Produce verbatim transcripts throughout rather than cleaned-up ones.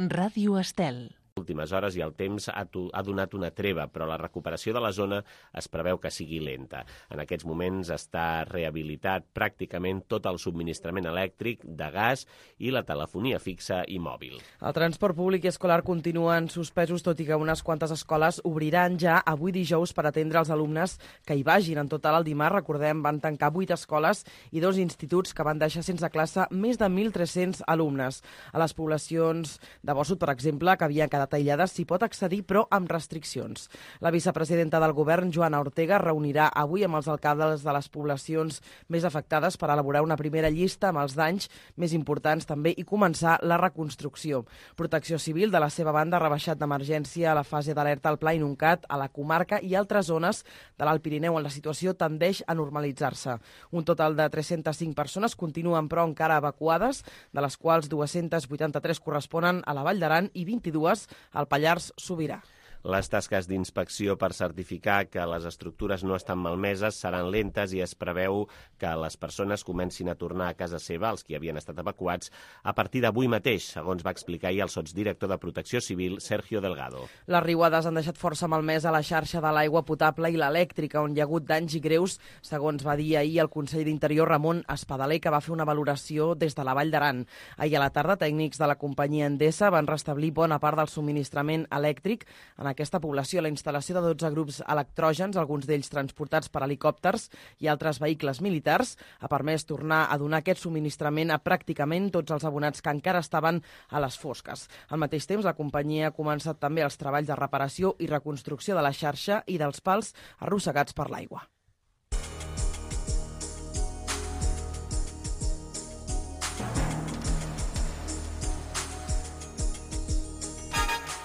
Ràdio Estel. Últimes hores i el temps ha, ha donat una treva, però la recuperació de la zona es preveu que sigui lenta. En aquests moments està rehabilitat pràcticament tot el subministrament elèctric, de gas i la telefonia fixa i mòbil. El transport públic i escolar continuen suspesos, tot i que unes quantes escoles obriran ja avui dijous per atendre els alumnes que hi vagin. En total, el dimarts, recordem, van tancar vuit escoles i dos instituts que van deixar sense classe més de mil tres-cents alumnes. A les poblacions de Bossut, per exemple, que havien quedat aïllades, s'hi pot accedir, però amb restriccions. La vicepresidenta del govern, Joana Ortega, reunirà avui amb els alcaldes de les poblacions més afectades per elaborar una primera llista amb els danys més importants també i començar la reconstrucció. Protecció Civil, de la seva banda, ha rebaixat d'emergència a la fase d'alerta al Pla Inuncat, a la comarca i altres zones de l'Alt Pirineu on la situació tendeix a normalitzar-se. Un total de tres-centes cinc persones continuen, però, encara evacuades, de les quals dues-centes vuitanta-tres corresponen a la Vall d'Aran i vint-i-dues al Pallars Sobirà. Les tasques d'inspecció per certificar que les estructures no estan malmeses seran lentes i es preveu que les persones comencin a tornar a casa seva, els que havien estat evacuats, a partir d'avui mateix, segons va explicar ahir el sotsdirector de Protecció Civil, Sergio Delgado. Les riuades han deixat força malmesa la xarxa de l'aigua potable i l'elèctrica, on hi ha hagut danys i greus, segons va dir ahir el conseller d'Interior Ramon Espadaler, que va fer una valoració des de la Vall d'Aran. Ahir a la tarda, tècnics de la companyia Endesa van restablir bona part del subministrament elèctric en aquesta població. La instal·lació de dotze grups electrògens, alguns d'ells transportats per helicòpters i altres vehicles militars, ha permès tornar a donar aquest subministrament a pràcticament tots els abonats que encara estaven a les fosques. Al mateix temps, la companyia ha començat també els treballs de reparació i reconstrucció de la xarxa i dels pals arrossegats per l'aigua.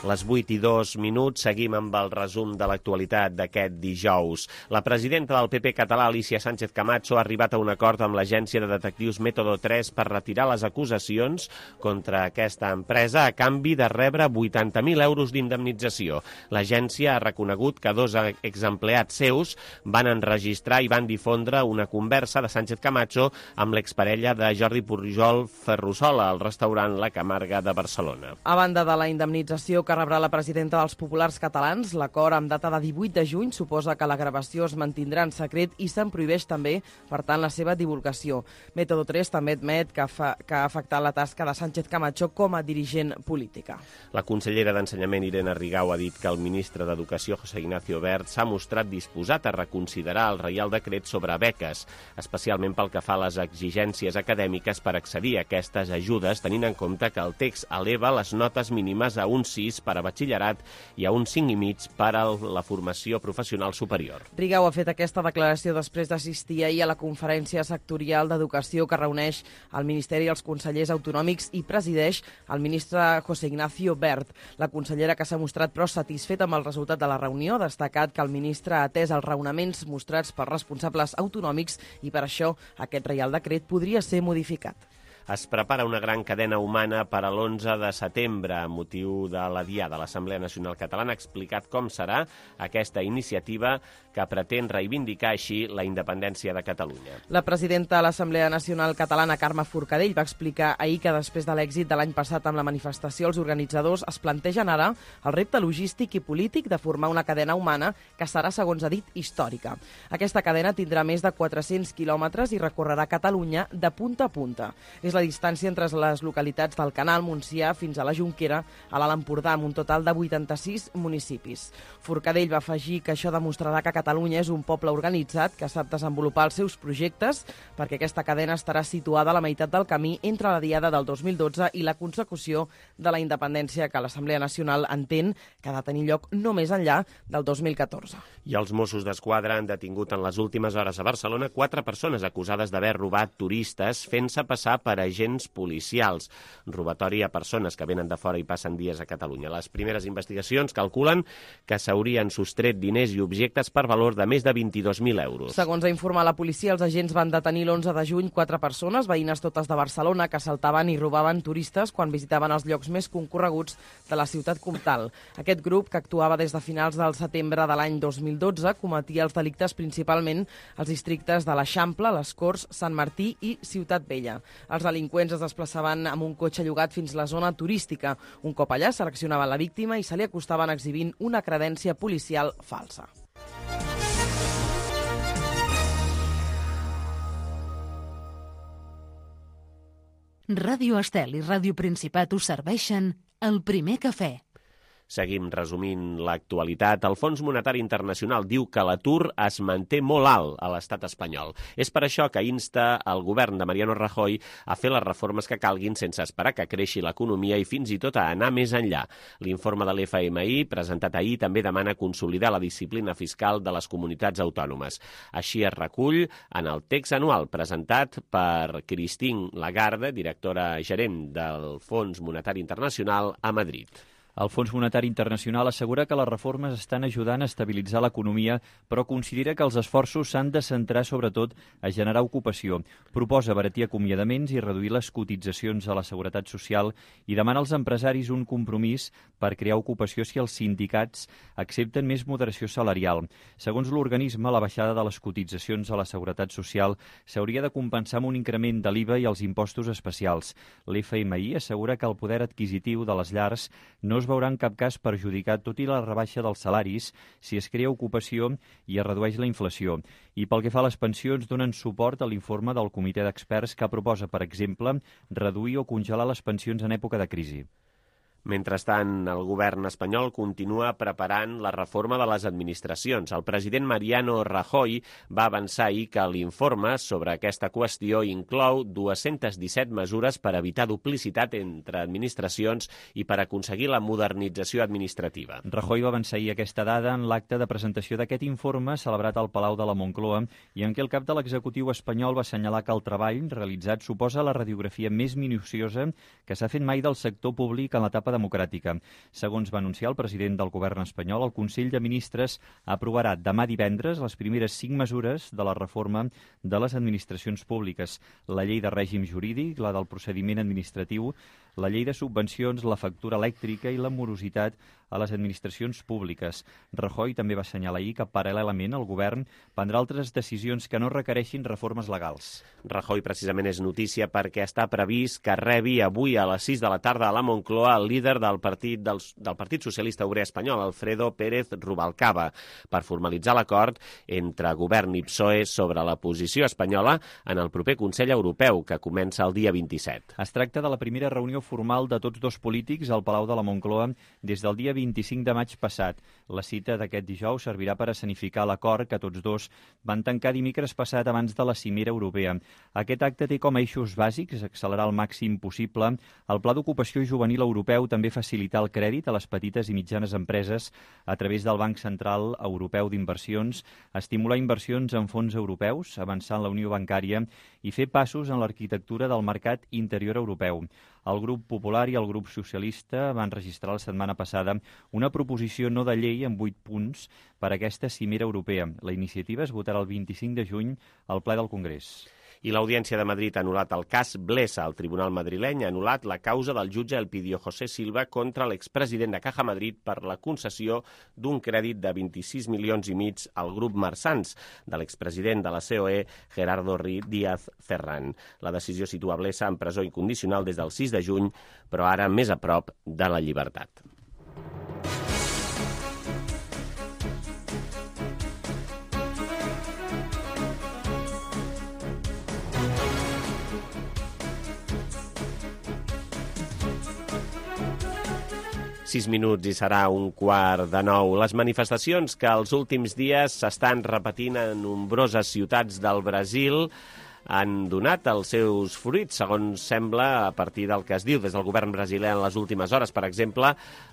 Les vuit i dos minuts, seguim amb el resum de l'actualitat d'aquest dijous. La presidenta del P P català, Alicia Sánchez Camacho, ha arribat a un acord amb l'agència de detectius Método tres per retirar les acusacions contra aquesta empresa a canvi de rebre vuitanta mil euros d'indemnització. L'agència ha reconegut que dos exempleats seus van enregistrar i van difondre una conversa de Sánchez Camacho amb l'exparella de Jordi Pujol Ferrusola al restaurant La Camarga de Barcelona. A banda de la indemnització que rebrà la presidenta dels populars catalans, l'acord amb data de divuit de juny suposa que la gravació es mantindrà en secret i se'n prohibeix també, per tant, la seva divulgació. Método tres també admet que, fa, que ha afectat la tasca de Sánchez Camacho com a dirigent política. La consellera d'Ensenyament, Irene Rigau, ha dit que el ministre d'Educació, José Ignacio Wert, s'ha mostrat disposat a reconsiderar el Reial Decret sobre beques, especialment pel que fa a les exigències acadèmiques per accedir a aquestes ajudes, tenint en compte que el text eleva les notes mínimes a un sis per a batxillerat i a un cinc i mig per a la formació professional superior. Rigau ha fet aquesta declaració després d'assistir ahir a la conferència sectorial d'Educació que reuneix el Ministeri i els consellers autonòmics i presideix el ministre José Ignacio Wert. La consellera, que s'ha mostrat però satisfeta amb el resultat de la reunió, ha destacat que el ministre ha atès els raonaments mostrats per responsables autonòmics i per això aquest Reial Decret podria ser modificat. Es prepara una gran cadena humana per a l'onze de setembre, a motiu de la Diada. L'Assemblea Nacional Catalana ha explicat com serà aquesta iniciativa que pretén reivindicar així la independència de Catalunya. La presidenta de l'Assemblea Nacional Catalana, Carme Forcadell, va explicar ahir que després de l'èxit de l'any passat amb la manifestació, els organitzadors es plantegen ara el repte logístic i polític de formar una cadena humana que serà, segons ha dit, històrica. Aquesta cadena tindrà més de quatre-cents quilòmetres i recorrerà Catalunya de punta a punta. És la distància entre les localitats del Canal, Montsià, fins a la Jonquera, a l'Alt Empordà, amb un total de vuitanta-sis municipis. Forcadell va afegir que això demostrarà que Catalunya és un poble organitzat que sap desenvolupar els seus projectes, perquè aquesta cadena estarà situada a la meitat del camí entre la Diada del dos mil dotze i la consecució de la independència que l'Assemblea Nacional entén que ha de tenir lloc no més enllà del dos mil catorze. I els Mossos d'Esquadra han detingut en les últimes hores a Barcelona quatre persones acusades d'haver robat turistes fent-se passar per agents policials. Robatori a persones que venen de fora i passen dies a Catalunya. Les primeres investigacions calculen que s'haurien sostret diners i objectes per valor de més de vint-i-dos mil euros. Segons ha informat la policia, els agents van detenir l'onze de juny quatre persones, veïnes totes de Barcelona, que assaltaven i robaven turistes quan visitaven els llocs més concorreguts de la ciutat comtal. Aquest grup, que actuava des de finals del setembre de l'any dos mil dotze, cometia els delictes principalment als districtes de l'Eixample, les Corts, Sant Martí i Ciutat Vella. Els delinqüents es desplaçaven amb un cotxe llogat fins a la zona turística. Un cop allà seleccionaven la víctima i se li acostaven exhibint una credència policial falsa. Ràdio Estel i Ràdio Principat us serveixen el primer cafè. Seguim resumint l'actualitat. El Fons Monetari Internacional diu que l'atur es manté molt alt a l'estat espanyol. És per això que insta el govern de Mariano Rajoy a fer les reformes que calguin sense esperar que creixi l'economia i fins i tot a anar més enllà. L'informe de l'F M I, presentat ahir, també demana consolidar la disciplina fiscal de les comunitats autònomes. Així es recull en el text anual presentat per Christine Lagarde, directora gerent del Fons Monetari Internacional a Madrid. El Fons Monetari Internacional assegura que les reformes estan ajudant a estabilitzar l'economia, però considera que els esforços s'han de centrar sobretot a generar ocupació. Proposa abaratir acomiadaments i reduir les cotitzacions a la Seguretat Social i demana als empresaris un compromís per crear ocupació si els sindicats accepten més moderació salarial. Segons l'organisme, la baixada de les cotitzacions a la Seguretat Social s'hauria de compensar amb un increment de l'I V A i els impostos especials. L'F M I assegura que el poder adquisitiu de les llars no es veurà en cap cas perjudicat, tot i la rebaixa dels salaris, si es crea ocupació i es redueix la inflació. I pel que fa a les pensions, donen suport a l'informe del comitè d'experts que proposa, per exemple, reduir o congelar les pensions en època de crisi. Mentrestant, el govern espanyol continua preparant la reforma de les administracions. El president Mariano Rajoy va avançar ahir que l'informe sobre aquesta qüestió inclou dues-centes disset mesures per evitar duplicitat entre administracions i per aconseguir la modernització administrativa. Rajoy va avançar ahir aquesta dada en l'acte de presentació d'aquest informe celebrat al Palau de la Moncloa i en què el cap de l'executiu espanyol va assenyalar que el treball realitzat suposa la radiografia més minuciosa que s'ha fet mai del sector públic en l'etapa democràtica. Segons va anunciar el president del govern espanyol, el Consell de Ministres aprovarà demà divendres les primeres cinc mesures de la reforma de les administracions públiques, la llei de règim jurídic, la del procediment administratiu, la llei de subvencions, la factura elèctrica i la morositat a les administracions públiques. Rajoy també va assenyalar ahir que, paral·lelament, el govern prendrà altres decisions que no requereixin reformes legals. Rajoy precisament és notícia perquè està previst que rebi avui a les sis de la tarda a la Moncloa el líder del Partit, del, del Partit Socialista Obrer Espanyol, Alfredo Pérez Rubalcaba, per formalitzar l'acord entre govern i P S O E sobre la posició espanyola en el proper Consell Europeu, que comença el dia vint-i-set. Es tracta de la primera reunió formal de tots dos polítics al Palau de la Moncloa des del dia vint-i-cinc de maig passat. La cita d'aquest dijous servirà per escenificar l'acord que tots dos van tancar dimecres passat abans de la cimera europea. Aquest acte té com a eixos bàsics accelerar al màxim possible el Pla d'Ocupació Juvenil Europeu, també facilitar el crèdit a les petites i mitjanes empreses a través del Banc Central Europeu d'Inversions, estimular inversions en fons europeus, avançar en la Unió Bancària i fer passos en l'arquitectura del mercat interior europeu. El grup Popular i el grup Socialista van registrar la setmana passada una proposició no de llei amb vuit punts per a aquesta cimera europea. La iniciativa es votarà el vint-i-cinc de juny al ple del Congrés. I l'Audiència de Madrid ha anul·lat el cas Blesa. El tribunal madrileny ha anul·lat la causa del jutge Elpidio José Silva contra l'expresident de Caja Madrid per la concessió d'un crèdit de vint-i-sis milions i mig al grup Marsans de l'expresident de la C O E, Gerardo Díaz Ferran. La decisió situa Blesa en presó incondicional des del sis de juny, però ara més a prop de la llibertat. Sis minuts i serà un quart de nou. Les manifestacions que els últims dies s'estan repetint en nombroses ciutats del Brasil han donat els seus fruits, segons sembla, a partir del que es diu des del govern brasiler en les últimes hores. Per exemple,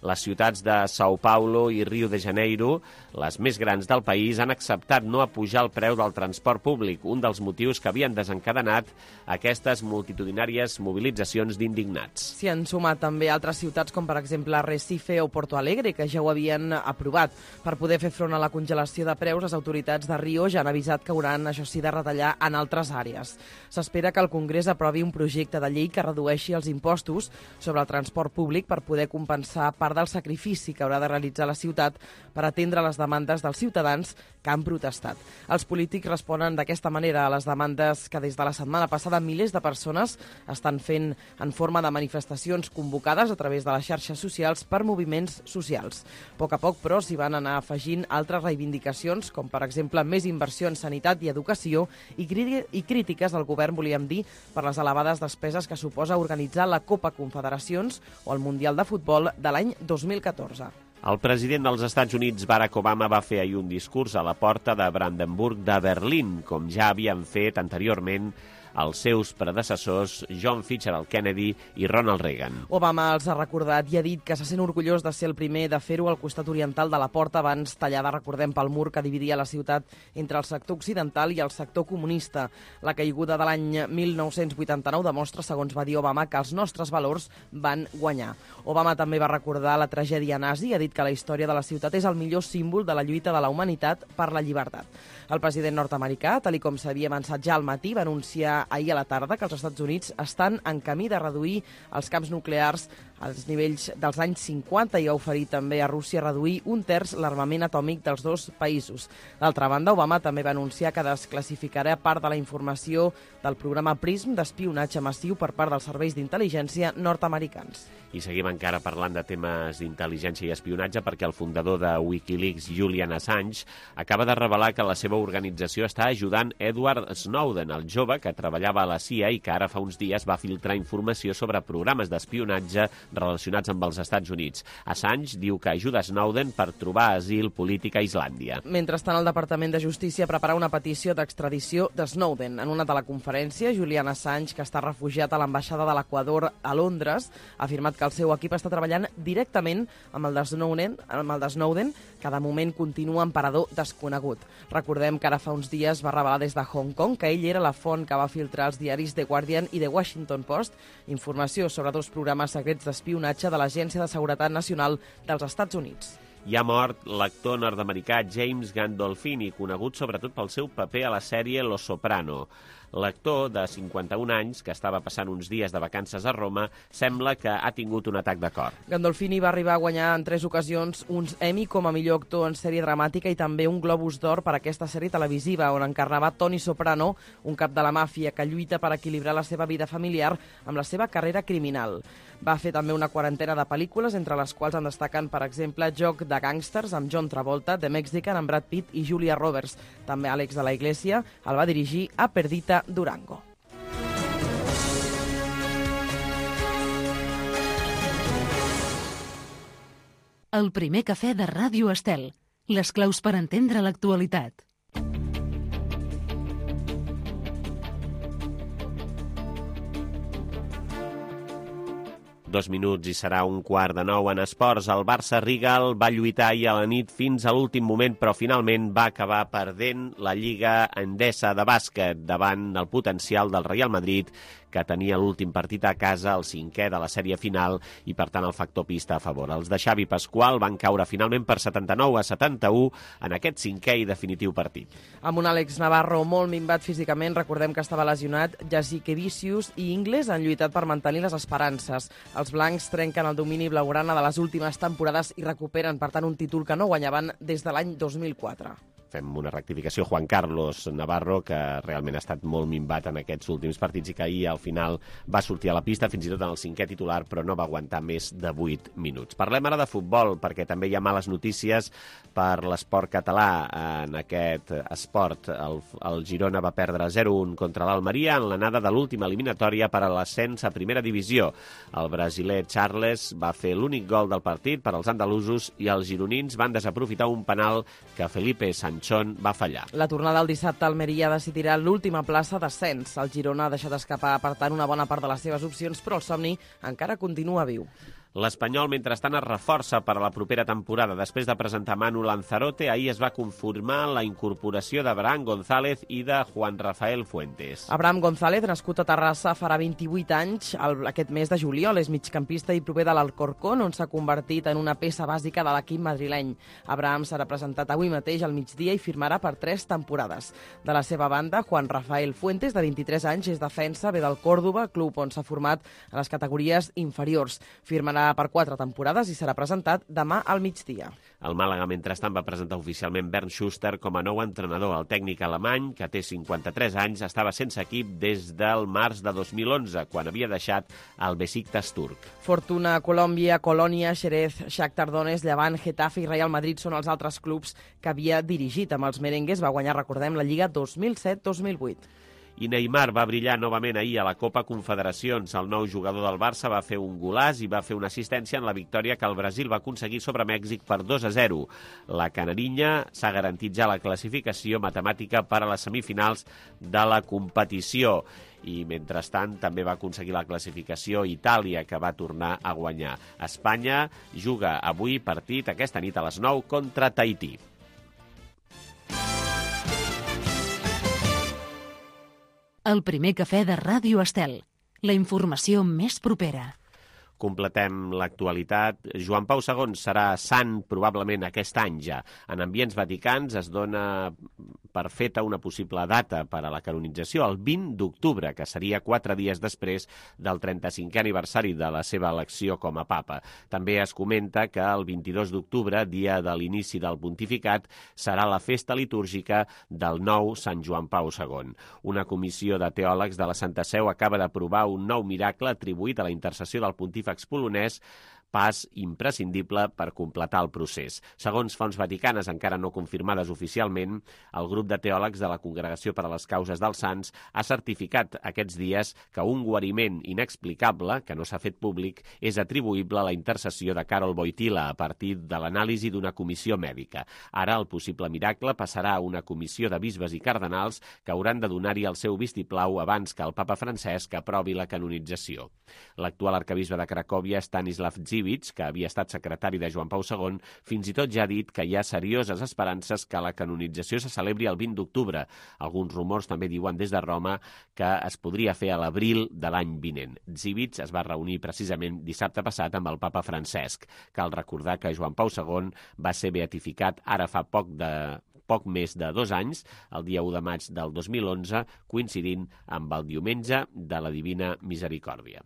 les ciutats de São Paulo i Rio de Janeiro, les més grans del país, han acceptat no apujar el preu del transport públic, un dels motius que havien desencadenat aquestes multitudinàries mobilitzacions d'indignats. S'hi han sumat també altres ciutats, com per exemple Recife o Porto Alegre, que ja ho havien aprovat. Per poder fer front a la congelació de preus, les autoritats de Rio ja han avisat que hauran, això sí, de retallar en altres àrees. dies. S'espera que el Congrés aprovi un projecte de llei que redueixi els impostos sobre el transport públic per poder compensar part del sacrifici que haurà de realitzar la ciutat per atendre les demandes dels ciutadans que han protestat. Els polítics responen d'aquesta manera a les demandes que des de la setmana passada milers de persones estan fent en forma de manifestacions convocades a través de les xarxes socials per moviments socials. A poc a poc, però, s'hi van anar afegint altres reivindicacions, com per exemple més inversió en sanitat i educació i, i crítiques al govern, volíem dir, per les elevades despeses que suposa organitzar la Copa Confederacions o el Mundial de Futbol de l'any dos mil catorze. El president dels Estats Units, Barack Obama, va fer ahir un discurs a la porta de Brandenburg de Berlín, com ja havien fet anteriorment els seus predecessors John Fitzgerald Kennedy i Ronald Reagan. Obama els ha recordat i ha dit que se sent orgullós de ser el primer de fer-ho al costat oriental de la porta abans tallada, recordem, pel mur que dividia la ciutat entre el sector occidental i el sector comunista. La caiguda de l'any mil nou-cents vuitanta-nou demostra, segons va dir Obama, que els nostres valors van guanyar. Obama també va recordar la tragèdia nazi i ha dit que la història de la ciutat és el millor símbol de la lluita de la humanitat per la llibertat. El president nord-americà, tal com s'havia avançat ja al matí, va anunciar ahir a la tarda que els Estats Units estan en camí de reduir els camps nuclears als nivells dels anys cinquanta i ha oferit també a Rússia reduir un terç l'armament atòmic dels dos països. D'altra banda, Obama també va anunciar que desclassificarà part de la informació del programa PRISM d'espionatge massiu per part dels serveis d'intel·ligència nord-americans. I seguim encara parlant de temes d'intel·ligència i espionatge perquè el fundador de Wikileaks, Julian Assange, acaba de revelar que la seva organització està ajudant Edward Snowden, el jove que treballava a la C I A i que ara fa uns dies va filtrar informació sobre programes d'espionatge relacionats amb els Estats Units. Assange diu que ajuda Snowden per trobar asil polític a Islàndia. Mentrestant, el Departament de Justícia prepara una petició d'extradició de Snowden. En una teleconferència, Julian Assange, que està refugiat a l'ambaixada de l'Equador a Londres, ha afirmat que el seu equip està treballant directament amb el de Snowden, amb el de Snowden, que de moment continua en parador desconegut. Recordem que ara fa uns dies va revelar des de Hong Kong que ell era la font que va filtrar els diaris The Guardian i The Washington Post informació sobre dos programes secrets d'espionatge de l'Agència de Seguretat Nacional dels Estats Units. Hi ha mort l'actor nord-americà James Gandolfini, conegut sobretot pel seu paper a la sèrie Los Soprano. L'actor, de cinquanta-un anys, que estava passant uns dies de vacances a Roma, sembla que ha tingut un atac de cor. Gandolfini va arribar a guanyar en tres ocasions uns Emmy com a millor actor en sèrie dramàtica i també un Globus d'Or per aquesta sèrie televisiva, on encarnava Tony Soprano, un cap de la màfia que lluita per equilibrar la seva vida familiar amb la seva carrera criminal. Va fer també una quarantena de pel·lícules, entre les quals en destaquen, per exemple, Joc de gàngsters amb John Travolta, The Mexican amb Brad Pitt i Julia Roberts. També Àlex de la Iglesia el va dirigir a Perdita Durango. El primer cafè de Ràdio Estel. Les claus per entendre l'actualitat. Dos minuts i serà un quart de nou en esports. El Barça-Rigal va lluitar ahir a la nit fins a l'últim moment, però finalment va acabar perdent la Lliga Endesa de bàsquet davant el potencial del Real Madrid, que tenia l'últim partit a casa, el cinquè de la sèrie final, i per tant el factor pista a favor. Els de Xavi Pasqual van caure finalment per setanta-nou a setanta-u en aquest cinquè i definitiu partit. Amb un Àlex Navarro molt minvat físicament, recordem que estava lesionat, Jasikevičius i Ingles han lluitat per mantenir les esperances. Els blancs trenquen el domini blaugrana de les últimes temporades i recuperen, per tant, un títol que no guanyaven des de l'any dos mil quatre. Fem una rectificació. Juan Carlos Navarro, que realment ha estat molt minvat en aquests últims partits i que ahir al final va sortir a la pista, fins i tot en el cinquè titular, però no va aguantar més de vuit minuts. Parlem ara de futbol, perquè també hi ha males notícies per l'esport català. En aquest esport, el, el Girona va perdre zero a un contra l'Almeria en l'anada de l'última eliminatòria per a l'ascens a primera divisió. El brasiler Charles va fer l'únic gol del partit per als andalusos i els gironins van desaprofitar un penal que Felipe Sanchón va fallar. La tornada del dissabte a Almeria decidirà l'última plaça d'ascens. El Girona ha deixat escapar, per tant, una bona part de les seves opcions, però el somni encara continua viu. L'Espanyol, mentrestant, es reforça per a la propera temporada. Després de presentar Manu Lanzarote, ahir es va confirmar la incorporació d'Abraham González i de Juan Rafael Fuentes. Abraham González, nascut a Terrassa, farà vint-i-vuit anys el, aquest mes de juliol. És migcampista i prové de l'Alcorcón, on s'ha convertit en una peça bàsica de l'equip madrileny. Abraham serà presentat avui mateix al migdia i firmarà per tres temporades. De la seva banda, Juan Rafael Fuentes, de vint-i-tres anys, és defensa, ve del Còrdova, club on s'ha format a les categories inferiors. Firmarà per quatre temporades i serà presentat demà al migdia. El Màlaga, mentrestant, va presentar oficialment Bernd Schuster com a nou entrenador. El tècnic alemany, que té cinquanta-tres anys, estava sense equip des del març de dos mil onze, quan havia deixat el Besiktas turc. Fortuna, Colòmbia, Colònia, Xerez, Shakhtar Donetsk, Llevant, Getafe i Real Madrid són els altres clubs que havia dirigit. Amb els merengues va guanyar, recordem, la Lliga dos mil set dos mil vuit. I Neymar va brillar novament ahir a la Copa Confederacions. El nou jugador del Barça va fer un golàs i va fer una assistència en la victòria que el Brasil va aconseguir sobre Mèxic per dos a zero. La canarinya s'ha garantit ja la classificació matemàtica per a les semifinals de la competició. I, mentrestant, també va aconseguir la classificació Itàlia, que va tornar a guanyar. Espanya juga avui partit aquesta nit a les nou contra Tahití. El primer cafè de Ràdio Estel. La informació més propera. Completem l'actualitat. Joan Pau segon serà sant probablement aquest any ja. En ambients vaticans es dona per feta una possible data per a la canonització, el vint d'octubre, que seria quatre dies després del trenta-cinquè aniversari de la seva elecció com a papa. També es comenta que el vint-i-dos d'octubre, dia de l'inici del pontificat, serà la festa litúrgica del nou Sant Joan Pau segon. Una comissió de teòlegs de la Santa Seu acaba d'aprovar un nou miracle atribuït a la intercessió del pontífex polonès, pas imprescindible per completar el procés. Segons fonts vaticanes, encara no confirmades oficialment, el grup de teòlegs de la Congregació per a les Causes dels Sants ha certificat aquests dies que un guariment inexplicable, que no s'ha fet públic, és atribuïble a la intercessió de Karol Wojtyla a partir de l'anàlisi d'una comissió mèdica. Ara el possible miracle passarà a una comissió de bisbes i cardenals que hauran de donar-hi el seu vistiplau abans que el papa Francesc aprovi la canonització. L'actual arquebisbe de Cracòvia, Stanislav Dziwisz, que havia estat secretari de Joan Pau segon, fins i tot ja ha dit que hi ha serioses esperances que la canonització se celebri el vint d'octubre. Alguns rumors també diuen des de Roma que es podria fer a l'abril de l'any vinent. Dziwisz es va reunir precisament dissabte passat amb el papa Francesc. Cal recordar que Joan Pau segon va ser beatificat ara fa poc de... poc més de dos anys, el dia u de maig del dos mil onze, coincidint amb el diumenge de la Divina Misericòrdia.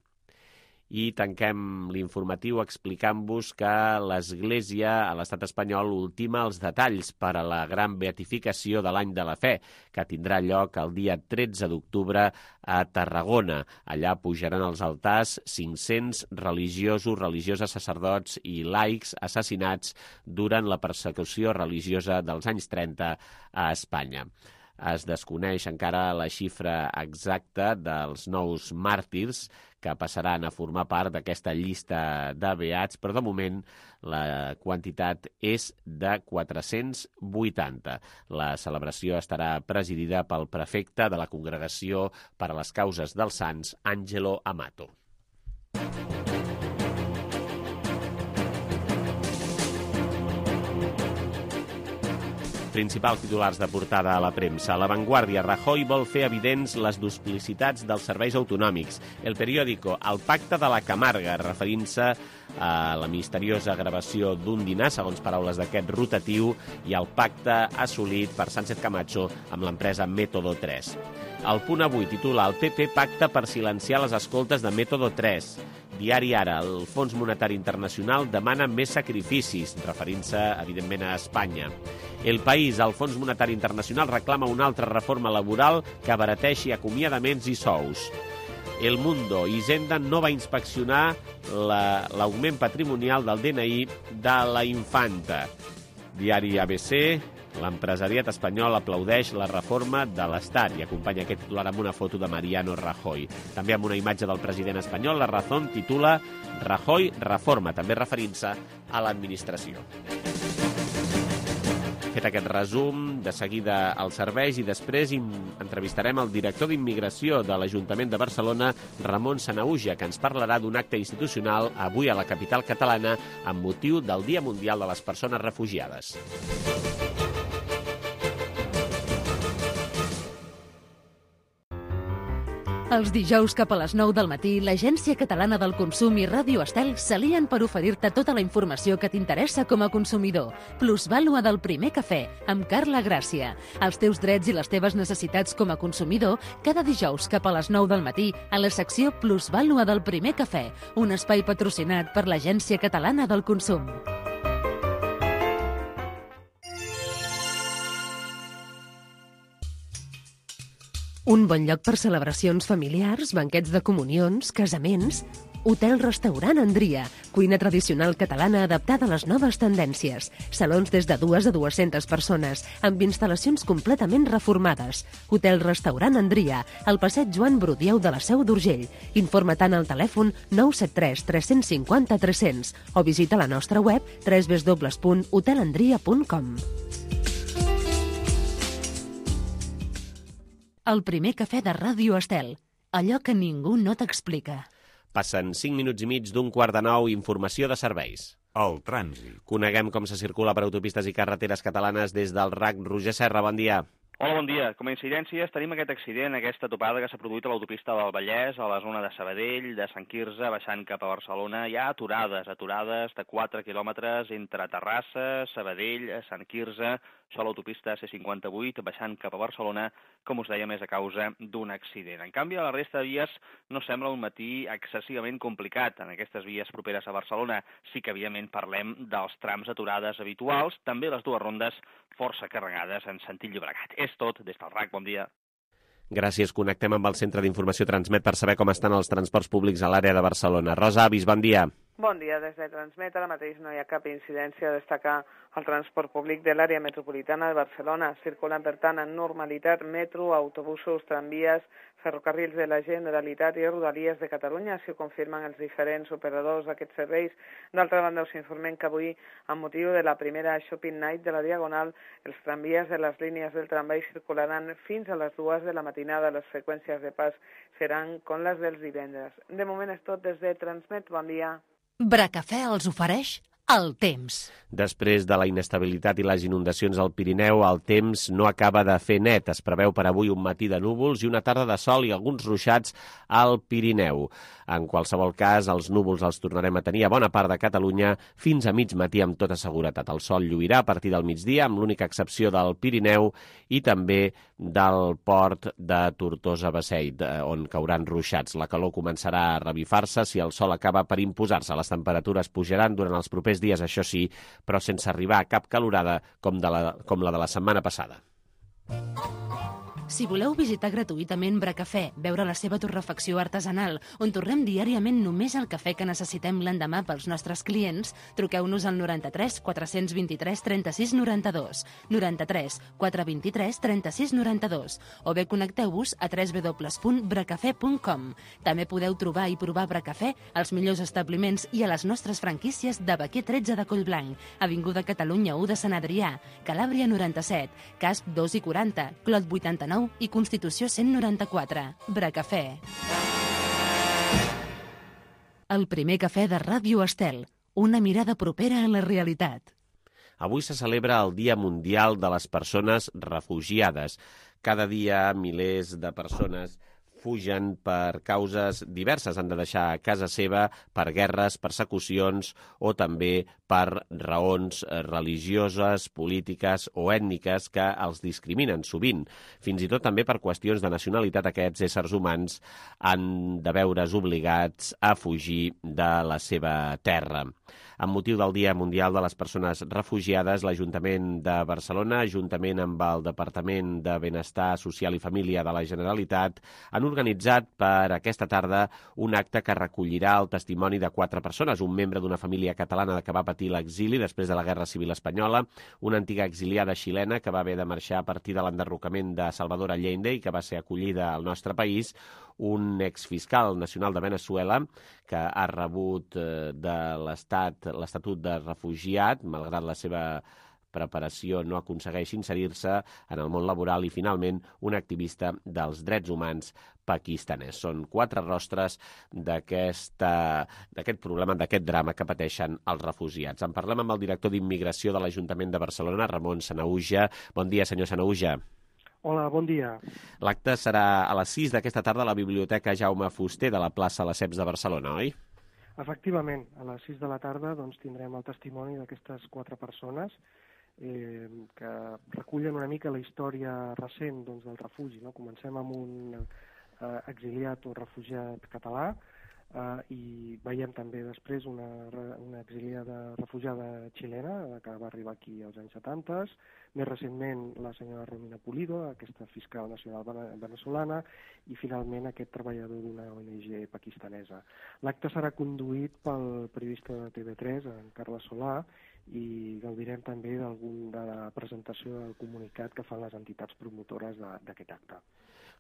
I tanquem l'informatiu explicant-vos que l'Església a l'estat espanyol ultima els detalls per a la gran beatificació de l'any de la fe, que tindrà lloc el dia tretze d'octubre a Tarragona. Allà pujaran als altars cinc-cents religiosos, religioses, sacerdots i laics assassinats durant la persecució religiosa dels anys trenta a Espanya. Es desconeix encara la xifra exacta dels nous màrtirs que passaran a formar part d'aquesta llista de beats, però de moment la quantitat és de quatre-cents vuitanta. La celebració estarà presidida pel prefecte de la Congregació per a les Causes dels Sants, Angelo Amato. Principals titulars de portada a la premsa. La Vanguardia. Rajoy vol fer evidents les duplicitats dels serveis autonòmics. El Periódico. El pacte de la Camarga, referint-se a la misteriosa gravació d'un dinar, segons paraules d'aquest rotatiu, i el pacte assolit per Sánchez Camacho amb l'empresa Método tres. El Punt Avui titula el P P pacta per silenciar les escoltes de Método tres. Diari Ara. El Fons Monetari Internacional demana més sacrificis, referint-se, evidentment, a Espanya. El País. El Fons Monetari Internacional reclama una altra reforma laboral que abarateixi acomiadaments i sous. El Mundo. Hisenda no va inspeccionar l'augment patrimonial del D N I de la infanta. Diari A B C. L'empresariat espanyol aplaudeix la reforma de l'Estat i acompanya aquest titular amb una foto de Mariano Rajoy. També amb una imatge del president espanyol, La Razón titula Rajoy reforma, també referint-se a l'administració. Fet aquest resum, de seguida als serveis i després entrevistarem el director d'Immigració de l'Ajuntament de Barcelona, Ramon Sanahuja, que ens parlarà d'un acte institucional avui a la capital catalana amb motiu del Dia Mundial de les Persones Refugiades. Els dijous cap a les nou del matí, l'Agència Catalana del Consum i Ràdio Estel s'alien per oferir-te tota la informació que t'interessa com a consumidor. Plusvàlua del primer cafè, amb Carla Gràcia. Els teus drets i les teves necessitats com a consumidor, cada dijous cap a les nou del matí, a la secció Plusvàlua del primer cafè, un espai patrocinat per l'Agència Catalana del Consum. Un bon lloc per celebracions familiars, banquets de comunions, casaments... Hotel-restaurant Andria, cuina tradicional catalana adaptada a les noves tendències. Salons des de dues a dues-centes persones, amb instal·lacions completament reformades. Hotel-restaurant Andria, al passeig Joan Brudieu de la Seu d'Urgell. Informa-te'n al telèfon nou set tres tres cinc zero tres zero zero o visita la nostra web w w w punt hotelandria punt com. El primer cafè de Ràdio Estel. Allò que ningú no t'explica. Passen cinc minuts i mig d'un quart de nou, informació de serveis. El trànsit. Coneguem com se circula per autopistes i carreteres catalanes des del R A C. Roger Serra, bon dia. Hola, bon dia. Com a incidències tenim aquest accident, aquesta topada que s'ha produït a l'autopista del Vallès, a la zona de Sabadell, de Sant Quirze, baixant cap a Barcelona. Hi ha aturades, aturades de quatre quilòmetres entre Terrassa, Sabadell, Sant Quirze, això a l'autopista C cinquanta-vuit, baixant cap a Barcelona, com us deia, més a causa d'un accident. En canvi, a la resta de vies no sembla un matí excessivament complicat. En aquestes vies properes a Barcelona sí que, evidentment, parlem dels trams aturades habituals, també les dues rondes força carregades en sentit Llobregat. És tot des del R A C. Bon dia. Gràcies. Connectem amb el Centre d'Informació Transmet per saber com estan els transports públics a l'àrea de Barcelona. Rosa Avis, bon dia. Bon dia. Des de Transmet ara mateix no hi ha cap incidència a destacar el transport públic de l'àrea metropolitana de Barcelona. Circulen, per tant, en normalitat metro, autobusos, tramvies, ferrocarrils de la Generalitat i Rodalies de Catalunya, si ho confirmen els diferents operadors d'aquests serveis. D'altra banda, us informem que avui, amb motiu de la primera Shopping Night de la Diagonal, els tramvies de les línies del tramvai circularan fins a les dues de la matinada. Les freqüències de pas seran com les dels divendres. De moment és tot des de Transmet. Bon dia. Bracafè els ofereix el temps. Després de la inestabilitat i les inundacions al Pirineu, el temps no acaba de fer net. Es preveu per avui un matí de núvols i una tarda de sol i alguns ruixats al Pirineu. En qualsevol cas, els núvols els tornarem a tenir a bona part de Catalunya fins a mig matí amb tota seguretat. El sol lluirà a partir del migdia, amb l'única excepció del Pirineu i també del port de Tortosa-Beseit, on cauran ruixats. La calor començarà a revifar-se si el sol acaba per imposar-se. Les temperatures pujaran durant els propers dies, això sí, però sense arribar a cap calorada com, de la, com la de la setmana passada. Si voleu visitar gratuïtament Bracafè, veure la seva torrefacció artesanal, on torrem diàriament només el cafè que necessitem l'endemà pels nostres clients, truqueu-nos al noranta-tres quatre-cents vint-i-tres trenta-sis noranta-dos, noranta-tres quatre vint-i-tres trenta-sis noranta-dos, o bé connecteu-vos a w w w punt bracafè punt com. També podeu trobar i provar Bracafè als millors establiments i a les nostres franquícies de Baquer tretze de Collblanc, Avinguda Catalunya u de Sant Adrià, Calàbria noranta-set, Casp dos i quaranta, Clot vuitanta-nou i Constitució cent noranta-quatre. Bracafè. El primer cafè de Ràdio Estel. Una mirada propera a la realitat. Avui se celebra el Dia Mundial de les Persones Refugiades. Cada dia milers de persones fugen per causes diverses. Han de deixar casa seva per guerres, persecucions o també per raons religioses, polítiques o ètniques que els discriminen sovint. Fins i tot també per qüestions de nacionalitat aquests éssers humans han de veure's obligats a fugir de la seva terra. Amb motiu del Dia Mundial de les Persones Refugiades, l'Ajuntament de Barcelona, juntament amb el Departament de Benestar Social i Família de la Generalitat, han organitzat per aquesta tarda un acte que recollirà el testimoni de quatre persones, un membre d'una família catalana que va patir l'exili després de la Guerra Civil Espanyola, una antiga exiliada xilena que va haver de marxar a partir de l'enderrocament de Salvador Allende i que va ser acollida al nostre país, un exfiscal nacional de Venezuela que ha rebut de l'Estat l'Estatut de refugiat, malgrat la seva preparació no aconsegueix inserir-se en el món laboral i, finalment, un activista dels drets humans pakistanès. Són quatre rostres d'aquest problema, d'aquest drama que pateixen els refugiats. En parlem amb el director d'Immigració de l'Ajuntament de Barcelona, Ramon Sanahuja. Bon dia, senyor Sanahuja. Hola, bon dia. L'acte serà a les sis d'aquesta tarda a la Biblioteca Jaume Fuster de la plaça Lesseps de Barcelona, oi? Efectivament, a les sis de la tarda doncs, tindrem el testimoni d'aquestes quatre persones eh, que recullen una mica la història recent doncs, del refugi. No? Comencem amb un eh, exiliat o refugiat català eh, i veiem també després una, una exiliada refugiada xilena que va arribar aquí als anys setanta, més recentment la senyora Romina Pulido, aquesta fiscal nacional venezolana, i finalment aquest treballador d'una O N G pakistanesa. L'acte serà conduït pel periodista de T V tres, en Carles Solà, i gaudirem també d'algun de la presentació del comunicat que fan les entitats promotores d'aquest acte.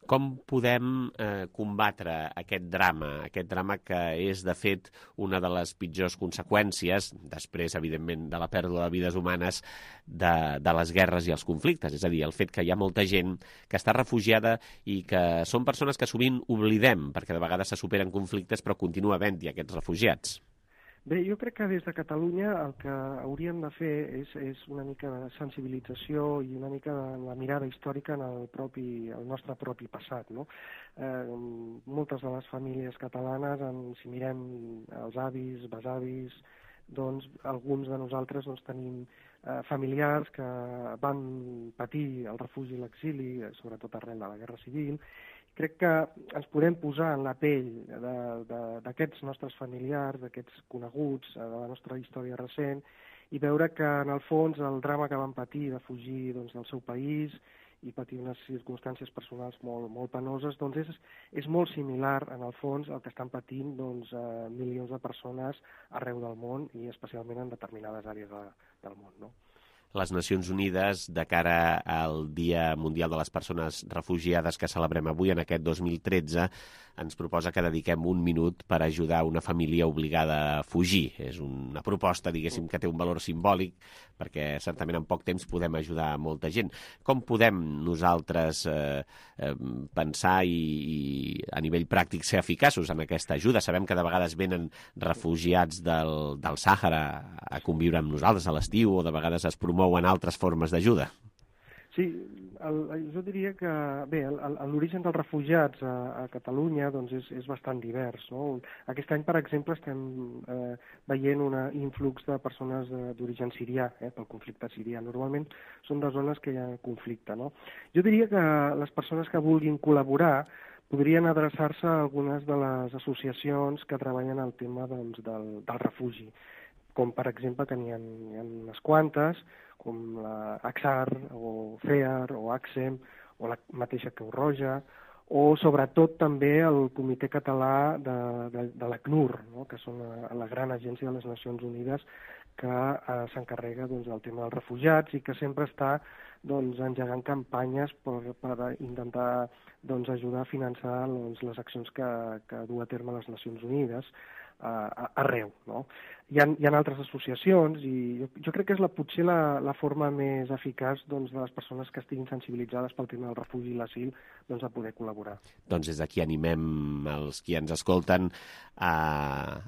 Com podem eh, combatre aquest drama, aquest drama que és, de fet, una de les pitjors conseqüències, després, evidentment, de la pèrdua de vides humanes, de, de les guerres i els conflictes? És a dir, el fet que hi ha molta gent que està refugiada i que són persones que sovint oblidem, perquè de vegades se superen conflictes, però continua havent-hi aquests refugiats. Bé, jo crec que des de Catalunya el que hauríem de fer és, és una mica de sensibilització i una mica de la mirada històrica en el, propi, el nostre propi passat. No? Eh, moltes de les famílies catalanes, en, si mirem els avis, besavis, doncs alguns de nosaltres doncs, tenim eh, familiars que van patir el refugi i l'exili, sobretot arrel de la Guerra Civil. Crec que ens podem posar en la pell d'aquests nostres familiars, d'aquests coneguts, de la nostra història recent, i veure que, en el fons, el drama que van patir de fugir doncs, del seu país i patir unes circumstàncies personals molt, molt penoses, doncs és, és molt similar, en el fons, al que estan patint doncs, eh, milions de persones arreu del món i especialment en determinades àrees de, del món, no? Les Nacions Unides, de cara al Dia Mundial de les Persones Refugiades que celebrem avui, en aquest dos mil tretze, ens proposa que dediquem un minut per ajudar una família obligada a fugir. És una proposta, diguéssim, que té un valor simbòlic, perquè certament en poc temps podem ajudar molta gent. Com podem nosaltres eh, eh, pensar i, i a nivell pràctic ser eficaços en aquesta ajuda? Sabem que de vegades venen refugiats del, del Sàhara a conviure amb nosaltres a l'estiu, o de vegades es promouen altres formes d'ajuda. Sí, el, jo diria que bé, l'origen dels refugiats a, a Catalunya doncs és, és bastant divers. No? Aquest any, per exemple, estem eh, veient un influx de persones d'origen sirià, eh, pel conflicte sirià. Normalment són de zones que hi ha conflicte. No? Jo diria que les persones que vulguin col·laborar podrien adreçar-se a algunes de les associacions que treballen el tema doncs, del, del refugi, com per exemple que n'hi ha, ha unes quantes, com la AXAR, o FEAR, o AXEM, o la mateixa Creu Roja, o sobretot també el Comitè Català de, de, de l'ACNUR, no? que són la, la gran agència de les Nacions Unides que eh, s'encarrega doncs, del tema dels refugiats i que sempre està doncs, engegant campanyes per, per intentar doncs, ajudar a finançar doncs, les accions que, que du a terme les Nacions Unides uh, arreu. No? Hi ha, hi ha altres associacions i jo, jo crec que és la, potser la, la forma més eficaç doncs, de les persones que estiguin sensibilitzades pel tema del refugi i l'asil doncs, a poder col·laborar. Doncs des d'aquí animem els qui ens escolten a,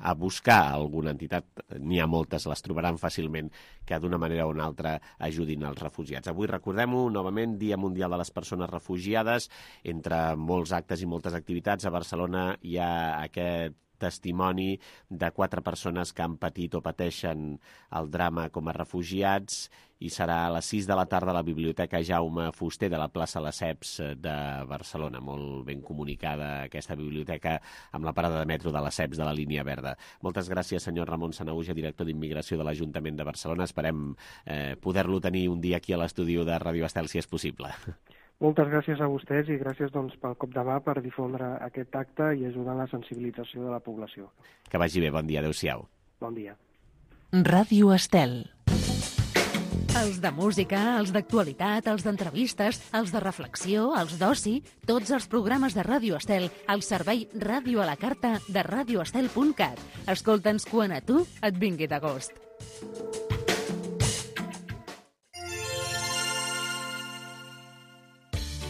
a buscar alguna entitat. N'hi ha moltes, les trobaran fàcilment, que d'una manera o una altra ajudin els refugiats. Avui, recordem-ho, novament, Dia Mundial de les Persones Refugiades. Entre molts actes i moltes activitats, a Barcelona hi ha aquest testimoni de quatre persones que han patit o pateixen el drama com a refugiats, i serà a les sis de la tarda a la Biblioteca Jaume Fuster de la plaça Lesseps de Barcelona. Molt ben comunicada aquesta biblioteca amb la parada de metro de Lesseps de la línia verda. Moltes gràcies, senyor Ramon Sanahuja, director d'Immigració de l'Ajuntament de Barcelona. Esperem eh, poder-lo tenir un dia aquí a l'estudi de Ràdio Estel, si és possible. Moltes gràcies a vostès i gràcies doncs, pel cop de mà per difondre aquest acte i ajudar en la sensibilització de la població. Que vagi bé, bon dia, adéu-siau. Bon dia. Ràdio Estel. Els de música, els d'actualitat, els d'entrevistes, els de reflexió, els d'oci, tots els programes de Ràdio Estel al servei Ràdio a la Carta de radio estel punt cat. Escolta'ns quan a tu et vingui de gust.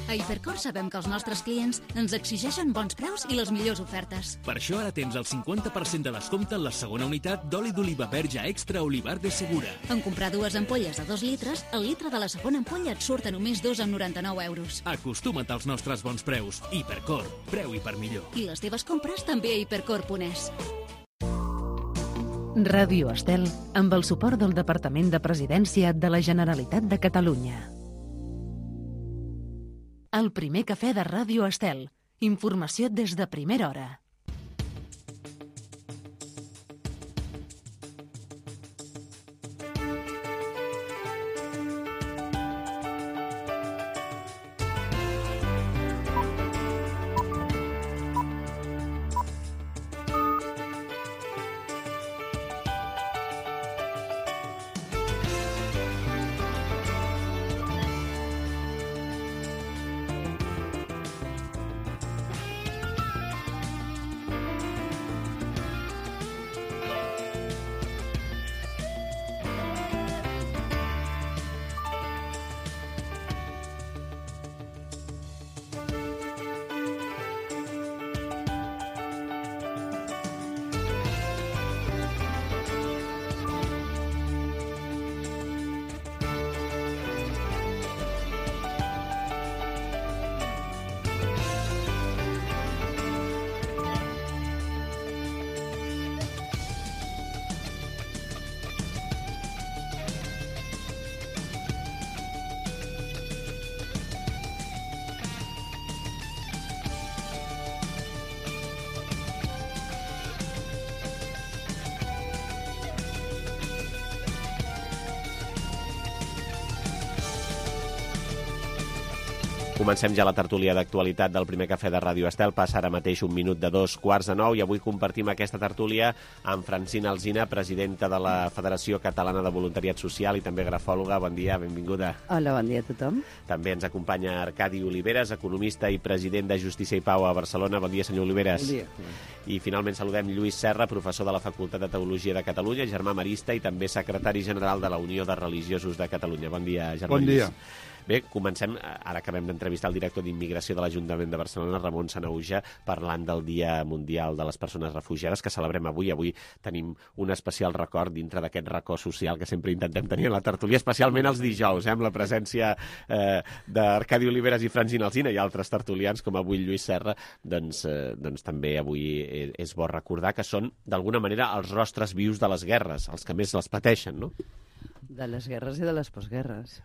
A Hipercor sabem que els nostres clients ens exigeixen bons preus i les millors ofertes. Per això ara tens el cinquanta per cent de descompte en la segona unitat d'oli d'oliva verge extra Olivar de Segura. En comprar dues ampolles de dos litres, el litre de la segona ampolla et surt a només dos coma noranta-nou euros. Acostuma't als nostres bons preus. Hipercor, preu i per millor. I les teves compres també a hipercor punt es. Ràdio Estel, amb el suport del Departament de Presidència de la Generalitat de Catalunya. El primer cafè de Ràdio Estel. Informació des de primera hora. Comencem ja la tertúlia d'actualitat del primer cafè de Ràdio Estel. Passa ara mateix un minut de dos quarts de nou i avui compartim aquesta tertúlia amb Francina Alsina, presidenta de la Federació Catalana de Voluntariat Social i també grafòloga. Bon dia, benvinguda. Hola, bon dia a tothom. També ens acompanya Arcadi Oliveres, economista i president de Justícia i Pau a Barcelona. Bon dia, senyor Oliveres. Bon dia. I finalment saludem Lluís Serra, professor de la Facultat de Teologia de Catalunya, germà marista i també secretari general de la Unió de Religiosos de Catalunya. Bon dia, germà Bon Lluís. dia. Bé, comencem, ara acabem d'entrevistar el director d'Immigració de l'Ajuntament de Barcelona, Ramon Sanauja, parlant del Dia Mundial de les Persones Refugiades, que celebrem avui. Avui tenim un especial record dintre d'aquest racó social que sempre intentem tenir a la tertúlia, especialment els dijous, eh, amb la presència eh, d'Arcadi Oliveres i Francina Alsina i altres tertulians, com avui Lluís Serra. Doncs, eh, doncs també avui és bo recordar que són, d'alguna manera, els rostres vius de les guerres, els que més les pateixen, no? De les guerres i de les postguerres.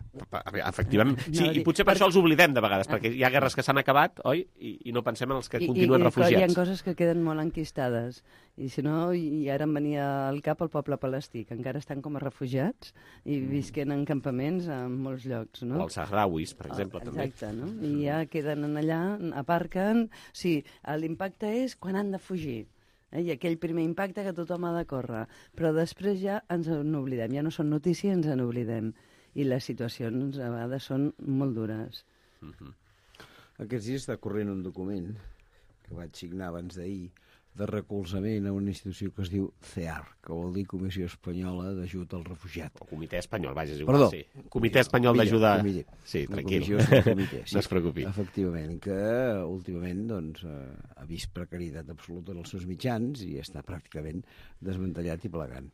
Efectivament. Sí, i potser per això els oblidem de vegades, perquè hi ha guerres que s'han acabat, oi? I, i no pensem en els que I, continuen i, refugiats. I hi ha coses que queden molt enquistades. I si no, i ara em venia al cap el poble palestí, que encara estan com a refugiats i visquen en campaments en molts llocs, no? O els sahrauis, per exemple, oh, també. Exacte, no? I ja queden allà, aparquen... Sí, l'impacte és quan han de fugir. Eh? I aquell primer impacte que tothom ha de córrer. Però després ja ens n'oblidem. Ja no són notícies, ens n'oblidem. I les situacions a vegades són molt dures. Uh-huh. Aquests dies està corrent un document que vaig signar abans d'ahir de recolzament a una institució que es diu C E A R, que vol dir Comissió Espanyola d'Ajut al Refugiat. O Comitè Espanyol, vaja, és igual. Perdó. Sí. Comitè Espanyol d'Ajuda... Sí, tranquil. Comitè, sí. No es preocupi. Efectivament, que últimament doncs, ha vist precarietat absoluta en els seus mitjans i està pràcticament desmantellat i plegant.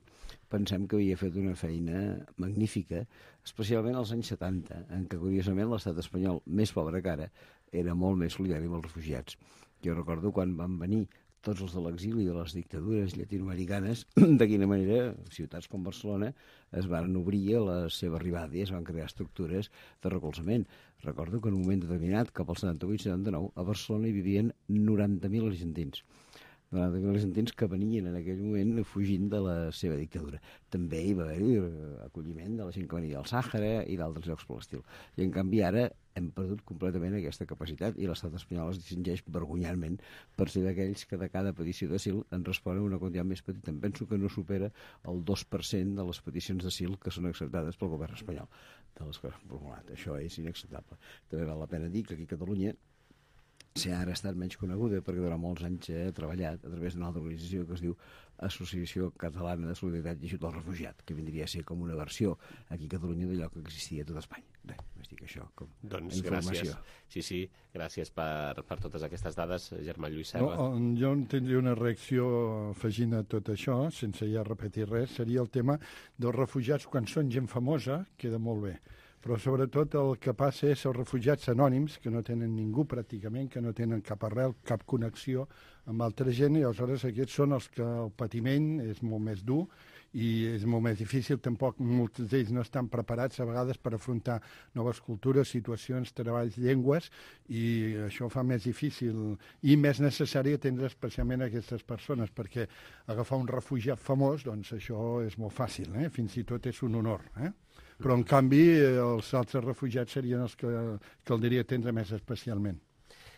Pensem que havia fet una feina magnífica, especialment als anys setanta, en què, curiosament, l'estat espanyol, més pobre que ara, era molt més solidari amb els refugiats. Jo recordo quan van venir tots els de l'exili de les dictadures llatinoamericanes, de quina manera ciutats com Barcelona es van obrir a la seva arribada i es van crear estructures de recolzament. Recordo que en un moment determinat, cap al setanta-vuit setanta-nou, a Barcelona hi vivien noranta mil argentins. noranta mil argentins que venien en aquell moment fugint de la seva dictadura. També hi va haver acolliment de la gent que venia del Sàhara i d'altres llocs per l'estil. I en canvi ara hem perdut completament aquesta capacitat i l'estat espanyol es distingeix vergonyantment per ser d'aquells que de cada petició d'asil en responen una quantitat més petita. Em penso que no supera el dos per cent de les peticions d'asil que són acceptades pel govern espanyol, de les que han formulat. Això és inacceptable. També val la pena dir que aquí a Catalunya C E A R ha estat menys coneguda perquè durant molts anys ha treballat a través d'una altra organització que es diu Associació Catalana de Solidaritat i Ajut al Refugiat, que vindria a ser com una versió aquí a Catalunya d'allò que existia a tot Espanya. Bé, mica això, com doncs informació. Gràcies. Sí, sí, gràcies per, per totes aquestes dades, Germà Lluís Serra. No, jo tindria una reacció afegint a tot això, sense ja repetir res, seria el tema dels refugiats quan són gent famosa, queda molt bé. Però sobretot el que passa és els refugiats anònims, que no tenen ningú pràcticament, que no tenen cap arrel, cap connexió amb altra gent, i aleshores aquests són els que el patiment és molt més dur i és molt més difícil, tampoc molts d'ells no estan preparats a vegades per afrontar noves cultures, situacions, treballs, llengües, i això fa més difícil i més necessari atendre especialment aquestes persones, perquè agafar un refugiat famós, doncs això és molt fàcil, eh? Fins i tot és un honor, eh? Però, en canvi, els altres refugiats serien els que caldria atendre més especialment.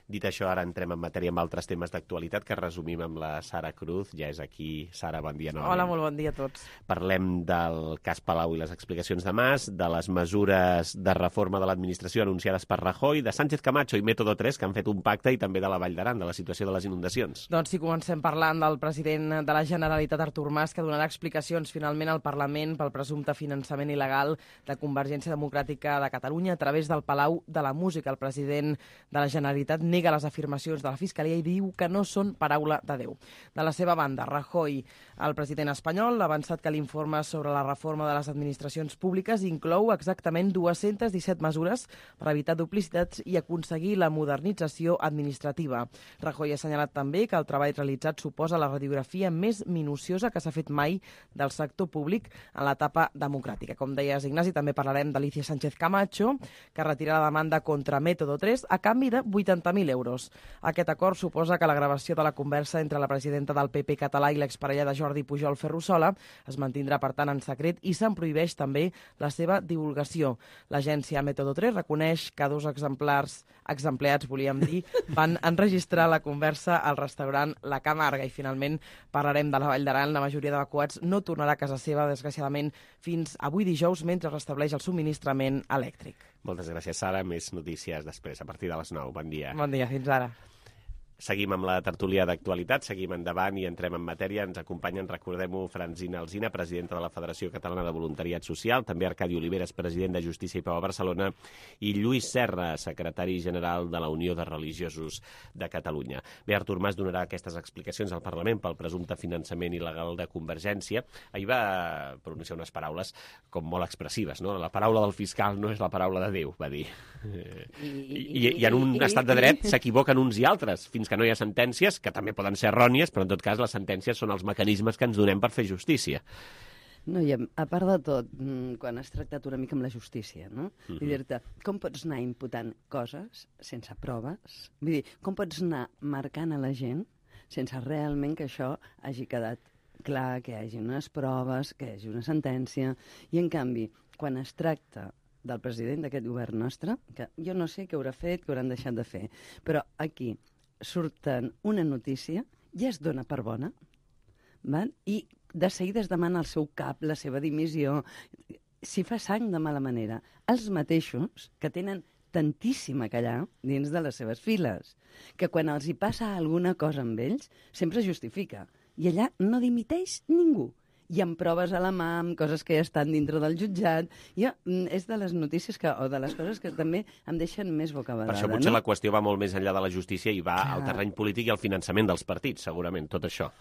Dit això, ara entrem en matèria amb altres temes d'actualitat que resumim amb la Sara Cruz. Ja és aquí. Sara, bon dia novament. Hola, molt bon dia a tots. Parlem del cas Palau i les explicacions de Mas, de les mesures de reforma de l'administració anunciades per Rajoy, de Sánchez Camacho i Método tres, que han fet un pacte, i també de la Vall d'Aran, de la situació de les inundacions. Doncs sí, comencem parlant del president de la Generalitat, Artur Mas, que donarà explicacions finalment al Parlament pel presumpte finançament il·legal de Convergència Democràtica de Catalunya a través del Palau de la Música. El president de la Generalitat nega les afirmacions de la Fiscalia i diu que no són paraula de Déu. De la seva banda, Rajoy, el president espanyol, ha avançat que l'informe sobre la reforma de les administracions públiques inclou exactament dues-centes disset mesures per evitar duplicitats i aconseguir la modernització administrativa. Rajoy ha assenyalat també que el treball realitzat suposa la radiografia més minuciosa que s'ha fet mai del sector públic en l'etapa democràtica. Com deies, Ignasi, també parlarem d'Alicia Sánchez Camacho, que retira la demanda contra Método tres a canvi de vuitanta mil euros. Aquest acord suposa que la gravació de la conversa entre la presidenta del P P català i l'exparella de Jordi Pujol, Ferrusola, es mantindrà, per tant, en secret i se'n prohibeix també la seva divulgació. L'agència Método tres reconeix que dos exemplars, exempleats, volíem dir, van enregistrar la conversa al restaurant La Camarga. I finalment parlarem de la Vall d'Aran. La majoria d'evacuats no tornarà a casa seva, desgraciadament, fins avui dijous, mentre restableix el subministrament elèctric. Moltes gràcies, Sara. Més notícies després, a partir de les nou. Bon dia. Bon dia, fins ara. Seguim amb la tertúlia d'actualitat, seguim endavant i entrem en matèria. Ens acompanyen, recordem-ho, Francina Alsina, presidenta de la Federació Catalana de Voluntariat Social, també Arcadi Oliveres, president de Justícia i Pau a Barcelona, i Lluís Serra, secretari general de la Unió de Religiosos de Catalunya. Bé, Artur Mas donarà aquestes explicacions al Parlament pel presumpte finançament il·legal de Convergència. Ahir va pronunciar unes paraules com molt expressives, no? La paraula del fiscal no és la paraula de Déu, va dir. I, i, i en un estat de dret s'equivoquen uns i altres, fins que no hi ha sentències, que també poden ser errònies, però en tot cas les sentències són els mecanismes que ens donem per fer justícia. No, i a part de tot, quan has tractat una mica amb la justícia, no? Mm-hmm. Vull dir-te, com pots anar imputant coses sense proves? Vull dir, com pots anar marcant a la gent sense realment que això hagi quedat clar, que hi hagi unes proves, que hi hagi una sentència, i en canvi, quan es tracta del president d'aquest govern nostre, que jo no sé què haurà fet, què hauran deixat de fer, però aquí surten una notícia, ja es dona per bona, val? I de seguida es demana al seu cap la seva dimissió. Si fa sang de mala manera, els mateixos que tenen tantíssim a callar dins de les seves files, que quan els hi passa alguna cosa amb ells, sempre es justifica. I allà no dimiteix ningú. I amb proves a la mà, amb coses que ja estan dintre del jutjat. Jo, és de les notícies que, o de les coses que també em deixen més bocabadada. Per això potser no? La qüestió va molt més enllà de la justícia i va Clar. al terreny polític i al finançament dels partits, segurament, tot això.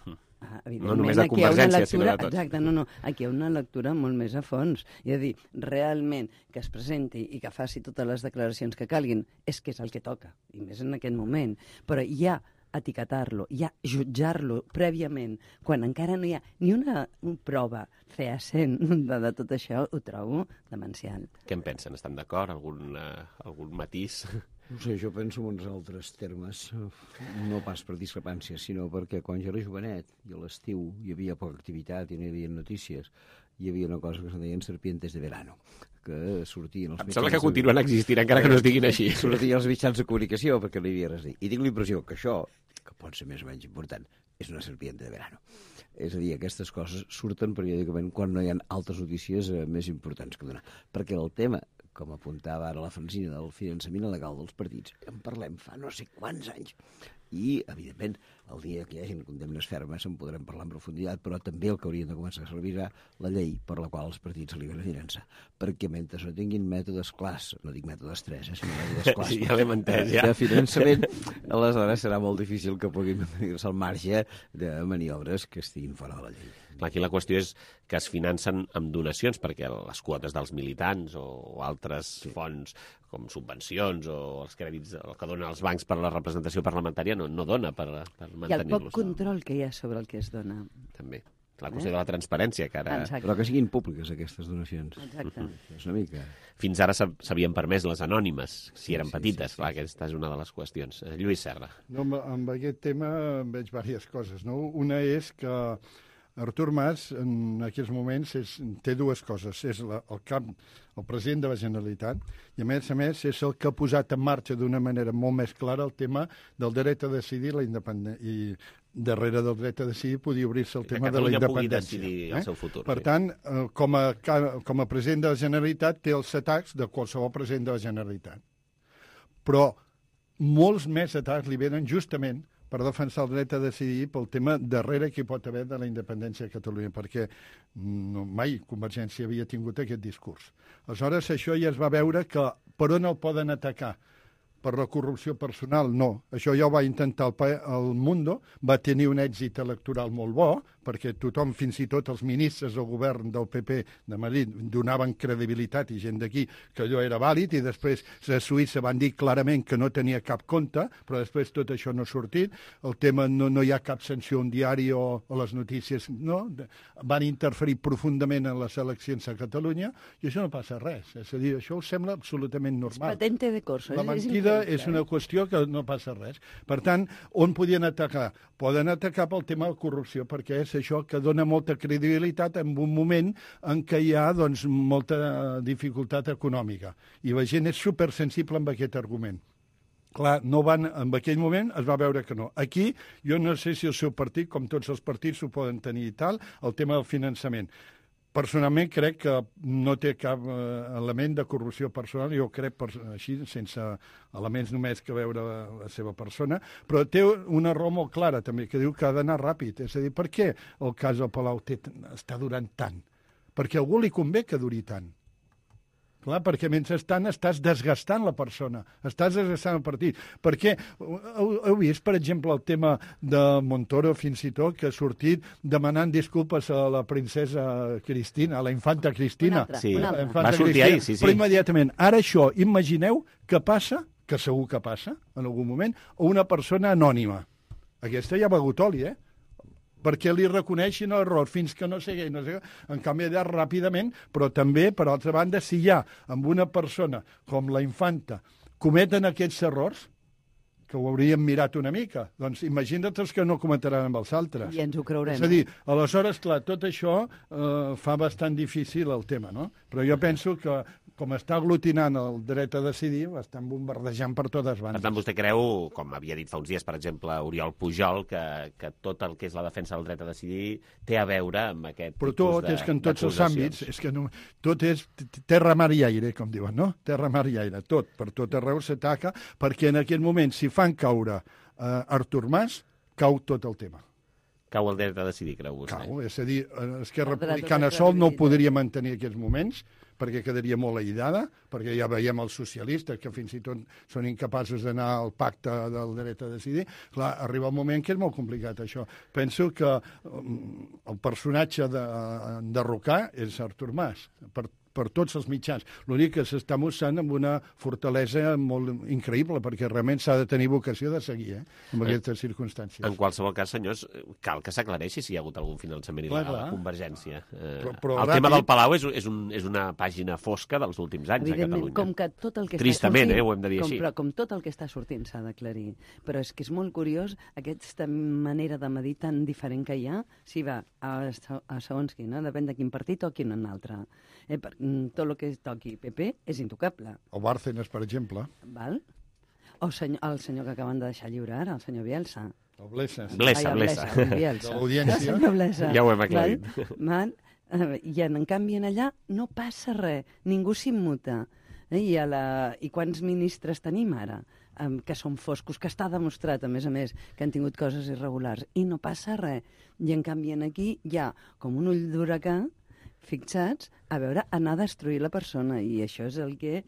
Ah, no només de Convergència, lectura, sinó de tots. Exacte, no, no. Aquí hi ha una lectura molt més a fons. És a dir, realment que es presenti i que faci totes les declaracions que calguin és que és el que toca, i més en aquest moment. Però hi ha etiquetar-lo, ja jutjar-lo prèviament, quan encara no hi ha ni una prova fehacent de, de tot això, ho trobo demencial. Què en pensen? Estan d'acord? Algun, uh, algun matís? No sé, jo penso en uns altres termes, no pas per discrepància, sinó perquè quan jo era jovenet i a l'estiu hi havia poca activitat i no hi havia notícies, hi havia una cosa que se deien serpientes de verano, que sortien els mitjans... Em sembla que continuen existint, encara que no es diguin així. Sortien els mitjans de comunicació perquè no hi havia res a dir. I tinc la impressió que això, que pot ser més o menys important, és una serpiente de verano. És a dir, aquestes coses surten periòdicament quan no hi ha altres notícies eh, més importants que donar. Perquè el tema, com apuntava ara la Francina, del finançament il·legal dels partits, en parlem fa no sé quants anys. i, evidentment, el dia que hi hagin condemnes fermes en podrem parlar en profunditat, però també el que haurien de començar a servir la llei per la qual els partits s'aliberen finança. Perquè mentre no tinguin mètodes clars, no dic mètodes tres, eh, sinó mètodes clars, sí, ja l'hem entès, ja. de finançament, aleshores serà molt difícil que puguin mantenir-se al marge de maniobres que estiguin fora de la llei. Aquí la qüestió és que es financen amb donacions, perquè les quotes dels militants o altres sí. fons com subvencions o els crèdits el que donen els bancs per a la representació parlamentària no, no dona per, per mantenir-los. I el poc control que hi ha sobre el que es dona. També. La qüestió eh? de la transparència, que ara... Exacte. Però que siguin públiques, aquestes donacions. Exacte. És una mica... Fins ara s'havien permès les anònimes, si eren sí, petites. Sí, sí, Clar, sí. Aquesta és una de les qüestions. Lluís Serra. No, amb, amb aquest tema veig diverses coses. No? Una és que Artur Mas, en aquests moments, és, té dues coses. És la, el cap, el president de la Generalitat, i a més a més és el que ha posat en marxa d'una manera molt més clara el tema del dret a decidir la independència. I darrere del dret a decidir podia obrir-se el tema de la independència. Pugui decidir eh? el seu futur. Per sí. tant, eh, com, a, com a president de la Generalitat té els atacs de qualsevol president de la Generalitat. Però molts més atacs li venen justament per defensar el dret a decidir pel tema darrere que hi pot haver de la independència de Catalunya, perquè no, mai Convergència havia tingut aquest discurs. Aleshores, això ja es va veure que per on el poden atacar? Per la corrupció personal, no. Això ja ho va intentar el, el Mundo, va tenir un èxit electoral molt bo, perquè tothom, fins i tot els ministres del govern del P P de Madrid, donaven credibilitat i gent d'aquí que allò era vàlid, i després a Suïssa van dir clarament que no tenia cap compte, però després tot això no ha sortit. El tema no, no hi ha cap sanció a un diari o a les notícies, no. Van interferir profundament en les eleccions a Catalunya, i això no passa res. És a dir, això us sembla absolutament normal. És patente de corso. La mentida és una qüestió que no passa res. Per tant, on podien atacar? Poden atacar pel tema de corrupció, perquè és això que dona molta credibilitat en un moment en què hi ha doncs, molta dificultat econòmica. I la gent és supersensible amb aquest argument. Clar, no van, en aquell moment es va veure que no. Aquí, jo no sé si el seu partit, com tots els partits ho poden tenir i tal, el tema del finançament. Personalment crec que no té cap eh, element de corrupció personal, jo crec per, així, sense elements només que veure la, la seva persona, però té una raó molt clara també, que diu que ha d'anar ràpid. És a dir, per què el cas del Palau té, està durant tant? Perquè a algú li convé que duri tant. Clar, perquè mentrestant estàs desgastant la persona, estàs desgastant el partit. Perquè heu, heu vist, per exemple, el tema de Montoro, fins i tot, que ha sortit demanant disculpes a la princesa Cristina, a la infanta Cristina. Una altra, sí. una altra. Va sortir Cristina, ahir, sí, sí. Però immediatament. Ara això, imagineu que passa, que segur que passa, en algun moment, a una persona anònima. Aquesta ja ha begut oli, eh? Perquè li reconeixin l'error fins que no sigui, no sé, en canvi allà ràpidament, però també, per altra banda, si hi ha amb una persona com la infanta cometen aquests errors, que ho hauríem mirat una mica, doncs imagina't els que no cometaran amb els altres. I ens ho creurem. És a dir, aleshores, clar, tot això eh, fa bastant difícil el tema, no? Però jo penso que, com està aglutinant el dret a decidir, l'estan bombardejant per totes bandes. Per tant, vostè creu, com havia dit fa uns dies, per exemple, Oriol Pujol, que, que tot el que és la defensa del dret a decidir té a veure amb aquest Però tipus tot de, és que en tots els àmbits, és que no, tot és terra, mar i aire, com diuen, no? Terra, mar i aire, tot, per tot arreu s'ataca, perquè en aquest moment, si fan caure eh, Artur Mas, cau tot el tema. Cau el dret a decidir, creu vostè? Cau, és a dir, Esquerra Republicana sol no ho podria mantenir aquests moments, perquè quedaria molt aïllada, perquè ja veiem els socialistes, que fins i tot són incapaços d'anar al pacte del dret a decidir. Clar, arriba un moment que és molt complicat, això. Penso que um, el personatge de, de Rocà és Artur Mas, per per tots els mitjans. L'únic que s'està mostrant amb una fortalesa molt increïble, perquè realment s'ha de tenir vocació de seguir, eh, en aquestes circumstàncies. En qualsevol cas, senyors, cal que s'aclareixi si hi ha hagut algun finançament il·legal clar, clar. a Convergència. Eh, però, però el ràpid... tema del Palau és, és, un, és una pàgina fosca dels últims anys a Catalunya. Com que tot el que Tristament, està sortint, eh, ho hem de dir com, així. Però com tot el que està sortint s'ha d'aclarir. Però és que és molt curiós aquesta manera de medir tan diferent que hi ha, si va a, a segons quin, no? Depèn de quin partit o quin en altre. Eh, per, tot el que toqui P P és intocable. O Bárcenas, per exemple. Val? O senyor, el senyor que acaben de deixar lliure ara, el senyor Bielsa. O Blesa. Blesa, Ai, Blesa. Bielsa. De l'audiència. Ja ho hem aclarit. Val? Val? I en, en canvi en allà no passa res, ningú s'immuta. Eh? I, a la... I quants ministres tenim ara? um, que són foscos, que està demostrat, a més a més, que han tingut coses irregulars, i no passa res. I en canvi aquí hi ha com un ull d'huracà fixats a veure, anar a destruir la persona, i això és el que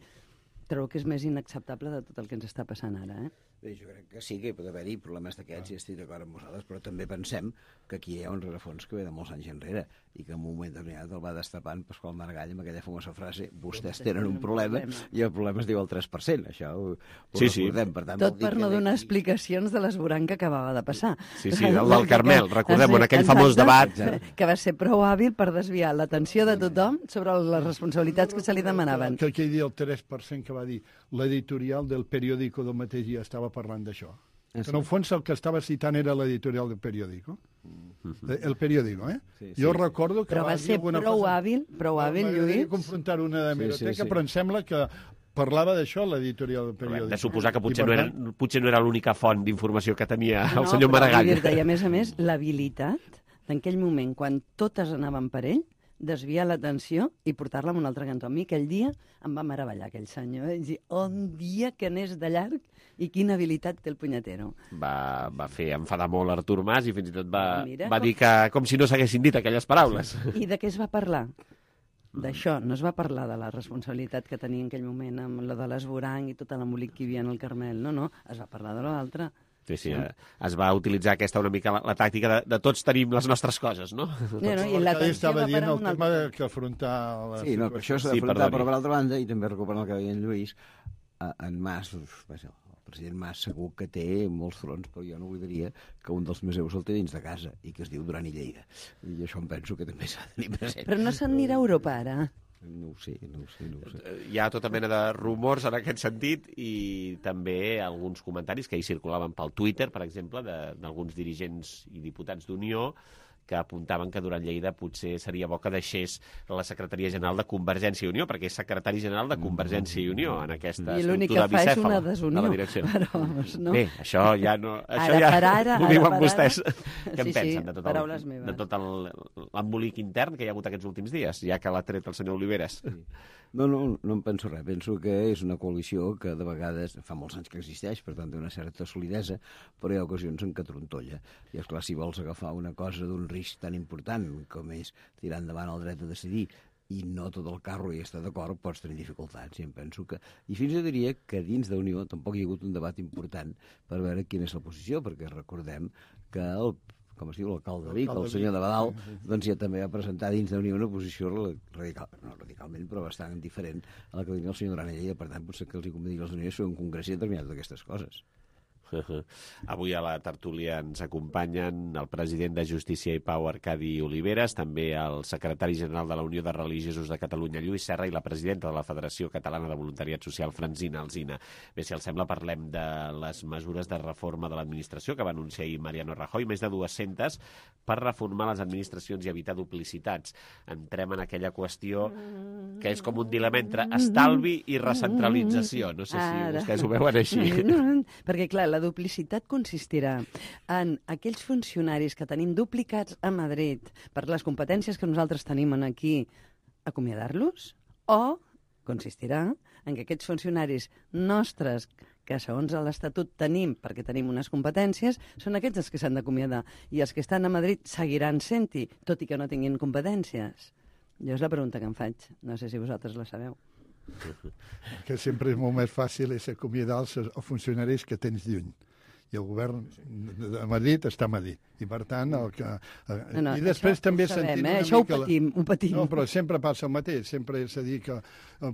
trobo que és més inacceptable de tot el que ens està passant ara, eh? Bé, jo crec que sí que hi pot haver-hi problemes d'aquests, i estic d'acord amb vosaltres, però també pensem que aquí hi ha un rerefons que ve de molts anys enrere i que en un moment determinat el va destapant Pasqual Maragall amb aquella famosa frase: vostès tenen un problema i el problema es diu el tres per cent. Això ho, ho sí, sí. recordem. Per tant, tot per no donar explicacions de l'esborrany que acabava de passar. Sí, sí, el del Carmel, recordem, en aquell famós debat. Que va ser prou hàbil per desviar l'atenció de tothom sobre les responsabilitats que se li demanaven. Que aquell dia el tres per cent que va dir l'editorial del periòdico del mateix dia estava parlant d'això. Que en el fons el que estava citant era l'editorial del periòdico. El periòdico, eh? Sí, sí. Jo recordo que però va, va ser prou cosa... hàbil, prou hàbil, Lluís. M'agradaria confrontar una de Hemeroteca, sí, sí, sí. Però em sembla que parlava d'això l'editorial del periòdic. Hem de suposar que potser, no era, potser no era l'única font d'informació que tenia el no, senyor Maragall. I a més a més, l'habilitat en aquell moment, quan totes anaven per ell, desviar l'atenció i portar-la a un altre cantó. A mi aquell dia em va meravellar aquell senyor. Eh? Dir, un dia que n'és de llarg i quina habilitat té el punyetero. Va, va fer enfadar molt Artur Mas i fins i tot va, Mira, va com... dir que com si no s'haguessin dit aquelles paraules. I de què es va parlar? D'això, no es va parlar de la responsabilitat que tenia en aquell moment amb la de l'esborany i tot l'embolic que hi havia en el Carmel. No, no, es va parlar de l'altre. Sí, sí, es va utilitzar aquesta una mica la, la tàctica de, de tots tenim les nostres coses, no? no, no i l'atenció estava va dient el tema altre... que afrontar... La sí, no, això s'ha d'afrontar, sí, però per altra banda, i també recuperant el que deia en Lluís, en Mas, el president Mas segur que té molts fronts, però jo no oblidaria que un dels museus el té dins de casa i que es diu Duran i Lleida. I això em penso que també s'ha de tenir present. Però no se'n anirà a Europa, ara? No ho sé, no ho sé, no ho sé. Hi ha tota mena de rumors en aquest sentit i també alguns comentaris que hi circulaven pel Twitter, per exemple, d'alguns dirigents i diputats d'Unió que apuntaven que Duran Lleida potser seria bo que deixés la Secretaria General de Convergència i Unió, perquè és secretari general de Convergència i Unió en aquesta I l'únic estructura que fa és una bicèfala de la direcció. Però, no. Bé, això ja no... Això ara ja per ara, ho diuen vostès. Ara... Què en sí, pensen sí, de tot, paraules el, meves. de tot l'embolic intern que hi ha hagut aquests últims dies, ja que l'ha tret el senyor Oliveres? Sí. No, no, no em penso res. Penso que és una coalició que de vegades fa molts anys que existeix, per tant té una certa solidesa, però hi ha ocasions en què trontolla. I esclar, si vols agafar una cosa d'un risc tan important com és tirar endavant el dret a decidir i no tot el carro hi està d'acord, pots tenir dificultats. I em penso que... I fins i tot diria que dins d'Unió tampoc hi ha hagut un debat important per veure quina és la posició, perquè recordem que el com es diu, l'alcalde de Vic, el senyor de Badal, doncs ja també va presentar dins d'Unió una posició radical, no radicalment, però bastant diferent a la que tenia el senyor Duran i Lleida. Per tant, potser que els hi convé dir als d'Unió fer un congrés determinat d'aquestes coses. Avui a la tertúlia ens acompanyen el president de Justícia i Pau, Arcadi Oliveres, també el secretari general de la Unió de Religiosos de Catalunya, Lluís Serra, i la presidenta de la Federació Catalana de Voluntariat Social, Francina Alsina. Bé, si els sembla, parlem de les mesures de reforma de l'administració que va anunciar ahir Mariano Rajoy, més de dues-centes, per reformar les administracions i evitar duplicitats. Entrem en aquella qüestió que és com un dilema entre estalvi i recentralització. No sé si Ara. vostès ho veuen així. Perquè, clar, la duplicitat consistirà en aquells funcionaris que tenim duplicats a Madrid per les competències que nosaltres tenim aquí, acomiadar-los, o consistirà en que aquests funcionaris nostres que segons l'Estatut tenim, perquè tenim unes competències, són aquests els que s'han d'acomiadar. I els que estan a Madrid seguiran sent-hi, tot i que no tinguin competències. Jo és la pregunta que em faig. No sé si vosaltres la sabeu. Que sempre és molt més fàcil és acomiadar els, els funcionaris que tens lluny. I el govern de Madrid està a Madrid. I per tant, el que... No, no, I després també sabem, sentim eh? una Això ho mica... patim, ho patim. No, però sempre passa el mateix. Sempre és a dir que,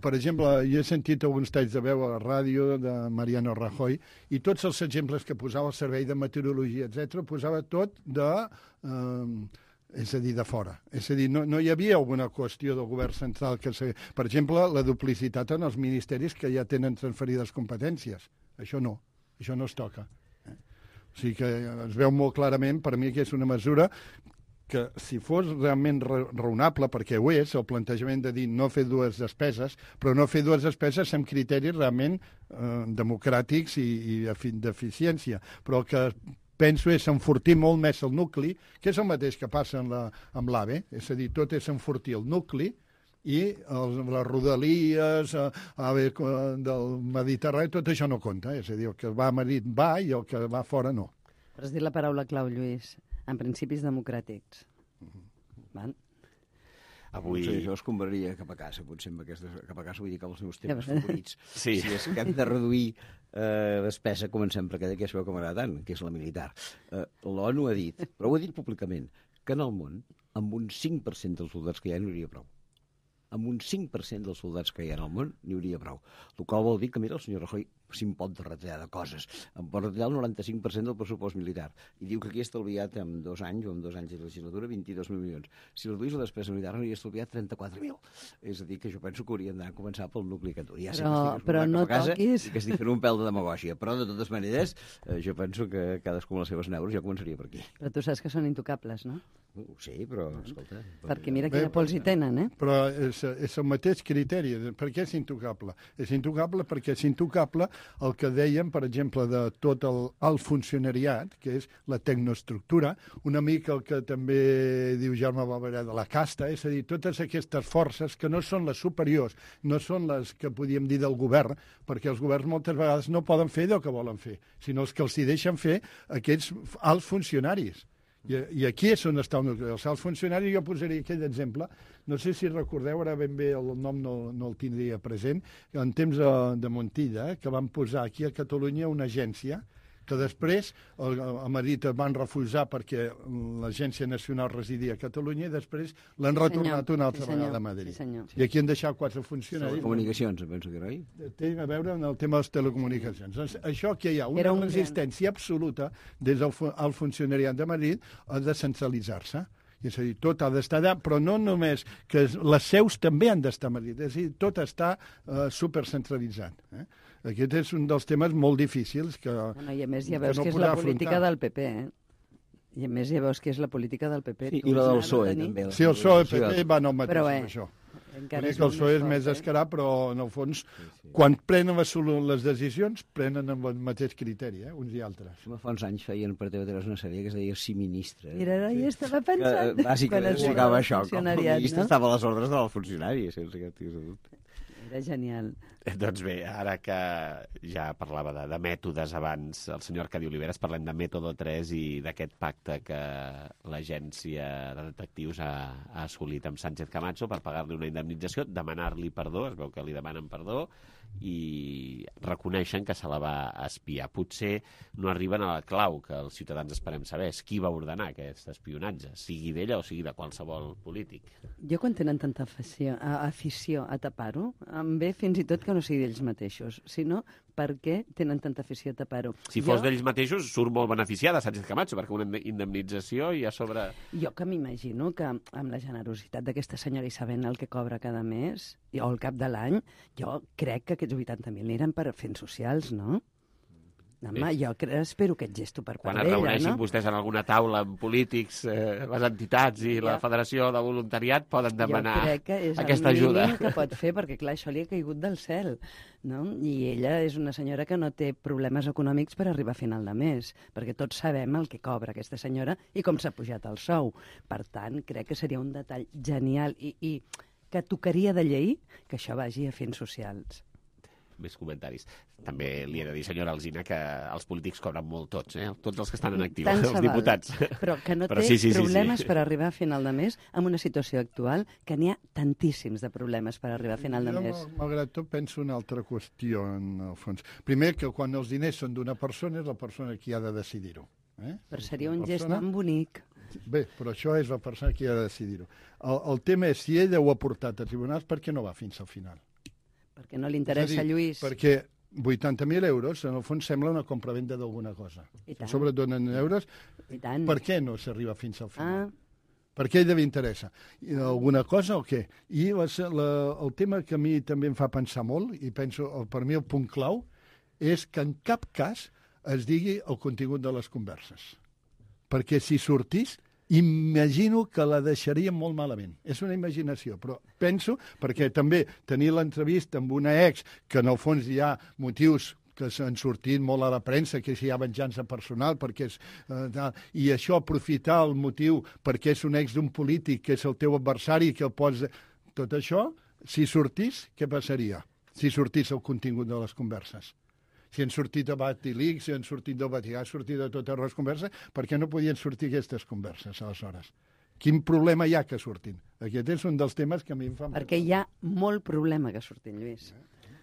per exemple, jo he sentit alguns talls de veu a la ràdio de Mariano Rajoy i tots els exemples que posava el Servei de Meteorologia, etcètera, posava tot de... Eh, és a dir, de fora. És a dir, no, no hi havia alguna qüestió del govern central que... Se... Per exemple, la duplicitat en els ministeris que ja tenen transferides competències. Això no. Això no es toca. Eh? O sigui que es veu molt clarament, per mi, que és una mesura que, si fos realment raonable, perquè ho és, el plantejament de dir no fer dues despeses, però no fer dues despeses amb criteris realment eh, democràtics i, i d'eficiència, però que penso és enfortir molt més el nucli, que és el mateix que passa amb la, amb l'AVE, és a dir, tot és enfortir el nucli i el, les rodalies a, a, del Mediterrani, tot això no compta. És a dir, el que va a Madrid va i el que va fora no. Però has dit la paraula clau, Lluís, en principis democràtics. Van? Avui... Sí, jo es compraria cap a casa, potser amb aquestes... Cap a casa vull dir que els meus temes favorits. Sí. Si és que hem de reduir eh, despesa, comencem per aquella que es veu que m'agrada tant, que és la militar. Eh, L'ONU ha dit, però ho ha dit públicament, que en el món, amb un cinc per cent dels soldats que hi ha, n'hi hauria prou. Amb un cinc per cent dels soldats que hi ha en el món n'hi hauria prou. El qual vol dir que, mira, el senyor Rajoy si em pot retallar de coses. Em pot retallar el noranta-cinc per cent del pressupost militar. I diu que aquí ha estalviat en dos anys, o en dos anys de legislatura, vint-i-dos mil milions. Si reduís la despesa militar, n'hauria estalviat trenta-quatre mil. És a dir, que jo penso que hauríem d'anar a començar pel nucli que tu. Ja sé però, que però no casa, toquis... I que estic fent un pèl de demagògia. Però, de totes maneres, eh, jo penso que cadascú amb les seves neures, jo començaria per aquí. Però tu saps que són intocables, no? Uh, sí, però, escolta... Perquè mira quina pols hi tenen, eh? Però és, és el mateix criteri. Per què és intocable? És intocable perquè és intocable el que dèiem, per exemple, de tot el, el funcionariat, que és la tecnoestructura, una mica el que també diu Jaume Barberà de la casta, és a dir, totes aquestes forces que no són les superiors, no són les que podíem dir del govern, perquè els governs moltes vegades no poden fer el que volen fer, sinó els que els hi deixen fer aquests alts funcionaris. I, I aquí és on està el nucli. Els alts funcionaris, jo posaria aquell exemple, no sé si recordeu, ara ben bé el nom no, no el tindria present, en temps de, de Montilla, eh, que van posar aquí a Catalunya una agència que després a Madrid es van refusar perquè l'Agència Nacional residia a Catalunya i després l'han retornat una altra sí, vegada a Madrid. Sí, I aquí han deixat quatre funcionaris. Comunicacions, penso que era, oi? Té a veure amb el tema de les telecomunicacions. Doncs això que hi ha una un resistència absoluta des del al funcionariat de Madrid a descentralitzar-se. És a dir, tot ha d'estar allà, però no només, que les seus també han d'estar a Madrid. És a dir, tot està uh, supercentralitzat. Eh? Aquest és un dels temes molt difícils que, bueno, i a més ja veus que no que és la afrontar. política del P P, eh? I a més ja veus que és la política del P P. Sí, i la del P S O E, també. Sí, el P S O E i el P P van al mateix, però, eh, amb això. Encara és que el P S O E és més descarat, però en el fons, sí, sí. quan prenen les, les decisions, prenen amb el mateix criteri, eh, uns i altres. Fa uns anys feien per T V tres una sèrie que es deia Sí, ministre. Mira, ara ja estava pensant. Que, bàsicament explicava això, com el ministre no? estava a les ordres del funcionari, sense cap tipus de dubte. Era genial. Doncs bé, ara que ja parlava de, de mètodes abans el senyor Arcadi Oliveres, parlem de Mètode tres i d'aquest pacte que l'agència de detectius ha, ha assolit amb Sánchez Camacho per pagar-li una indemnització, demanar-li perdó, es veu que li demanen perdó, i reconeixen que se la va espiar. Potser no arriben a la clau que els ciutadans esperem saber, és qui va ordenar aquest espionatge, sigui d'ella o sigui de qualsevol polític. Jo quan tenen tanta afició, afició a tapar-ho, em ve fins i tot que no sigui d'ells mateixos, sinó perquè tenen tanta afició a tapar-ho. Si fos jo... d'ells mateixos, surt molt beneficiada Sánchez Camacho, perquè una indemnització i a sobre... Jo que m'imagino que amb la generositat d'aquesta senyora i sabent el que cobra cada mes, o al cap de l'any, jo crec que aquests vuitanta mil aniran per fents socials, no? Home, jo espero aquest gesto per part d'ella, no? Quan es reuneixin vostès en alguna taula amb polítics, eh, les entitats i la Federació de Voluntariat poden demanar aquesta ajuda. Jo crec que és aquesta el mínim que pot fer, perquè clar, això li ha caigut del cel, no? I ella és una senyora que no té problemes econòmics per arribar a final de mes, perquè tots sabem el que cobra aquesta senyora i com s'ha pujat el sou. Per tant, crec que seria un detall genial i, i que tocaria de llei que això vagi a fins socials. Més comentaris. També li he de dir, senyora Alsina, que els polítics cobren molt tots, eh? Tots els que estan en actiu, Tant els diputats. Però que no Però té sí, sí, problemes sí, sí. per arribar a final de mes en una situació actual, que n'hi ha tantíssims de problemes per arribar a final de jo, mes. Malgrat tot, penso una altra qüestió, en el fons. Primer, que quan els diners són d'una persona, és la persona qui ha de decidir-ho. Eh? Però seria un persona... gest tan bonic. Bé, però això és la persona qui ha de decidir-ho. El, el tema és, si ella ho ha portat a tribunals, per què no va fins al final? Perquè no li interessa, dir, Lluís. Perquè vuitanta mil euros, en el fons, sembla una compravenda d'alguna cosa. Sobretot en euros. I tant. Per què no s'arriba fins al final? Ah. Per què ella li interessa? Alguna cosa o què? I la, la, el tema que a mi també em fa pensar molt, i penso, per mi el punt clau, és que en cap cas es digui el contingut de les converses. Perquè si sortís, imagino que la deixaria molt malament. És una imaginació, però penso, perquè també tenir l'entrevista amb una ex, que en el fons hi ha motius que s'han sortit molt a la premsa, que si hi ha venjança personal, perquè és, eh, i això aprofitar el motiu perquè és un ex d'un polític, que és el teu adversari, que el pots... tot això, si sortís, què passaria? Si sortís el contingut de les converses. Si han sortit de Batilix, si han sortit del Vaticà, han sortit de totes les converses, per què no podien sortir aquestes converses, aleshores? Quin problema hi ha que surtin? Aquest és un dels temes que a mi em fa... Perquè hi ha molt problema que surtin, Lluís.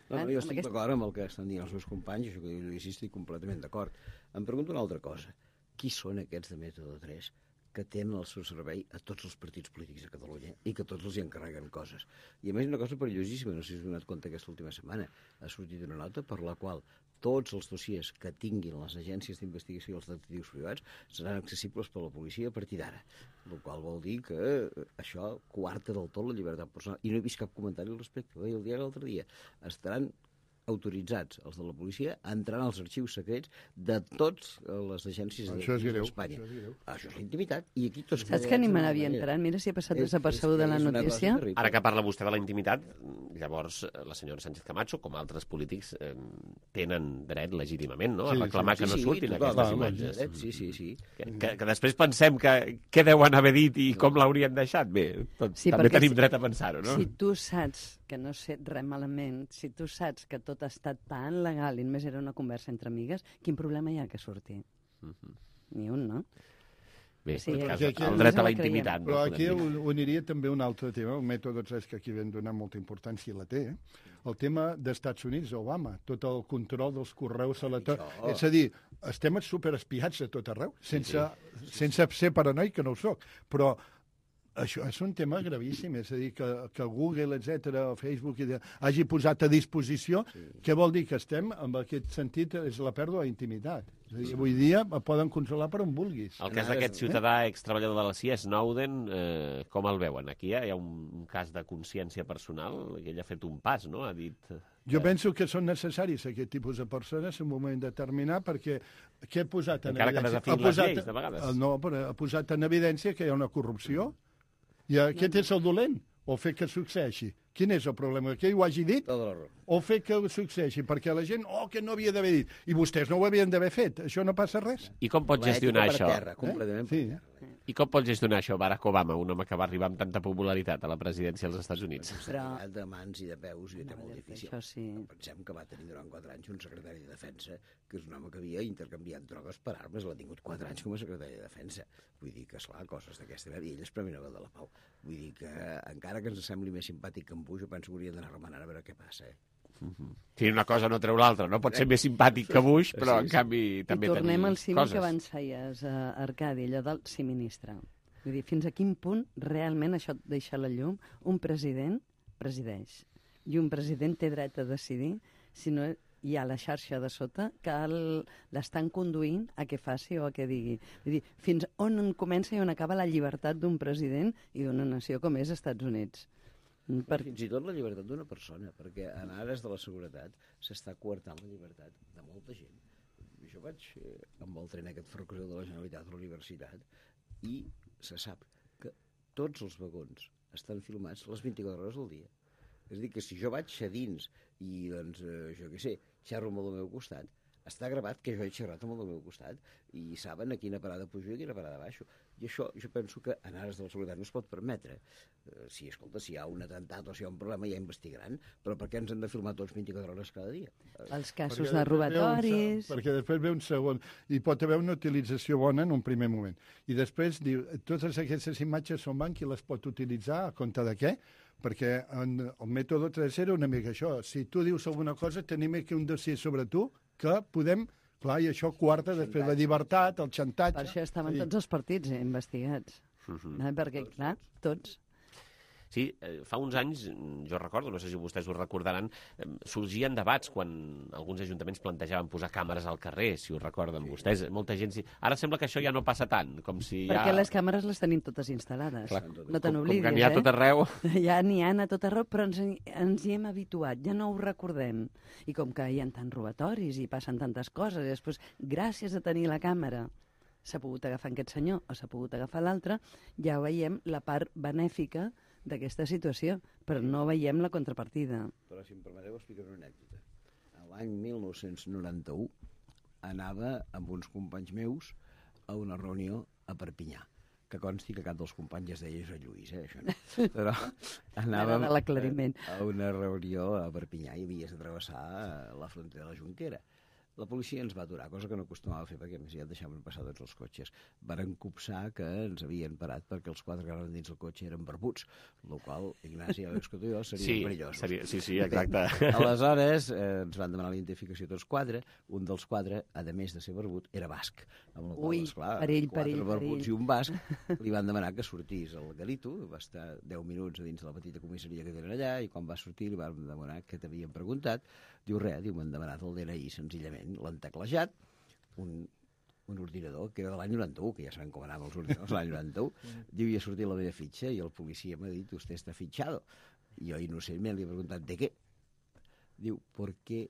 No, no, jo estic d'acord amb el que estan dient els meus companys, això que diu Lluís, estic completament d'acord. Em pregunto una altra cosa. Qui són aquests de Mètode tres que tenen al seu servei a tots els partits polítics de Catalunya i que tots els hi encarreguen coses? I a més una cosa perillosíssima, no sé si us heu donat compte aquesta última setmana, ha sortit una nota per la qual tots els dossiers que tinguin les agències d'investigació i els detectius privats seran accessibles per la policia a partir d'ara, el qual vol dir que això coarta del tot la llibertat personal. I no he vist cap comentari al respecte. Ho deia el diari l'altre dia. Estaran autoritzats, els de la policia, a entrar als arxius secrets de totes les agències d'Espanya. Això, això és la intimitat. I aquí tots... Saps que ni me n'havia entrat? Mira si ha passat desapercebuda la notícia. Ara que parla vostè de la intimitat, llavors la senyora Sánchez Camacho, com altres polítics, eh, tenen dret legítimament, no?, a reclamar sí, sí, que no surtin sí, aquestes imatges. Sí, sí, sí. Que, que, que després pensem que què deuen haver dit i com l'haurien deixat. Bé, tot, sí, també tenim si, dret a pensar-ho, no? Si tu saps que no sé res malament, si tu saps que tot ha estat tan legal i només era una conversa entre amigues, quin problema hi ha que surti? Uh-huh. Ni un, no? Bé, sí, cas, el, el dret a la intimitat. Però aquí uniria també un altre tema, el mètode tres, que aquí vam donar molta importància i la té, eh? El tema d'Estats Units, Obama, tot el control dels correus electrònics. És a dir, estem superespiats a tot arreu, sense, sí, sí. sense ser paranoic, que no ho soc, però això és un tema gravíssim, és a dir, que, que Google, etcètera, o Facebook, hagi posat a disposició, sí. Què vol dir? Que estem, en aquest sentit, és la pèrdua d'intimitat. És a dir, avui dia poden controlar per on vulguis. El cas d'aquest ciutadà eh? extreballador de la C I A, Snowden, eh, com el veuen? Aquí hi ha un, un cas de consciència personal, que ell ha fet un pas, no?, ha dit... Que... Jo penso que són necessaris aquest tipus de persones en un moment determinat, perquè què ha posat en Encara evidència? Encara que desafien les lleis, de vegades. No, però ha posat en evidència que hi ha una corrupció. I aquest és el dolent, o fer que succeeixi. Quin és el problema? Que ell ho hagi dit? O fer que succeeixi? Perquè la gent, oh, que no havia d'haver dit. I vostès no ho havien d'haver fet. Això no passa res. I com pot gestionar això? Terra, completament eh? Sí. I com pot gestionar això Barack Obama, un home que va arribar amb tanta popularitat a la presidència dels Estats Units? Però... de mans i de peus i de molt difícil. Sí. Pensem que va tenir durant quatre anys un secretari de defensa, que és un home que havia intercanviat drogues per armes, l'ha tingut quatre anys com a secretari de defensa. Vull dir que, esclar, coses d'aquesta manera, i ell és Premi Nobel de la Pau. Vull dir que, encara que ens sembli més simpàtic que en Bush, jo penso que hauria d'anar remenant a veure què passa, eh? Uh-huh. Sí, una cosa no treu l'altra, no? Pot ser més simpàtic que Bush, però en canvi també tenim coses. I tornem al símil que abans feies, uh, Arcadi, allò del sí ministre. Vull dir, fins a quin punt realment això et deixa a la llum un president presideix. I un president té dret a decidir si no hi ha la xarxa de sota que l'estan conduint a què faci o a què digui. Vull dir, fins on comença i on acaba la llibertat d'un president i d'una nació com és Estats Units. Per... Fins i tot la llibertat d'una persona, perquè en ares de la seguretat s'està coartant la llibertat de molta gent. Jo vaig eh, amb el tren aquest ferrocarril de la Generalitat a la universitat i se sap que tots els vagons estan filmats les vint-i-quatre hores del dia. És a dir, que si jo vaig a dins i, doncs, eh, jo què sé, xerro amb el meu costat, està gravat que jo he xerrat amb el meu costat i saben a quina parada pujo i a quina parada baixo. I això jo penso que en ares de la seguretat no es pot permetre. Eh, si, escolta, si hi ha un atemptat o si hi ha un problema ja investigaran, però per què ens han de filmar tots vint-i-quatre hores cada dia? Els casos perquè de robatoris... Un, perquè després ve un segon, i pot haver una utilització bona en un primer moment. I després diu, totes aquestes imatges són van qui les pot utilitzar a compte de què? Perquè en el mètode tres era una mica això. Si tu dius alguna cosa, tenim aquí un dossier sobre tu que podem... Clar, i això quarta després la llibertat, el xantatge... Per això estaven sí. tots els partits eh, investigats. Uh-huh. eh, perquè, clar, tots... Sí, eh, fa uns anys, jo recordo, no sé si vostès ho recordaran, eh, sorgien debats quan alguns ajuntaments plantejaven posar càmeres al carrer, si ho recorden sí. vostès. Molta gent... Sí. Ara sembla que això ja no passa tant, com si ja... Perquè les càmeres les tenim totes instal·lades. Clar, no te n'oblidis, eh? Com que n'hi ha tot arreu. Ja n'hi ha a tot arreu, però ens, ens hi hem habituat, ja no ho recordem. I com que hi ha tants robatoris i passen tantes coses, i després, gràcies a tenir la càmera, s'ha pogut agafar aquest senyor o s'ha pogut agafar l'altre, ja veiem la part benèfica d'aquesta situació, però no veiem la contrapartida. Però si em permeteu explicar una anècdota. L'any mil nou-cents noranta-u anava amb uns companys meus a una reunió a Perpinyà. que consti que cap dels companys es deia Josep Lluís, eh, això no. Però anàvem de l'aclariment. a una reunió a Perpinyà i havies de travessar la frontera de la Jonquera. La policia ens va aturar, cosa que no acostumava a fer, perquè més ja deixaven passar tots els cotxes. Varen copsar que ens havien parat perquè els quatre que anaven dins el cotxe eren barbuts, el qual, Ignasi, ja veus que tu i jo serien sí, perillosos. Seria, sí, sí, exacte. Bé, aleshores eh, ens van demanar la identificació tots quatre. Un dels quatre, a més de ser barbut, era basc. Amb la qual, Ui, esclar, perill, quatre perill, barbuts perill. i un basc li van demanar que sortís al Galito, va estar deu minuts a dins de la petita comissaria que tenen allà, i quan va sortir li van demanar què t'havien preguntat. Diu res, diu, m'han demanat el D N I senzillament, l'han teclejat, un, un ordinador que era de l'any noranta-u, que ja sabem com anaven els ordinadors de l'any noranta-u, diu, i ha sortit la meva fitxa, i el policia m'ha dit, usted está fichado. I jo innocentment li he preguntat, ¿de qué? Diu, porque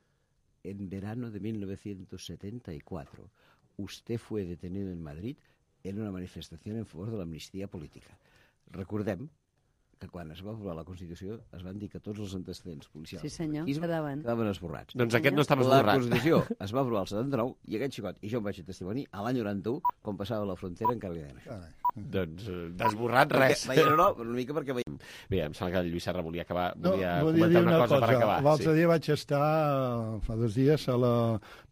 en verano de mil novecientos setenta y cuatro usted fue detenido en Madrid en una manifestación en favor de la amnistía política. Recordem que quan es va aprovar la Constitució es van dir que tots els antecedents policials sí, senyor, quedaven. quedaven esborrats. Doncs aquest no estava esborrat. La Constitució es va aprovar el setanta-nou i aquest xicot, i jo em vaig testimoni, a l'any noranta-u, quan passava la frontera, encara li deien això. Doncs eh, d'esborrat res. Perquè, no, no, una mica perquè veiem. Bé, em sembla que el Lluís Serra volia acabar, No, volia volia comentar dir una, una cosa, cosa. per acabar. L'altre Sí. dia vaig estar, fa dos dies, a la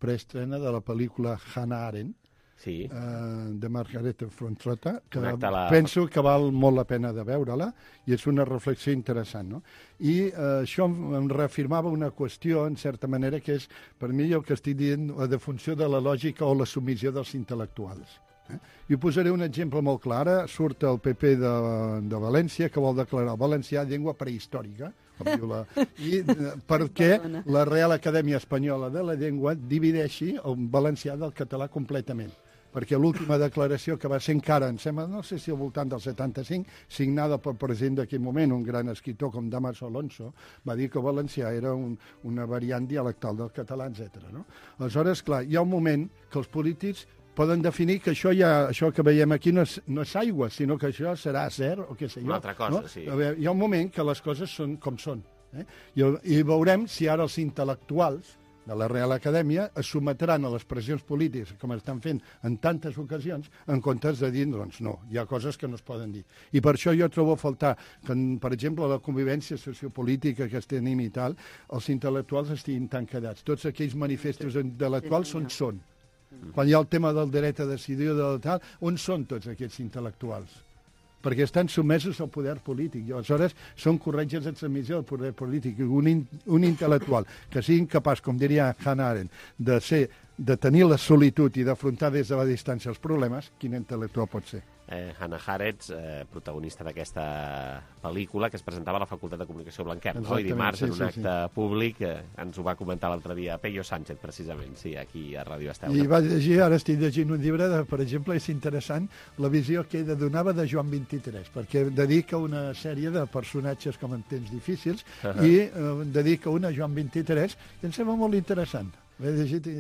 preestrena de la pel·lícula Hannah Arendt, Sí. eh, de Margareta Frontrota, que Un acte a la- penso que val molt la pena de veure-la, i és una reflexió interessant, no? I eh, això em, em reafirmava una qüestió, en certa manera, que és, per mi, el que estic dient, la defunció de la lògica o la submissió dels intel·lectuals. Eh? I ho posaré un exemple molt clar. Ara surt el P P de, de València, que vol declarar el valencià llengua prehistòrica, com diu la... I eh, perquè la Real Acadèmia Espanyola de la Llengua divideixi el valencià del català completament, perquè l'última declaració, que va ser encara, em sembla, no sé si al voltant del setanta-cinc, signada pel president d'aquell moment, un gran escriptor com Damaso Alonso, va dir que el valencià era un, una variant dialectal del català, etcètera. No? Aleshores, clar, hi ha un moment que els polítics poden definir que això ja, això que veiem aquí no és, no és aigua, sinó que això serà acer o què sé jo. Una altra cosa, no? sí. A veure, hi ha un moment que les coses són com són. Eh? I, I veurem si ara els intel·lectuals de la Real Acadèmia es sometran a les pressions polítiques, com estan fent en tantes ocasions, en comptes de dir, doncs no, hi ha coses que no es poden dir. I per això jo trobo a faltar que, per exemple, la convivència sociopolítica que tenim i tal, els intel·lectuals estiguin tan quedats. Tots aquells manifestos intel·lectuals on són. Quan hi ha el tema del dret a decidir o del tal, on són tots aquests intel·lectuals? Perquè estan sotmesos al poder polític. I aleshores són corretges de transmissió del poder polític. Un, in, un intel·lectual que sigui incapaç, com diria Hannah Arendt, de, ser, de tenir la solitud i d'afrontar des de la distància els problemes, quin intel·lectual pot ser? Eh, Hannah Arendt, eh, protagonista d'aquesta pel·lícula, que es presentava a la Facultat de Comunicació Blanquerna, no? I dimarts, sí, en un sí, acte sí. públic, eh, ens ho va comentar l'altre dia Peyo Sánchez, precisament, sí, aquí a Ràdio Esteu. I va llegir, ara estic llegint un llibre, de, per exemple, és interessant la visió que ella donava de Joan vint-i-tres, perquè dedica una sèrie de personatges com en temps difícils uh -huh. i eh, dedica una a Joan vint-i-tres, i em sembla molt interessant. L'he llegit i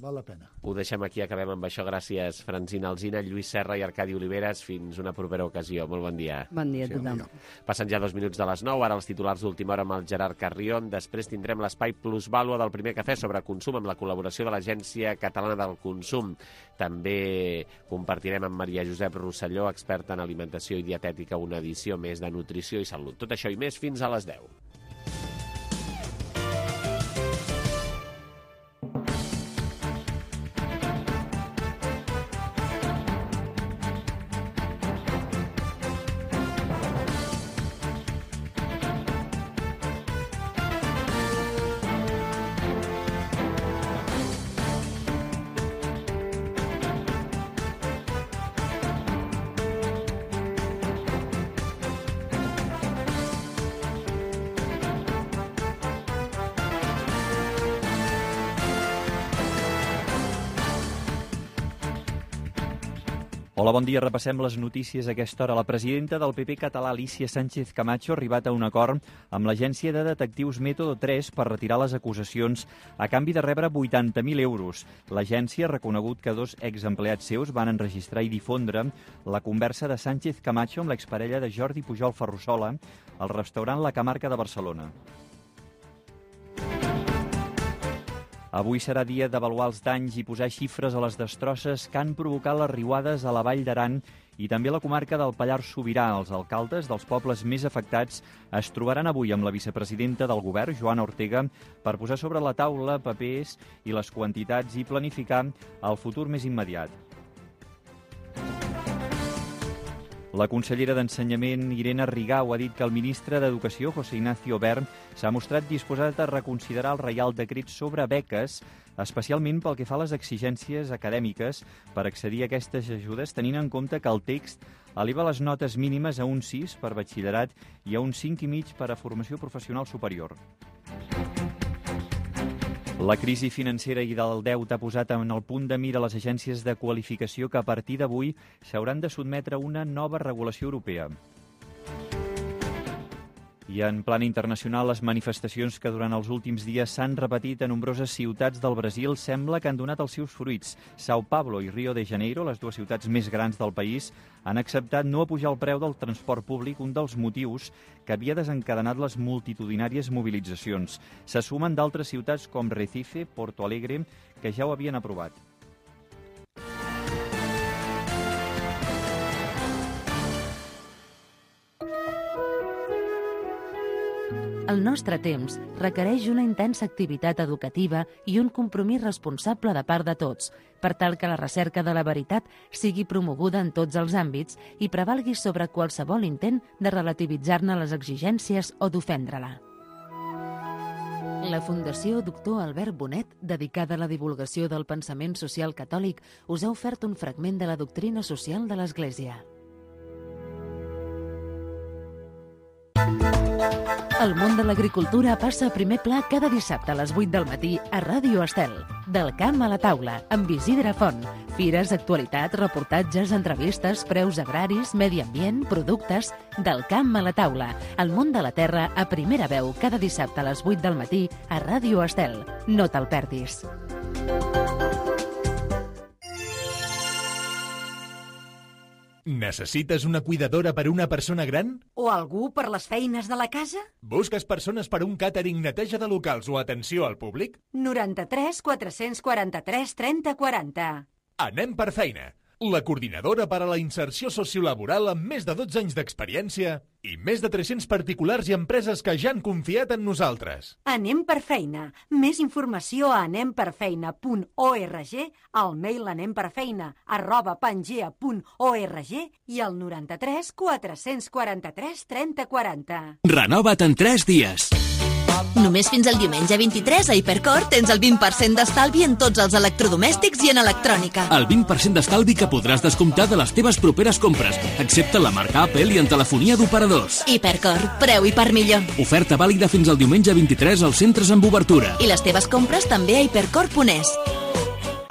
val la pena. Ho deixem aquí, acabem amb això. Gràcies, Francina Alsina, Lluís Serra i Arcadi Oliveres. Fins una propera ocasió. Molt bon dia. Bon dia a tothom. Sí, Passen ja dos minuts de les nou, ara els titulars d'última hora amb el Gerard Carrion. Després tindrem l'espai Plusvàlua del Primer Cafè sobre consum amb la col·laboració de l'Agència Catalana del Consum. També compartirem amb Maria Josep Rosselló, experta en alimentació i dietètica, una edició més de nutrició i salut. Tot això i més fins a les deu. Hola, bon dia. Repassem les notícies a aquesta hora. La presidenta del P P català, Alícia Sánchez Camacho, ha arribat a un acord amb l'agència de detectius Método tres per retirar les acusacions a canvi de rebre vuitanta mil euros. L'agència ha reconegut que dos exempleats seus van enregistrar i difondre la conversa de Sánchez Camacho amb l'exparella de Jordi Pujol Ferrusola al restaurant La Camarca de Barcelona. Avui serà dia d'avaluar els danys i posar xifres a les destrosses que han provocat les riuades a la Vall d'Aran i també a la comarca del Pallars Sobirà. Els alcaldes dels pobles més afectats es trobaran avui amb la vicepresidenta del govern, Joana Ortega, per posar sobre la taula papers i les quantitats i planificar el futur més immediat. La consellera d'Ensenyament, Irene Rigau, ha dit que el ministre d'Educació, José Ignacio Wert, s'ha mostrat disposat a reconsiderar el Reial Decret sobre beques, especialment pel que fa a les exigències acadèmiques per accedir a aquestes ajudes, tenint en compte que el text eleva les notes mínimes a un sis per batxillerat i a un cinc i mig per a formació professional superior. La crisi financera i del deute ha posat en el punt de mira les agències de qualificació que a partir d'avui s'hauran de sotmetre a una nova regulació europea. I en plan internacional, les manifestacions que durant els últims dies s'han repetit a nombroses ciutats del Brasil sembla que han donat els seus fruits. São Paulo i Rio de Janeiro, les dues ciutats més grans del país, han acceptat no apujar el preu del transport públic, un dels motius que havia desencadenat les multitudinàries mobilitzacions. Se sumen d'altres ciutats com Recife, Porto Alegre, que ja ho havien aprovat. El nostre temps requereix una intensa activitat educativa i un compromís responsable de part de tots, per tal que la recerca de la veritat sigui promoguda en tots els àmbits i prevalgui sobre qualsevol intent de relativitzar-ne les exigències o d'ofendre-la. La Fundació Doctor Albert Bonet, dedicada a la divulgació del pensament social catòlic, us ha ofert un fragment de la doctrina social de l'Església. El món de l'agricultura passa a primer pla cada dissabte a les vuit del matí a Ràdio Estel. Del camp a la taula, amb Isidre Font. Fires, actualitat, reportatges, entrevistes, preus agraris, medi ambient, productes... Del camp a la taula. El món de la terra a primera veu cada dissabte a les vuit del matí a Ràdio Estel. No te'l perdis. Necessites una cuidadora per a una persona gran? O algú per les feines de la casa? Busques persones per a un càtering, neteja de locals o atenció al públic? noranta-tres quatre-cents quaranta-tres trenta quaranta. Anem per feina. La coordinadora per a la inserció sociolaboral amb més de dotze anys d'experiència i més de tres-cents particulars i empreses que ja han confiat en nosaltres. Anem per feina. Més informació a anemperfeina punt org, al mail anemperfeina arroba pangea punt org i al noranta-tres quatre-cents quaranta-tres trenta quaranta. Renova't en tres dies. Només fins al diumenge vint-i-tres a Hipercor tens el vint per cent d'estalvi en tots els electrodomèstics i en electrònica. El vint per cent d'estalvi que podràs descomptar de les teves properes compres, excepte la marca Apple i en telefonia d'operadors. Hipercor, preu i per millor. Oferta vàlida fins al diumenge vint-i-tres als centres amb obertura. I les teves compres també a hipercor punt es.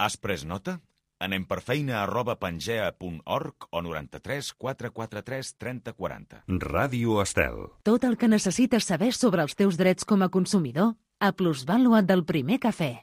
Has pres nota? Anem per feina arroba pangea punt org o noranta-tres quatre quaranta-tres trenta quaranta. Ràdio Estel. Tot el que necessites saber sobre els teus drets com a consumidor a Plusvàlua del Primer Cafè.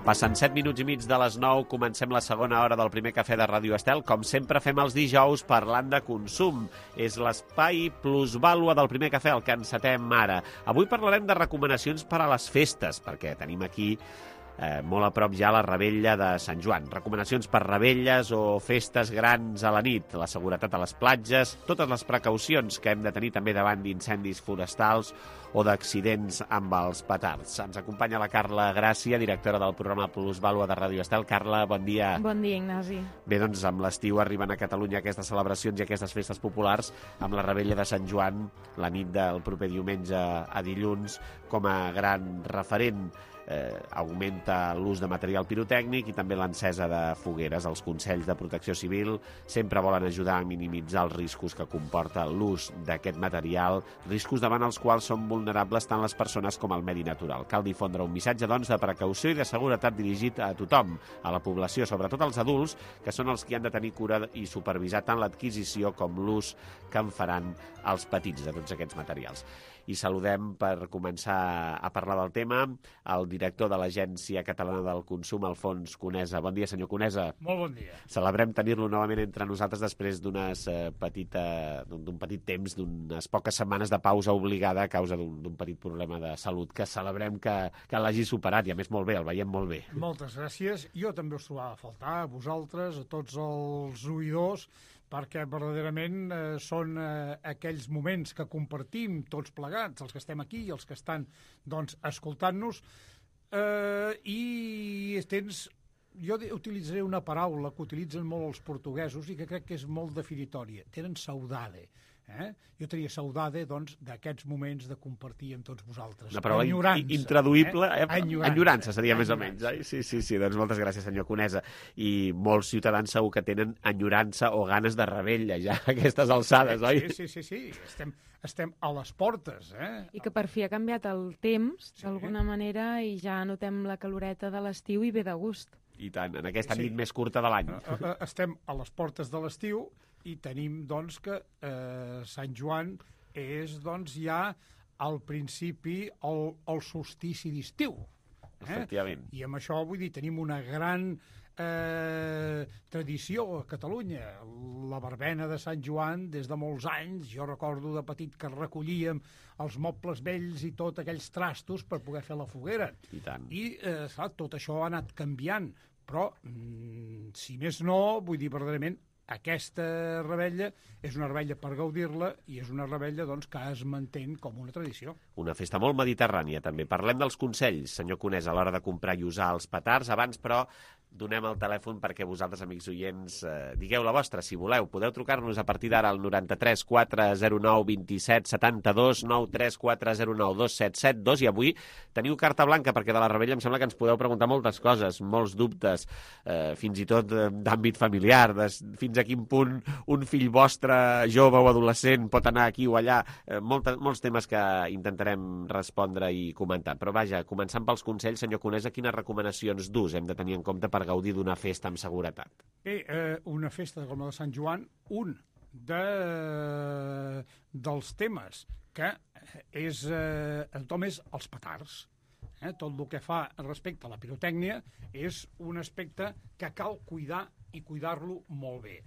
Passen set minuts i mig de les nou, comencem la segona hora del Primer Cafè de Ràdio Estel. Com sempre fem els dijous parlant de consum. És l'espai Plusvàlua del Primer Cafè, el que encetem ara. Avui parlarem de recomanacions per a les festes, perquè tenim aquí eh, molt a prop ja la revetlla de Sant Joan. Recomanacions per revetlles o festes grans a la nit, la seguretat a les platges, totes les precaucions que hem de tenir també davant d'incendis forestals o d'accidents amb els petards. Ens acompanya la Carla Gràcia, directora del programa Plusvàlua de Ràdio Estel. Carla, bon dia. Bon dia, Ignasi. Bé, doncs amb l'estiu arriben a Catalunya aquestes celebracions i aquestes festes populars, amb la revetlla de Sant Joan, la nit del proper diumenge a dilluns, com a gran referent. eh, augmenta l'ús de material pirotècnic i també l'encesa de fogueres. Els Consells de Protecció Civil sempre volen ajudar a minimitzar els riscos que comporta l'ús d'aquest material, riscos davant els quals són vulnerables tant les persones com el medi natural. Cal difondre un missatge, doncs, de precaució i de seguretat dirigit a tothom, a la població, sobretot als adults, que són els que han de tenir cura i supervisar tant l'adquisició com l'ús que en faran els petits de tots aquests materials. I saludem, per començar a parlar del tema, el director de l'Agència Catalana del Consum, Alfons Conesa. Bon dia, senyor Conesa. Molt bon dia. Celebrem tenir-lo novament entre nosaltres després d'unes eh, petita, d'un petit temps, d'unes poques setmanes de pausa obligada a causa d'un petit problema de salut, que celebrem que, que l'hagi superat, i a més molt bé, el veiem molt bé. Moltes gràcies. Jo també us trobava a faltar, a vosaltres, a tots els oïdors, perquè verdaderament eh, són eh, aquells moments que compartim tots plegats, els que estem aquí i els que estan doncs, escoltant-nos, eh, i tens, jo utilitzaré una paraula que utilitzen molt els portuguesos i que crec que és molt definitòria, tenen saudade. Eh? Jo tenia saudade, doncs, d'aquests moments de compartir amb tots vosaltres. Una paraula enyorança, intraduïble, eh? eh? Enyorança. Enyorança seria Enyorança. més o menys. Eh? Sí, sí, sí, doncs moltes gràcies, senyor Conesa. I molts ciutadans segur que tenen enyorança o ganes de rebella ja a aquestes alçades, oi? Sí, sí, sí, sí. Estem, estem a les portes, eh? I que per fi ha canviat el temps, sí, d'alguna manera, i ja notem la caloreta de l'estiu i ve de gust. I tant, en aquesta sí. nit més curta de l'any. Estem a les portes de l'estiu i tenim, doncs, que eh, Sant Joan és, doncs, ja al principi el, el solstici d'estiu. Eh? Efectivament. I amb això, vull dir, tenim una gran eh, tradició a Catalunya. La verbena de Sant Joan, des de molts anys, jo recordo de petit que recollíem els mobles vells i tots aquells trastos per poder fer la foguera. I tant. I, eh, clar, tot això ha anat canviant, però, mm, si més no, vull dir, verdaderament, aquesta rebella és una rebella per gaudir-la i és una rebella, doncs, que es mantén com una tradició. Una festa molt mediterrània, també. Parlem dels consells, senyor Conesa, a l'hora de comprar i usar els petards. Abans, però, donem el telèfon perquè vosaltres, amics oients, eh, digueu la vostra, si voleu. Podeu trucar-nos a partir d'ara al noranta-tres quatre zero nou vint set setanta-dos, nou tres quatre zero nou dos set set dos, i avui teniu carta blanca, perquè de la rebella em sembla que ens podeu preguntar moltes coses, molts dubtes, eh, fins i tot eh, d'àmbit familiar, de, fins a quin punt un fill vostre, jove o adolescent, pot anar aquí o allà, eh, molta, molts temes que intentarem respondre i comentar. Però vaja, començant pels consells, senyor Conesa, quines recomanacions d'ús hem de tenir en compte per gaudir d'una festa amb seguretat? Bé, eh, una festa com la de Sant Joan, un de, dels temes que és, eh, tothom és els petards. Eh? Tot el que fa respecte a la pirotècnia és un aspecte que cal cuidar i cuidar-lo molt bé.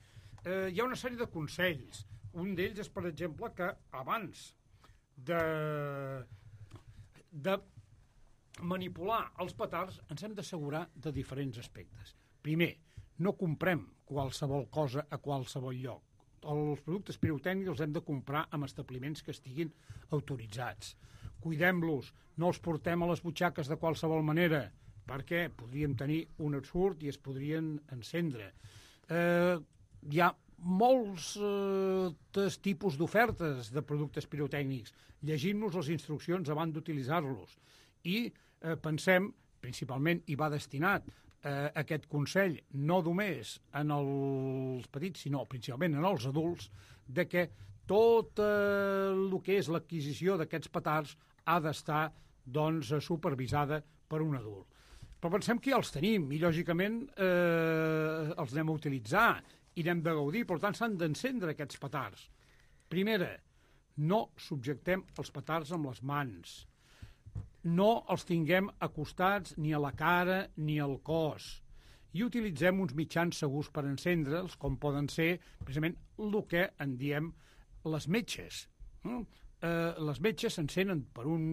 Eh, hi ha una sèrie de consells. Un d'ells és, per exemple, que abans de, de manipular els petards ens hem d'assegurar de diferents aspectes. Primer, no comprem qualsevol cosa a qualsevol lloc. Els productes pirotècnics els hem de comprar en establiments que estiguin autoritzats. Cuidem-los, no els portem a les butxaques de qualsevol manera, perquè podríem tenir un absurd i es podrien encendre. Eh, hi ha molts eh, tipus d'ofertes de productes pirotècnics. Llegim-nos les instruccions abans d'utilitzar-los. I eh, pensem, principalment, i va destinat eh, aquest consell, no només en els petits, sinó principalment en els adults, de que tot eh, el que és l'adquisició d'aquests petards ha d'estar, doncs, supervisada per un adult. Però pensem que ja els tenim i, lògicament, eh, els anem a utilitzar i n'hem de gaudir, per tant, s'han d'encendre aquests petards. Primera, no subjectem els petards amb les mans. No els tinguem acostats ni a la cara ni al cos. I utilitzem uns mitjans segurs per encendre'ls, com poden ser, precisament, el que en diem les metges. Mm? Eh, les metges s'encenen per un...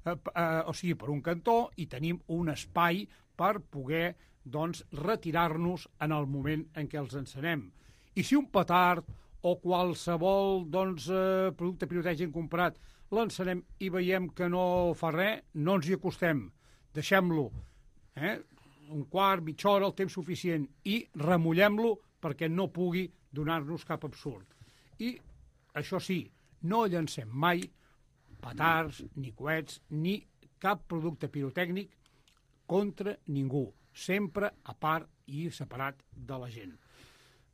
Eh, eh, o sigui, per un cantó, i tenim un espai per poder, doncs, retirar-nos en el moment en què els encenem. I si un petard o qualsevol, doncs, eh, producte pirotècnic comprat l'encenem i veiem que no fa res, no ens hi acostem. Deixem-lo, eh? un quart, mitja hora, el temps suficient, i remullem-lo perquè no pugui donar-nos cap absurd. I, això sí, no llancem mai petards, ni coets, ni cap producte pirotècnic contra ningú, sempre a part i separat de la gent.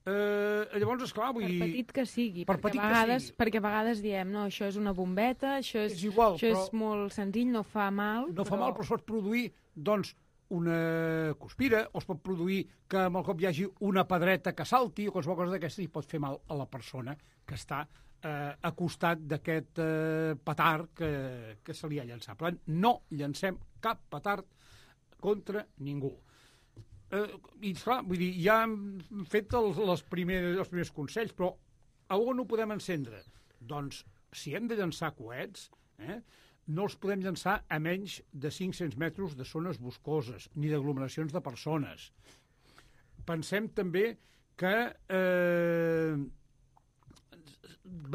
Eh, llavors, esclar, vull dir... Per petit que sigui, per perquè, petit a vegades, que sigui. perquè a vegades diem, no, això és una bombeta, això és, És igual, això però... és molt senzill, no fa mal. No fa mal, però es pot produir, doncs, una cuspira, o es pot produir que amb el cop hi hagi una pedreta que salti, o qualsevol cosa d'aquesta, i pot fer mal a la persona que està eh, a costat d'aquest eh, petard que, que se li ha llançat. Per tant, no llancem cap petard contra ningú. Eh, I, clar, vull dir, ja hem fet els, les primers, els primers consells, però a on ho podem encendre? Doncs, si hem de llançar coets, eh, no els podem llançar a menys de cinc-cents metres de zones boscoses, ni d'aglomeracions de persones. Pensem també que eh,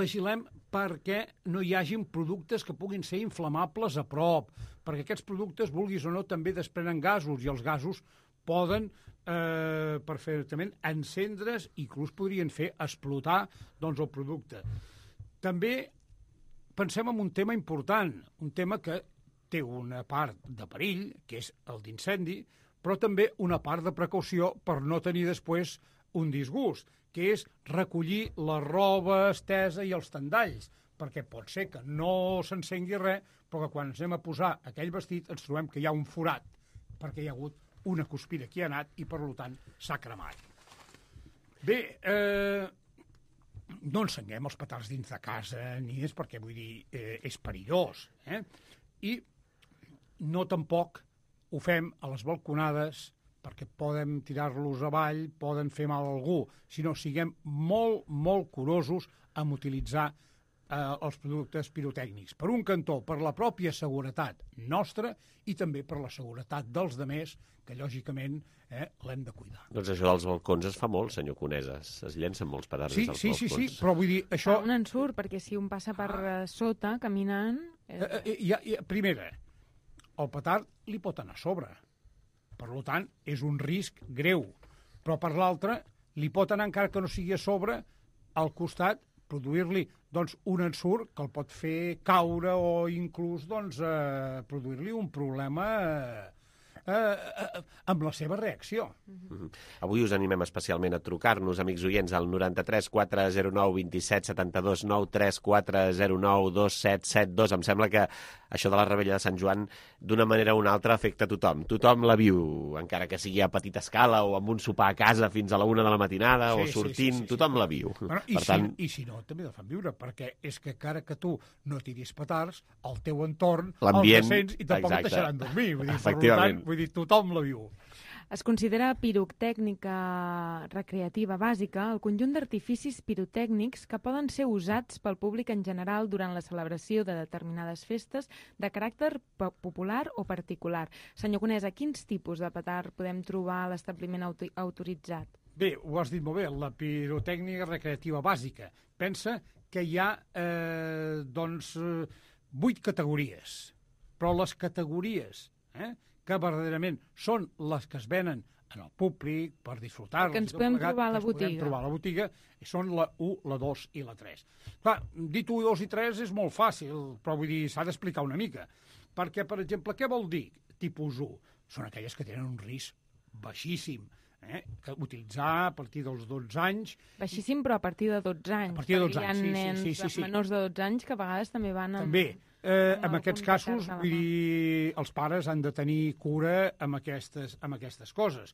vigilem perquè no hi hagin productes que puguin ser inflamables a prop, perquè aquests productes, vulguis o no, també desprenen gasos, i els gasos poden eh, perfectament encendre's i inclús podrien fer explotar doncs, el producte. També pensem en un tema important, un tema que té una part de perill, que és el d'incendi, però també una part de precaució per no tenir després un disgust, que és recollir la roba estesa i els tendalls, perquè pot ser que no s'encengui res, però que quan ens anem a posar aquell vestit ens trobem que hi ha un forat, perquè hi ha hagut una cuspira que hi ha anat i, per tant, s'ha cremat. Bé, eh, no encenguem els petards dins de casa, ni és perquè, vull dir, eh, és perillós. Eh? I no tampoc ho fem a les balconades perquè poden tirar-los avall, poden fer mal a algú, sinó siguem molt, molt curosos en utilitzar eh, els productes pirotècnics. Per un cantó, per la pròpia seguretat nostra i també per la seguretat dels demés, que lògicament eh, l'hem de cuidar. Doncs això dels balcons es fa molt, senyor Coneses. Es llencen molts petards sí, als sí, balcons. Sí, sí, però vull dir, això... Fa un ensurt, perquè si un passa per ah. sota, caminant... Eh... Eh, eh, ja, ja, primera, el petard li pot anar a sobre. Per tant, és un risc greu. Però per l'altra, li pot anar, encara que no sigui a sobre, al costat, produir-li doncs, un ensurt que el pot fer caure o inclús doncs, eh, produir-li un problema... Eh, Eh, eh, amb la seva reacció. Mm-hmm. Avui us animem especialment a trucar-nos, amics oients, al noranta-tres quatre zero nou vint-i-set setanta-dos nou tres quatre zero nou dos set set dos. Em sembla que això de la Rebella de Sant Joan, d'una manera o una altra, afecta a tothom. Tothom la viu, encara que sigui a petita escala o amb un sopar a casa fins a la una de la matinada sí, o sortint, sí, sí, sí, tothom sí. la viu. Bueno, i, per si, tant... I si no, també la fan viure, perquè és que encara que tu no tiris petards, al teu entorn el descens i tampoc et deixaran dormir. Vull dir, per tant, vull dir, tothom la viu. Es considera pirotècnica recreativa bàsica el conjunt d'artificis pirotècnics que poden ser usats pel públic en general durant la celebració de determinades festes de caràcter popular o particular. Senyor Conesa, quins tipus de petard podem trobar a l'establiment auto autoritzat? Bé, ho has dit molt bé, la pirotècnica recreativa bàsica. Pensa que hi ha eh, doncs, vuit categories, però les categories... Eh, que verdaderament són les que es venen en el públic per disfrutar-los. Que ens podem plegat, trobar a la botiga. Podem trobar a la botiga, són la u, la dos i la tres. Clar, dit u, dos i tres és molt fàcil, però vull dir, s'ha d'explicar una mica. Perquè, per exemple, què vol dir tipus u? Són aquelles que tenen un risc baixíssim, eh? que utilitzar a partir dels dotze anys... Baixíssim, però a partir de dotze anys. A partir de dotze anys, sí, sí, sí, sí, sí. menors de dotze anys que a vegades també van... Amb... També. Eh, en aquests casos, vull dir, els pares han de tenir cura amb aquestes, amb aquestes coses.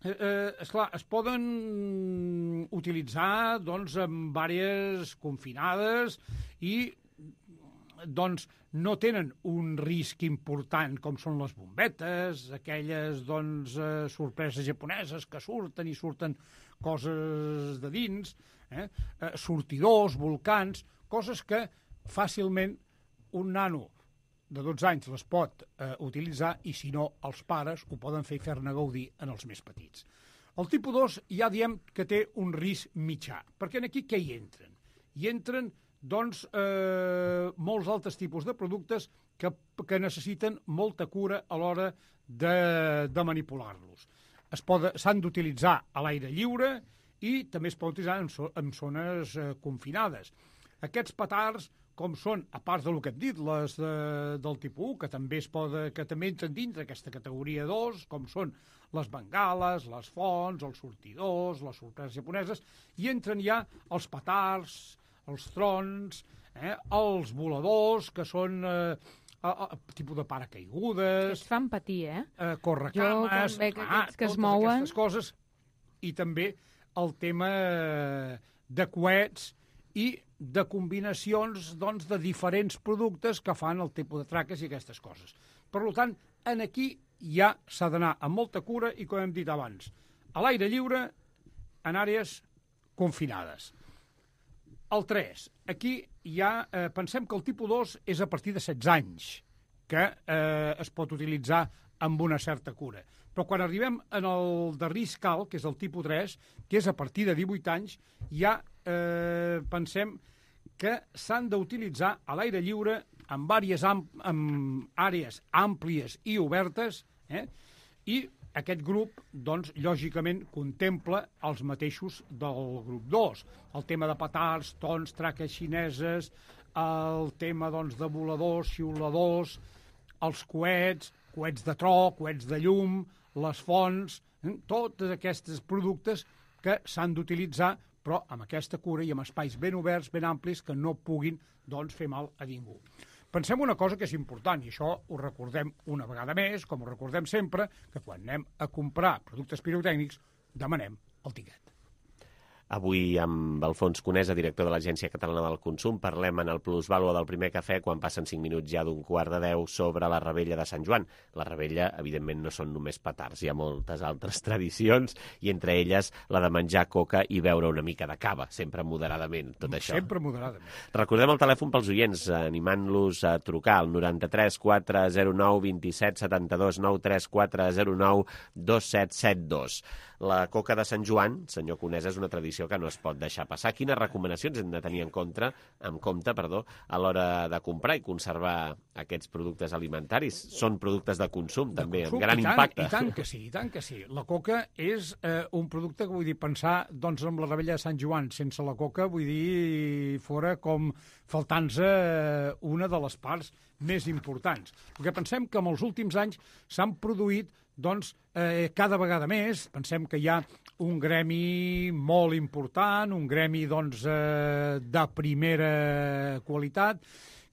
Eh, eh, esclar, es poden utilitzar doncs, amb diverses confinades i doncs, no tenen un risc important com són les bombetes, aquelles doncs, eh, sorpreses japoneses que surten i surten coses de dins, eh? Eh, sortidors, volcans, coses que fàcilment un nano de dotze anys les pot eh, utilitzar i, si no, els pares ho poden fer i fer-ne gaudir en els més petits. El tipus dos ja diem que té un risc mitjà, perquè aquí què hi entren? Hi entren, doncs, eh, molts altres tipus de productes que, que necessiten molta cura a l'hora de, de manipular-los. S'han d'utilitzar a l'aire lliure i també es pot utilitzar en, so, en zones eh, confinades. Aquests petards, com són, a part del que hem dit, les de, del tipus u, que també es poda, que també entren dintre d'aquesta categoria dos, com són les bengales, les fonts, els sortidors, les sorpreses japoneses, i entren ja els petards, els trons, eh, els voladors, que són eh, a, a, tipus de paracaigudes... Aquests fan patir, eh? eh correcames... Jo, quan veig ah, aquests que es totes mouen... aquestes coses, i també el tema de coets i de combinacions doncs, de diferents productes que fan el tipus de traques i aquestes coses. Per tant, en aquí ja s'ha d'anar amb molta cura i, com hem dit abans, a l'aire lliure, en àrees confinades. El tres, aquí ja eh, pensem que el tipus dos és a partir de setze anys, que eh, es pot utilitzar amb una certa cura. Però quan arribem en el de risc alt, que és el tipus tres, que és a partir de divuit anys, ja eh, pensem que s'han d'utilitzar a l'aire lliure en, àrees amb, amb àrees àmplies i obertes, eh? I aquest grup, doncs, lògicament, contempla els mateixos del grup dos. El tema de petards, tons, traques xineses, el tema, doncs, de voladors, xiuladors, els coets, coets de tro, coets de llum, les fonts, eh? Tots aquests productes que s'han d'utilitzar, però amb aquesta cura i amb espais ben oberts, ben amplis, que no puguin, doncs, fer mal a ningú. Pensem una cosa que és important, i això ho recordem una vegada més, com ho recordem sempre, que quan anem a comprar productes pirotècnics demanem el tiquet. Avui amb Alfons Conesa, director de l'Agència Catalana del Consum, parlem en el plusvàlua del primer cafè quan passen cinc minuts ja d'un quart de deu sobre la Revetlla de Sant Joan. La Revetlla, evidentment, no són només petards, hi ha moltes altres tradicions i entre elles la de menjar coca i beure una mica de cava, sempre moderadament, tot això. Sempre moderadament. Recordem el telèfon pels oients, animant-los a trucar al noranta-tres quatre zero nou vint set setanta-dos nou tres quatre zero nou dos set set dos. La coca de Sant Joan, senyor Conesa, és una tradició que no es pot deixar passar. Quines recomanacions hem de tenir en compte, en compte perdó, a l'hora de comprar i conservar aquests productes alimentaris? Són productes de consum, de també, consum, amb gran i tant, impacte. I tant que sí, i tant que sí. La coca és eh, un producte que vull dir, pensar doncs, amb la Revetlla de Sant Joan. Sense la coca, vull dir, fora com faltant-se eh, una de les parts més importants. El que pensem que en els últims anys s'han produït doncs, eh, cada vegada més, pensem que hi ha un gremi molt important, un gremi doncs, eh, de primera qualitat,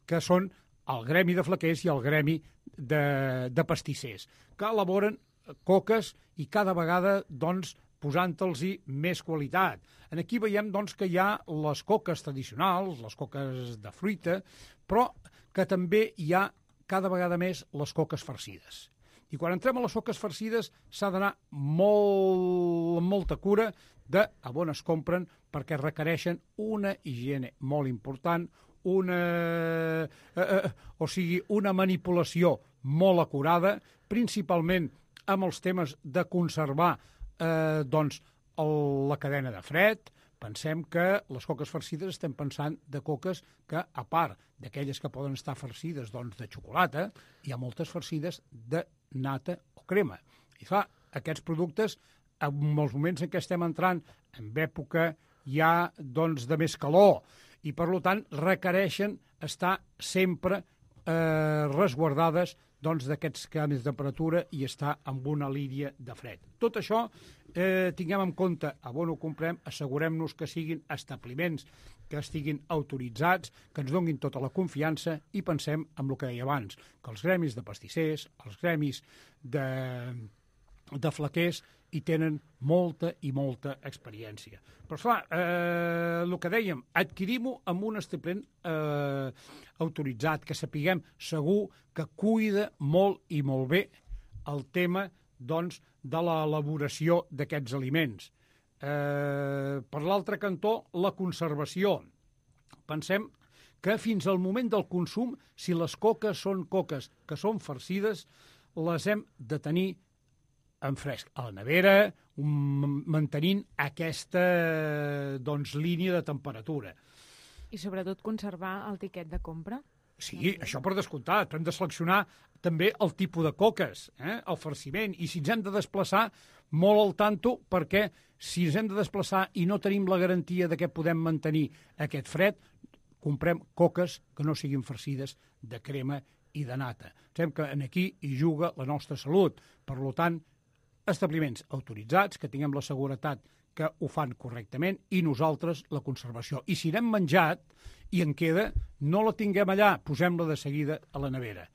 que són el gremi de flaquers i el gremi de, de pastissers, que elaboren coques i cada vegada doncs, posant-los-hi més qualitat. En aquí veiem doncs, que hi ha les coques tradicionals, les coques de fruita, però que també hi ha cada vegada més les coques farcides. I quan entrem a les coques farcides s'ha d'anar molt, amb molta cura de a on es compren perquè requereixen una higiene molt important, una, eh, eh, o sigui, una manipulació molt acurada, principalment amb els temes de conservar eh, doncs, el, la cadena de fred. Pensem que les coques farcides estem pensant de coques que, a part d'aquelles que poden estar farcides doncs, de xocolata, hi ha moltes farcides de nata o crema. I clar, aquests productes, en els moments en què estem entrant en època ja doncs, de més calor, i per tant requereixen estar sempre eh, resguardades doncs, d'aquests canvis de temperatura i estar amb una línia de fred. Tot això eh, tinguem en compte a on ho comprem, assegurem-nos que siguin establiments que estiguin autoritzats, que ens donin tota la confiança i pensem en el que deia abans, que els gremis de pastissers, els gremis de, de flaquers hi tenen molta i molta experiència. Però, clar, eh, el que dèiem, adquirim-ho amb un establiment eh, autoritzat, que sapiguem segur que cuida molt i molt bé el tema doncs, de l'elaboració d'aquests aliments. Eh, per l'altre cantó, la conservació. Pensem que fins al moment del consum, si les coques són coques que són farcides, les hem de tenir en fresc, a la nevera, um, mantenint aquesta doncs, línia de temperatura. I sobretot conservar el tiquet de compra? Sí, això per descomptat, però hem de seleccionar també el tipus de coques, eh? el farciment, i si ens hem de desplaçar, molt al tanto, perquè si ens hem de desplaçar i no tenim la garantia de que podem mantenir aquest fred, comprem coques que no siguin farcides de crema i de nata. Sabem que aquí hi juga la nostra salut. Per tant, establiments autoritzats, que tinguem la seguretat que ho fan correctament, i nosaltres la conservació. I si n'hem menjat i en queda, no la tinguem allà, posem-la de seguida a la nevera.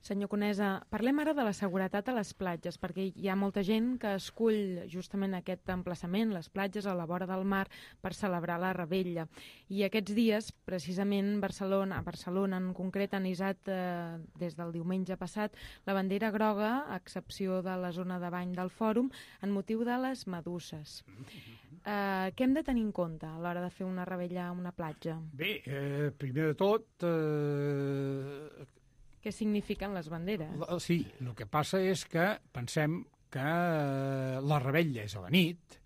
Senyor Conesa, parlem ara de la seguretat a les platges, perquè hi ha molta gent que escull justament aquest emplaçament, les platges a la vora del mar, per celebrar la Revetlla. I aquests dies, precisament, Barcelona, a Barcelona en concret, han hissat eh, des del diumenge passat la bandera groga, a excepció de la zona de bany del Fòrum, en motiu de les meduses. Eh, què hem de tenir en compte a l'hora de fer una revetlla a una platja? Bé, eh, primer de tot... Eh... Què signifiquen les banderes? Sí, el que passa és que pensem que la revetlla és a la nit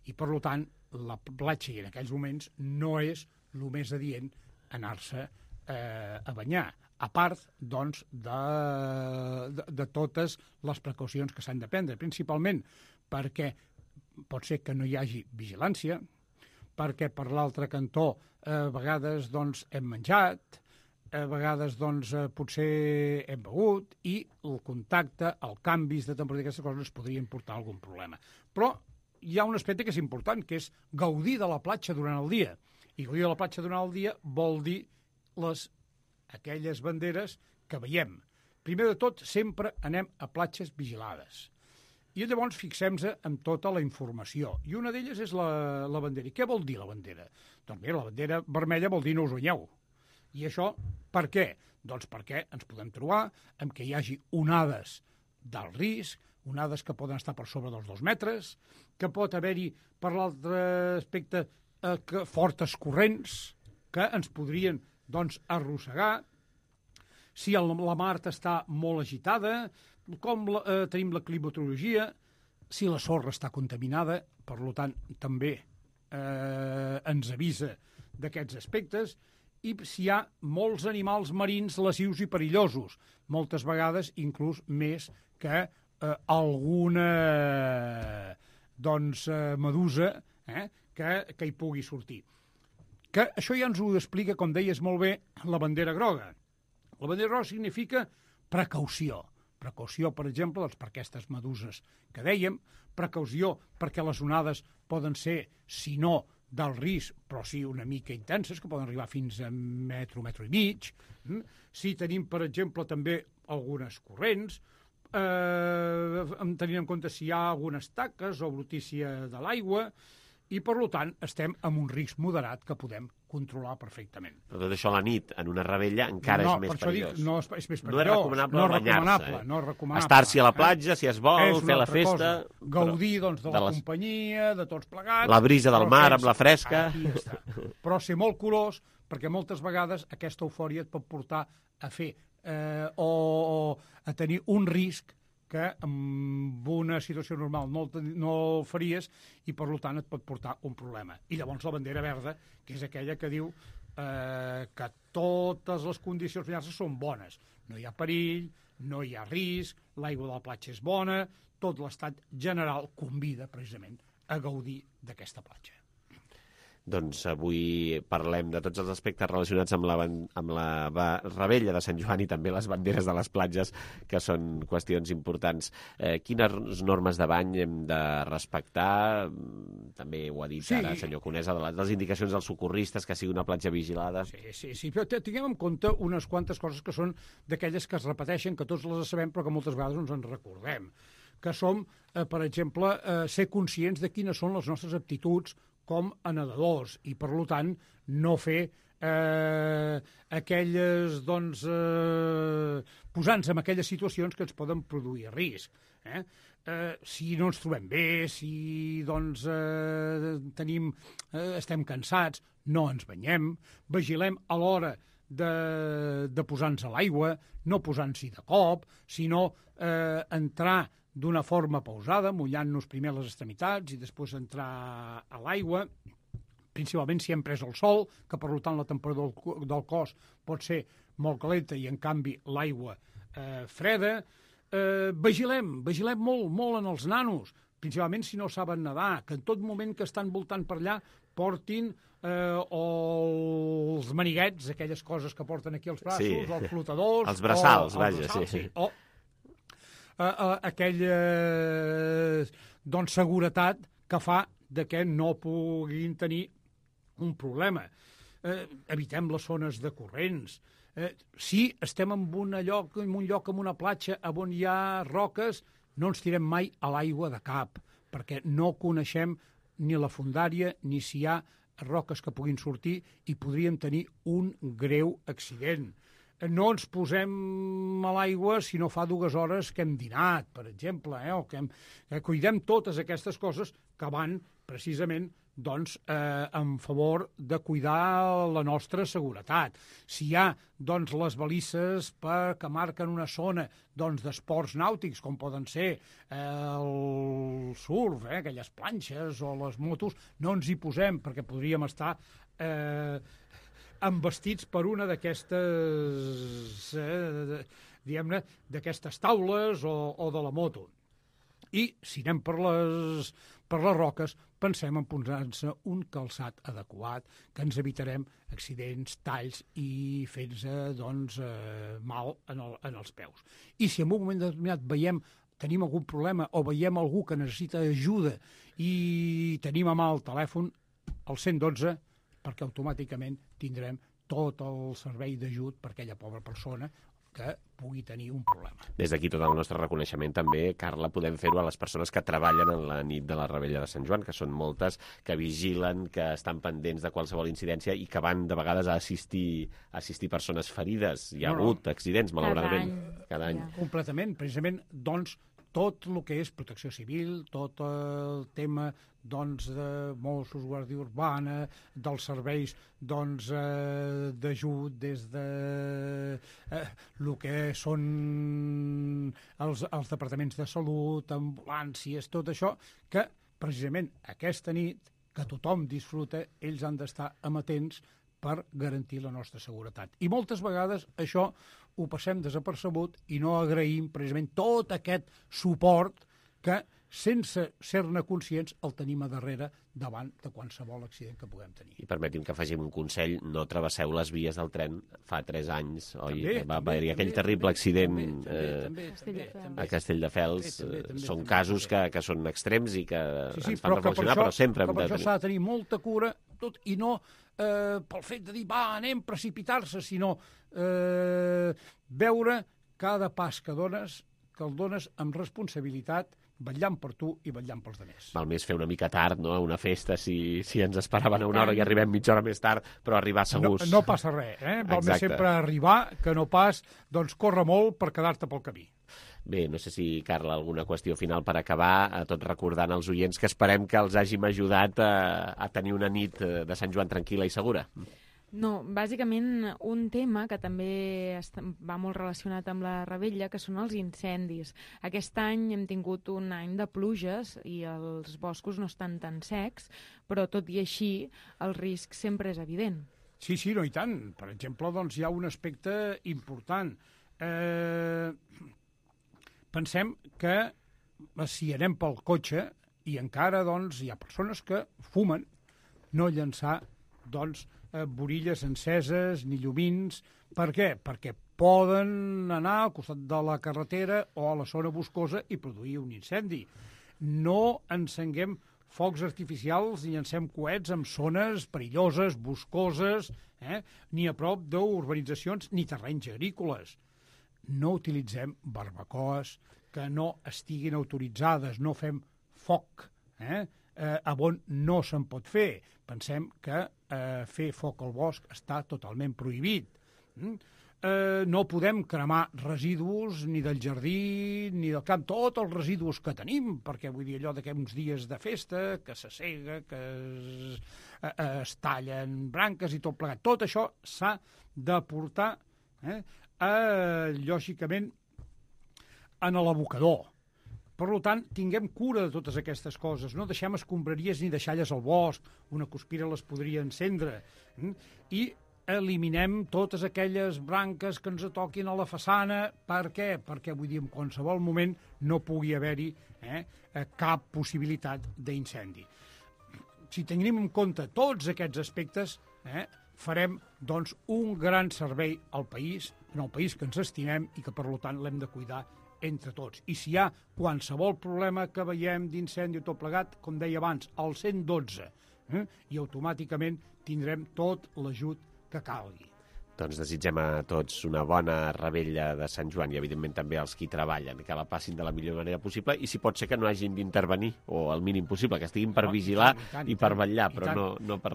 i, per tant, la platja en aquells moments no és el més adient anar-se eh, a banyar, a part, doncs, de, de, de totes les precaucions que s'han de prendre, principalment perquè pot ser que no hi hagi vigilància, perquè per l'altre cantó eh, a vegades doncs, hem menjat, a vegades doncs, potser hem begut i el contacte, el canvis de temperatura d'aquestes coses ens podrien portar algun problema. Però hi ha un aspecte que és important, que és gaudir de la platja durant el dia. I gaudir de la platja durant el dia vol dir les, aquelles banderes que veiem. Primer de tot, sempre anem a platges vigilades. I llavors fixem-nos en tota la informació. I una d'elles és la, la bandera. I què vol dir la bandera? Doncs bé, la bandera vermella vol dir no us banyeu. I això, per què? Doncs perquè ens podem trobar amb que hi hagi onades d'alt risc, onades que poden estar per sobre dels dos metres, que pot haver-hi, per l'altre aspecte, eh, que fortes corrents que ens podrien doncs, arrossegar. Si el, la mar està molt agitada, com la, eh, tenim la climatologia, si la sorra està contaminada, per tant, també eh, ens avisa d'aquests aspectes, i si hi ha molts animals marins lesius i perillosos, moltes vegades inclús més que eh, alguna doncs, eh, medusa eh, que, que hi pugui sortir. Que això ja ens ho explica, com deies molt bé, la bandera groga. La bandera groga significa precaució. Precaució, per exemple, doncs, per aquestes meduses que dèiem, precaució perquè les onades poden ser, si no, del risc, però sí una mica intenses, que poden arribar fins a metro, metro i mig. Si tenim, per exemple, també algunes corrents, eh, tenint en compte si hi ha algunes taques o brutícia de l'aigua, i, per tant, estem en un risc moderat que podem controlar perfectament. Però tot això a la nit, en una revetlla, encara no, és més perillós. Dic, no, és, és més perillós. No és recomanable no banyar-se. Eh? No és recomanable. Estar-s'hi a la platja, eh? Si es vol, fer la festa... Cosa. Gaudir, doncs, de, de la les... companyia, de tots plegats... La brisa del mar amb la fresca... Aquí està. Però ser molt curós, perquè moltes vegades aquesta eufòria et pot portar a fer eh, o, o a tenir un risc que en una situació normal no, no el faries i, per tant, et pot portar un problema. I llavors la bandera verda, que és aquella que diu eh, que totes les condicions finals són bones. No hi ha perill, no hi ha risc, l'aigua de la platja és bona, tot l'estat general convida, precisament, a gaudir d'aquesta platja. Doncs avui parlem de tots els aspectes relacionats amb la, amb la revetlla de Sant Joan i també les banderes de les platges, que són qüestions importants. Eh, quines normes de bany hem de respectar? També ho ha dit sí. ara el senyor Conesa, de les, de les indicacions dels socorristes, que sigui una platja vigilada. Sí, sí, sí, però tinguem en compte unes quantes coses que són d'aquelles que es repeteixen, que tots les sabem, però que moltes vegades no ens en recordem. Que som, eh, per exemple, eh, ser conscients de quines són les nostres aptituds com a nedadors i, per tant, no fer eh, aquelles, doncs, eh, posant-nos en aquelles situacions que ens poden produir risc. Eh? Eh, si no ens trobem bé, si, doncs, eh, tenim, eh, estem cansats, no ens banyem, vigilem a l'hora de, de posar-nos a l'aigua, no posant-s'hi de cop, sinó eh, entrar d'una forma pausada, mullant-nos primer les extremitats i després entrar a l'aigua, principalment si hem pres el sol, que per tant la temperatura del cos pot ser molt calenta i en canvi l'aigua eh, freda. Eh, vigilem, vigilem molt, molt en els nanos, principalment si no saben nedar, que en tot moment que estan voltant per allà portin eh, o els maniguets, aquelles coses que porten aquí els braços, Sí. o els flotadors... Els braçals, o, vaja, els braçals, sí. sí. O eh, eh, aquella doncs, seguretat que fa de que no puguin tenir un problema. Eh, evitem les zones de corrents. Eh, si estem en, una lloc, en un lloc, en una platja, on hi ha roques, no ens tirem mai a l'aigua de cap, perquè no coneixem ni la fondària ni si hi ha roques que puguin sortir i podríem tenir un greu accident. No ens posem a l'aigua si no fa dues hores que hem dinat, per exemple, eh? o que, hem, que cuidem totes aquestes coses que van precisament doncs, eh, en favor de cuidar la nostra seguretat. Si hi ha doncs, les balisses per, que marquen una zona doncs, d'esports nàutics, com poden ser eh, el surf, eh, aquelles planxes o les motos, no ens hi posem, perquè podríem estar eh, embestits per una d'aquestes, eh, diguem-ne, d'aquestes taules o, o de la moto. I si anem per les, per les roques, pensem en posar-se un calçat adequat, que ens evitarem accidents, talls i fer-nos doncs, eh, mal en, el, en els peus. I si en un moment determinat veiem, tenim algun problema o veiem algú que necessita ajuda i tenim a mà el telèfon, el cent dotze, perquè automàticament tindrem tot el servei d'ajut per aquella pobra persona que pugui tenir un problema. Des d'aquí tot el nostre reconeixement també, Carla, podem fer-ho a les persones que treballen en la nit de la Revetlla de Sant Joan, que són moltes, que vigilen, que estan pendents de qualsevol incidència i que van de vegades a assistir, a assistir persones ferides. Hi ha No, no. hagut accidents, malauradament. Cada any. Completament. Precisament, doncs, tot el que és protecció civil, tot el tema doncs, de Mossos, Guàrdia Urbana, dels serveis doncs, eh, d'ajut des de eh, el que són els, els departaments de salut, ambulàncies, tot això, que precisament aquesta nit, que tothom disfruta, ells han d'estar amatents per garantir la nostra seguretat. I moltes vegades això ho passem desapercebut i no agraïm precisament tot aquest suport que, sense ser-ne conscients, el tenim a darrere davant de qualsevol accident que puguem tenir. I permeti'm que afegim un consell, no travesseu les vies del tren fa tres anys, oi? També, Va també, haver-hi aquell també, terrible també, accident també, eh, també, també, també, a Castelldefels. també, també, també, Són també, casos també. que, que són extrems i que Sí, sí, ens fan però que per reflexionar, això, però sempre que hem per de això tenir... s'ha de tenir molta cura tot, i no eh, pel fet de dir, va, anem a precipitar-se, sinó eh, veure cada pas que dones, que el dones amb responsabilitat, vetllant per tu i vetllant pels demés. Val més fer una mica tard, no?, a una festa, si, si ens esperaven a una hora i arribem mitja hora més tard, però arribar segurs. No, no passa res, eh? Val més Exacte. sempre arribar que no pas doncs, córrer molt per quedar-te pel camí. Bé, no sé si, Carla, alguna qüestió final per acabar, a tot recordant als oients que esperem que els hàgim ajudat a, a tenir una nit de Sant Joan tranquil·la i segura. No, bàsicament un tema que també està, va molt relacionat amb la Revetlla, que són els incendis. Aquest any hem tingut un any de pluges i els boscos no estan tan secs, però tot i així el risc sempre és evident. Sí, sí, no, i tant. Per exemple, doncs, hi ha un aspecte important. Eh, pensem que si anem pel cotxe i encara doncs, hi ha persones que fumen, no llançar doncs, eh, borilles enceses ni llumins. Per què? Perquè poden anar al costat de la carretera o a la zona boscosa i produir un incendi. No encenguem focs artificials ni llancem coets en zones perilloses, boscoses, eh? ni a prop d'urbanitzacions ni terrenys agrícoles. No utilitzem barbacoes que no estiguin autoritzades, no fem foc eh? Eh, on no se'n pot fer. Pensem que eh, fer foc al bosc està totalment prohibit. Mm? Eh, no podem cremar residus ni del jardí ni del camp, tots els residus que tenim, perquè vull dir allò d'aquests uns dies de festa, que s'assega, que es, eh, es tallen branques i tot plegat. Tot això s'ha de portar, eh, eh, lògicament, en l'abocador. Per tant, tinguem cura de totes aquestes coses. No deixem escombraries ni deixalles al bosc. Una cuspira les podria encendre. I eliminem totes aquelles branques que ens toquin a la façana. Per què? Perquè, vull dir, en qualsevol moment no pugui haver-hi eh, cap possibilitat d'incendi. Si tenim en compte tots aquests aspectes, eh, farem doncs, un gran servei al país, en el país que ens estimem i que, per tant, l'hem de cuidar entre tots. I si hi ha qualsevol problema que veiem d'incendi o tot plegat, com deia abans, al cent dotze, eh, i automàticament tindrem tot l'ajut que calgui. Doncs desitgem a tots una bona revetlla de Sant Joan i, evidentment, també als qui treballen, que la passin de la millor manera possible i, si pot ser, que no hagin d'intervenir, o el mínim possible, que estiguin per vigilar i, tant, i, tant, i per vetllar, però no, no per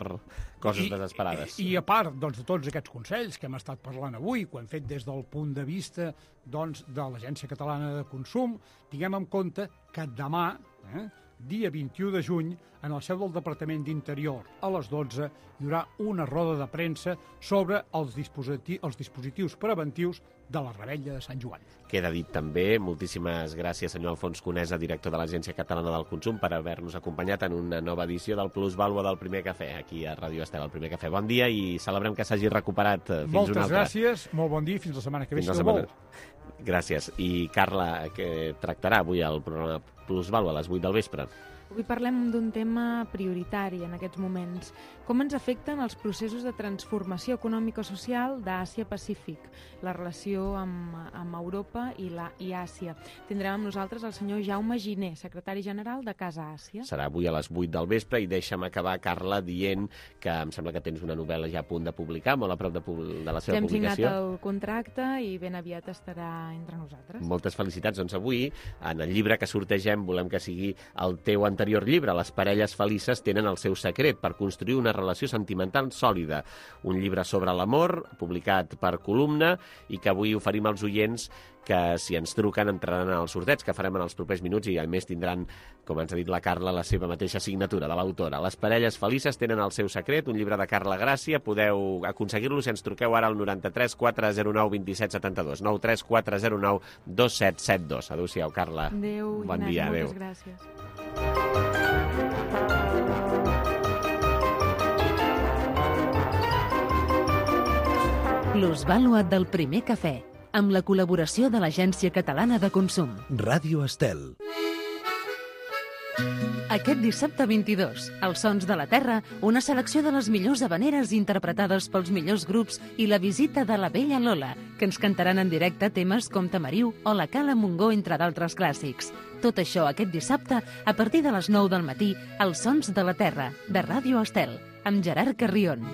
coses I, desesperades. I, I a part doncs, de tots aquests consells que hem estat parlant avui, que ho hem fet des del punt de vista doncs, de l'Agència Catalana de Consum, tinguem en compte que demà, eh, dia vint-i-u de juny, en el seu del Departament d'Interior, a les dotze, hi haurà una roda de premsa sobre els, dispositi els dispositius preventius de la revetlla de Sant Joan. Queda dit també, moltíssimes gràcies, senyor Alfons Conesa, director de l'Agència Catalana del Consum, per haver-nos acompanyat en una nova edició del Plus Vàlua del Primer Cafè, aquí a Ràdio Estel, el Primer Cafè. Bon dia i celebrem que s'hagi recuperat fins Moltes una altra. Moltes gràcies, molt bon dia i fins la setmana que ve. Fins la setmana. Gràcies. I Carla, què tractarà avui el programa Plus Vàlua a les vuit del vespre? Avui parlem d'un tema prioritari en aquests moments. Com ens afecten els processos de transformació econòmica-social d'Àsia-Pacífic, la relació amb, amb Europa i, la, i Àsia. Tindrem amb nosaltres el senyor Jaume Giner, secretari general de Casa Àsia. Serà avui a les vuit del vespre i deixa'm acabar, Carla, dient que em sembla que tens una novel·la ja a punt de publicar, molt a prop de, de la seva Hem publicació. Hem signat el contracte i ben aviat estarà entre nosaltres. Moltes felicitats. Doncs avui, en el llibre que sortegem, volem que sigui el teu anterior llibre, Les parelles felices tenen el seu secret per construir una relació sentimental sòlida. Un llibre sobre l'amor, publicat per Columna, i que avui oferim als oients que, si ens truquen, entraran en els sorteig que farem en els propers minuts i, a més, tindran, com ens ha dit la Carla, la seva mateixa signatura de l'autora. Les parelles felices tenen el seu secret, un llibre de Carla Gràcia. Podeu aconseguir-lo si ens truqueu ara al noranta-tres quatre zero nou vint set setanta-dos, nou tres quatre zero nou dos set set dos. Adéu-siau, Carla. Adéu, bon Ignasi, dia, moltes adéu. gràcies. Plusvàlua del Primer Cafè, amb la col·laboració de l'Agència Catalana de Consum. Ràdio Estel. Aquest dissabte vint-i-dos, Els Sons de la Terra, una selecció de les millors habaneres interpretades pels millors grups i la visita de la Bella Lola, que ens cantaran en directe temes com Tamariu o La Cala Montgó, entre d'altres clàssics. Tot això aquest dissabte, a partir de les nou del matí, Els Sons de la Terra, de Ràdio Estel, amb Gerard Carrion.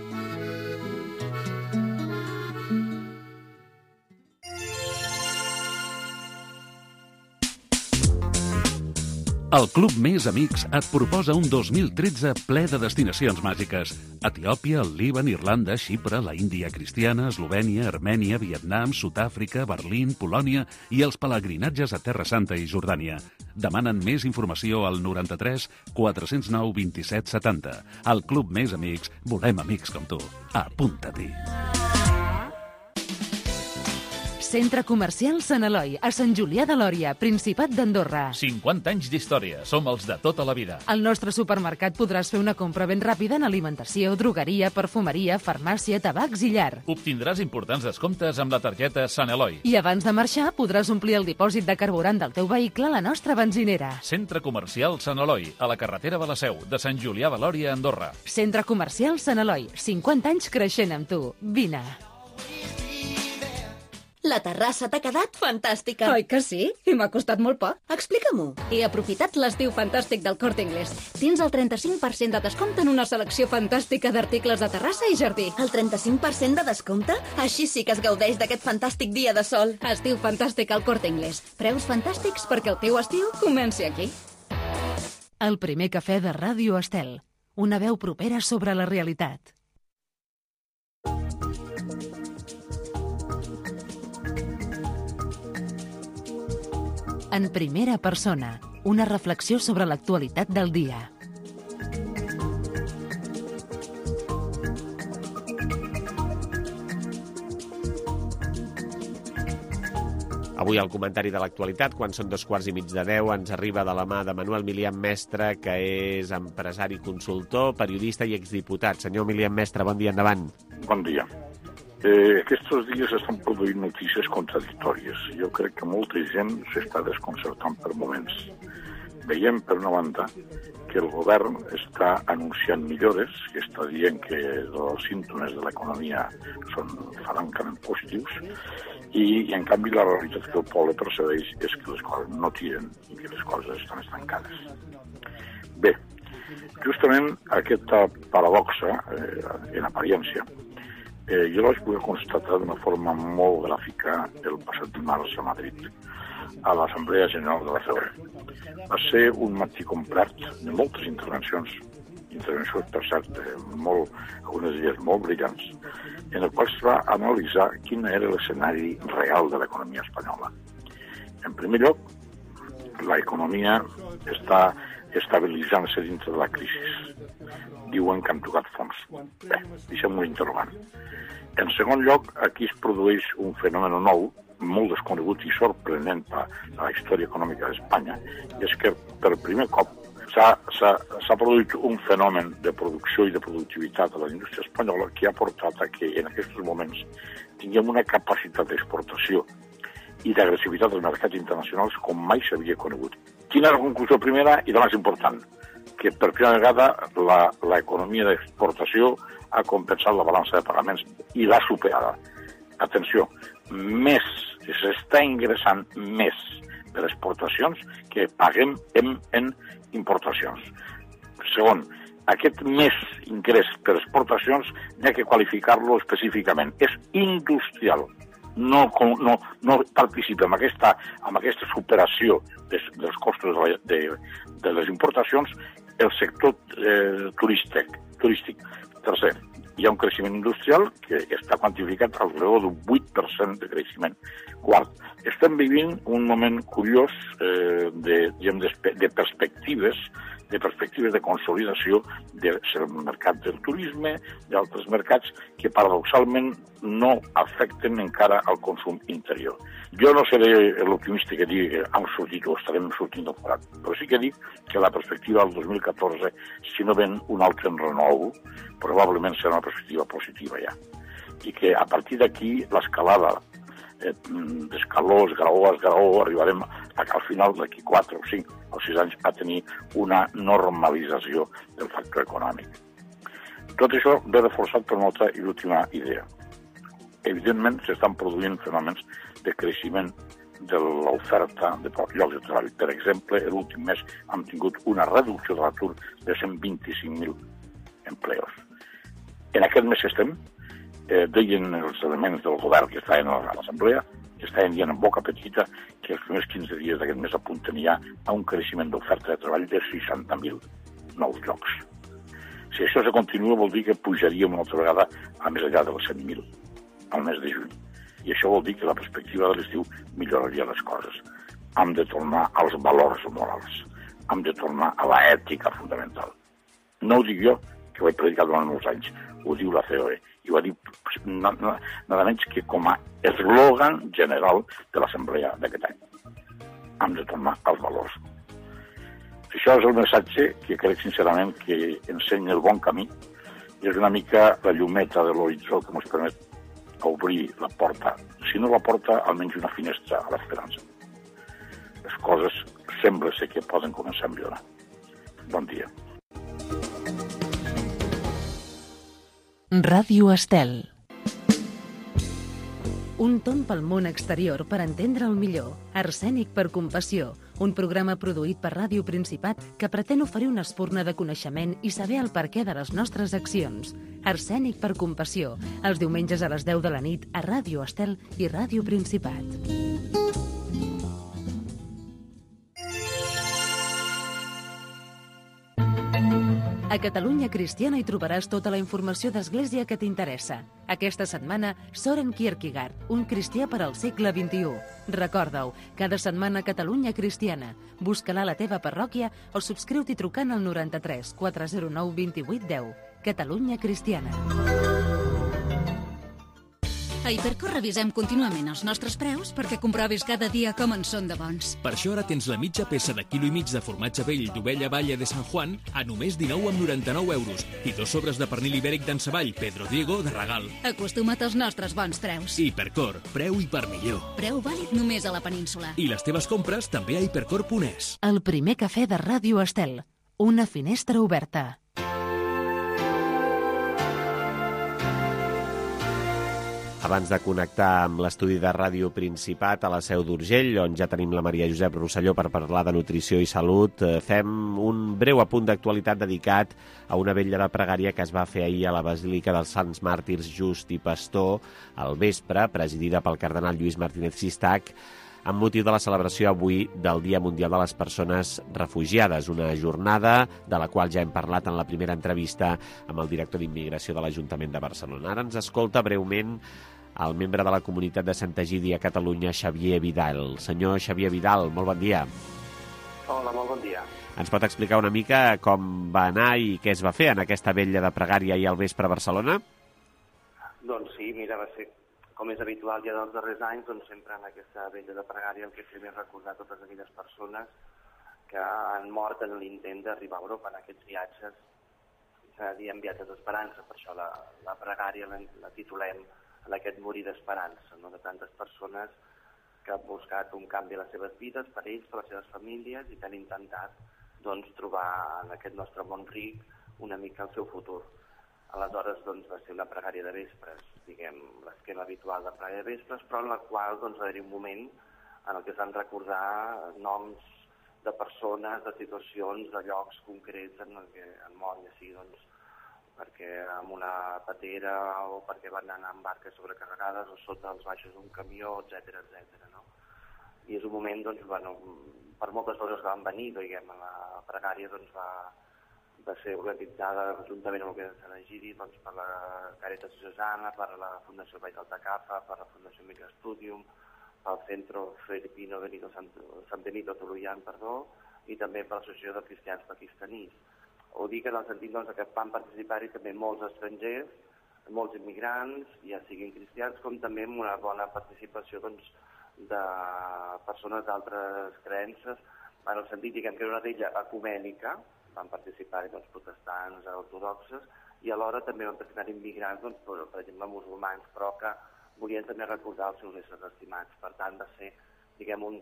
El Club Més Amics et proposa un dos mil tretze ple de destinacions màgiques. Etiòpia, el Líban, Irlanda, Xipre, la Índia cristiana, Eslovènia, Armènia, Vietnam, Sud-àfrica, Berlín, Polònia i els pelegrinatges a Terra Santa i Jordània. Demanen més informació al noranta-tres quatre zero nou vint set setanta. Al Club Més Amics volem amics com tu. Apunta-t'hi. Centre Comercial Sant Eloi, a Sant Julià de Lòria, Principat d'Andorra. cinquanta anys d'història, som els de tota la vida. Al nostre supermercat podràs fer una compra ben ràpida en alimentació, drogueria, perfumeria, farmàcia, tabacs i llar. Obtindràs importants descomptes amb la targeta Sant Eloi. I abans de marxar podràs omplir el dipòsit de carburant del teu vehicle a la nostra benzinera. Centre Comercial Sant Eloi, a la carretera de la Seu, de Sant Julià de Lòria, Andorra. Centre Comercial Sant Eloi, cinquanta anys creixent amb tu. Vine. La terrassa t'ha quedat fantàstica. Oi que sí? I m'ha costat molt poc. Explica-m'ho. He aprofitat l'estiu fantàstic del Corte Inglés. Tens el trenta-cinc per cent de descompte en una selecció fantàstica d'articles de terrassa i jardí. El trenta-cinc per cent de descompte? Així sí que es gaudeix d'aquest fantàstic dia de sol. Estiu fantàstic al Corte Inglés. Preus fantàstics perquè el teu estiu comenci aquí. El Primer Cafè de Ràdio Estel. Una veu propera sobre la realitat. En primera persona, una reflexió sobre l'actualitat del dia. Avui el comentari de l'actualitat, quan són dos quarts i mig de deu, ens arriba de la mà de Manuel Milian Mestre, que és empresari, consultor, periodista i exdiputat. Senyor Milian Mestre, bon dia, endavant. Bon dia. Eh, aquests dies estan produint notícies contradictòries. Jo crec que molta gent s'està desconcertant per moments. Veiem, per una banda, que que el govern està anunciant millores, que està dient que els símptomes de l'economia són francament positius, i, i en canvi la realitat que el poble percebeix és que les coses no tiren i que les coses estan estancades. Bé, justament aquesta paradoxa, eh, en apariència, eh, jo la vaig poder constatar d'una forma molt gràfica el passat dimarts a Madrid, a l'Assemblea General de la C O E. Va ser un matí complet de moltes intervencions, intervencions, per cert, molt, algunes d'elles molt brillants, en el qual es va analitzar quin era l'escenari real de l'economia espanyola. En primer lloc, l'economia està estabilitzant-se dintre de la crisi. Diuen que han tocat fons. Bé, deixem un interrogant. En segon lloc, aquí es produeix un fenomen nou, molt desconegut i sorprenent per la història econòmica d'Espanya, és que per primer cop s'ha produït un fenomen de producció i de productivitat a la indústria espanyola que ha portat a que en aquests moments tinguem una capacitat d'exportació i d'agressivitat dels mercats internacionals com mai s'havia conegut. Quina és la conclusió primera i la més important? Que per primera vegada l'economia d'exportació ha compensat la balança de pagaments i l'ha superada. Atenció, més, s'està ingressant més per exportacions que paguem en, en importacions. Segon, aquest més ingrés per exportacions n'hi ha que qualificar-lo específicament. És industrial. No, no, no participa en aquesta, en aquesta superació des, dels costos de, de, de les importacions el sector eh, turístic, turístic. Tercer, hi ha un creixement industrial que està quantificat al redor d'un vuit per cent de creixement. Quart, estem vivint un moment curiós eh, de, diguem, de, de perspectives de perspectives de consolidació del mercat del turisme, d'altres mercats que paradoxalment no afecten encara al consum interior. Jo no seré l'optimista que digui que hem sortit o estarem sortint del forat, però sí que dic que la perspectiva del dos mil catorze, si no ven un altre renou, probablement serà una perspectiva positiva ja. I que a partir d'aquí l'escalada eh, d'escaló, esgraó, esgraó, arribarem al final d'aquí quatre o cinc o sis anys a tenir una normalització del factor econòmic. Tot això ve reforçat per una altra i l'última idea. Evidentment s'estan produint fenòmens de creixement de l'oferta de llocs de treball. Per exemple, l'últim mes hem tingut una reducció de l'atur de cent vint-i-cinc mil empleos. En aquest mes estem, eh, deien els elements del govern que estaven a l'Assemblea, que estaven dient en boca petita que els primers quinze dies d'aquest mes apunten ja a un creixement d'oferta de treball de seixanta mil nous llocs. Si això se continua vol dir que pujaríem una altra vegada a més enllà dels cent mil al mes de juny. I això vol dir que la perspectiva de l'estiu milloraria les coses. Hem de tornar als valors morals. Hem de tornar a l'ètica fundamental. No ho dic jo, que ho he predicat durant molts anys, ho diu la C O E, i ho ha dit nada, nada menys que com a eslògan general de l'Assemblea d'aquest any. Hem de tornar als valors. Això és el missatge que crec sincerament que ensenya el bon camí i és una mica la llumeta de l'horitzó que ens permet obrir la porta, si no la porta, almenys una finestra a l'esperança. Les coses sembla ser que poden començar a millorar. Bon dia. Ràdio Estel. Un tomb pel món exterior per entendre el millor. Arsènic per compassió, un programa produït per Ràdio Principat que pretén oferir una espurna de coneixement i saber el perquè de les nostres accions. Arsènic per compassió, els diumenges a les deu de la nit a Ràdio Estel i Ràdio Principat. A Catalunya Cristiana hi trobaràs tota la informació d'Església que t'interessa. Aquesta setmana, Soren Kierkegaard, un cristià per al segle vint-i-u. Recorda-ho, cada setmana Catalunya Cristiana. Busca-la a la teva parròquia o subscriu-t'hi trucant al noranta-tres quatre zero nou vint vuit deu. Catalunya Cristiana. A Hipercor revisem contínuament els nostres preus perquè comprovis cada dia com en són de bons. Per això ara tens la mitja peça de quilo i mig de formatge vell d'ovella Valle de San Juan a només dinou coma noranta-nou euros i dos sobres de pernil ibèric d'en Savall Pedro Diego de regal. Acostuma't als nostres bons preus. Hipercor, preu i per millor. Preu vàlid només a la península. I les teves compres també a hipercor punt es. El primer cafè de Ràdio Estel. una finestra oberta. Abans de connectar amb l'estudi de Ràdio Principat a la Seu d'Urgell, on ja tenim la Maria Josep Rosselló per parlar de nutrició i salut, fem un breu apunt d'actualitat dedicat a una vetlla de pregària que es va fer ahir a la Basílica dels Sants Màrtirs Just i Pastor al vespre, presidida pel cardenal Lluís Martínez Sistac, amb motiu de la celebració avui del Dia Mundial de les Persones Refugiades, una jornada de la qual ja hem parlat en la primera entrevista amb el director d'Immigració de l'Ajuntament de Barcelona. Ara ens escolta breument el membre de la comunitat de Sant Egidi a Catalunya, Xavier Vidal. Senyor Xavier Vidal, molt bon dia. Hola, molt bon dia. Ens pot explicar una mica com va anar i què es va fer en aquesta vetlla de pregària ahir al vespre a Barcelona? Doncs sí, mira, va ser, com és habitual ja dels darrers anys, doncs sempre en aquesta vetlla de pregària el que fem és recordar totes aquelles persones que han mort en l'intent d'arribar a Europa en aquests viatges, s'ha de dir en viatges d'esperança, per això la, la pregària la, la titulem en aquest morir d'esperança, no? De tantes persones que han buscat un canvi a les seves vides, per ells, per les seves famílies, i que han intentat doncs, trobar en aquest nostre món ric una mica el seu futur. Aleshores doncs, va ser una pregària de vespres, diguem, l'esquema habitual de pregària de vespres, però en la qual doncs, va haver un moment en el que es van recordar noms de persones, de situacions, de llocs concrets en el que han mort, ja sigui doncs, perquè amb una patera o perquè van anar amb barques sobrecarregades o sota els baixos d'un camió, etcètera, etcètera, no? I és un moment, doncs, bueno, per moltes coses que van venir, diguem, a la pregària doncs, va, va ser organitzada juntament amb el que és Sant Egidi, doncs, per la Càritas Diocesana, per la Fundació Vall d'Altacafa, per la Fundació Migra Studium, pel Centro Filipino Benito Sant, Sant Benito Toluyan, perdó, i també per l'Associació de Cristians Pakistanís. Ho dic en el sentit doncs, que van participar-hi també molts estrangers, molts immigrants, ja siguin cristians, com també amb una bona participació doncs, de persones d'altres creences, en el sentit diguem, que era una d'ella ecumènica, van participar-hi doncs, protestants, ortodoxes, i alhora també van participar immigrants, doncs, per, per exemple, musulmans, però que volien també recordar els seus éssers estimats. Per tant, va ser diguem, un,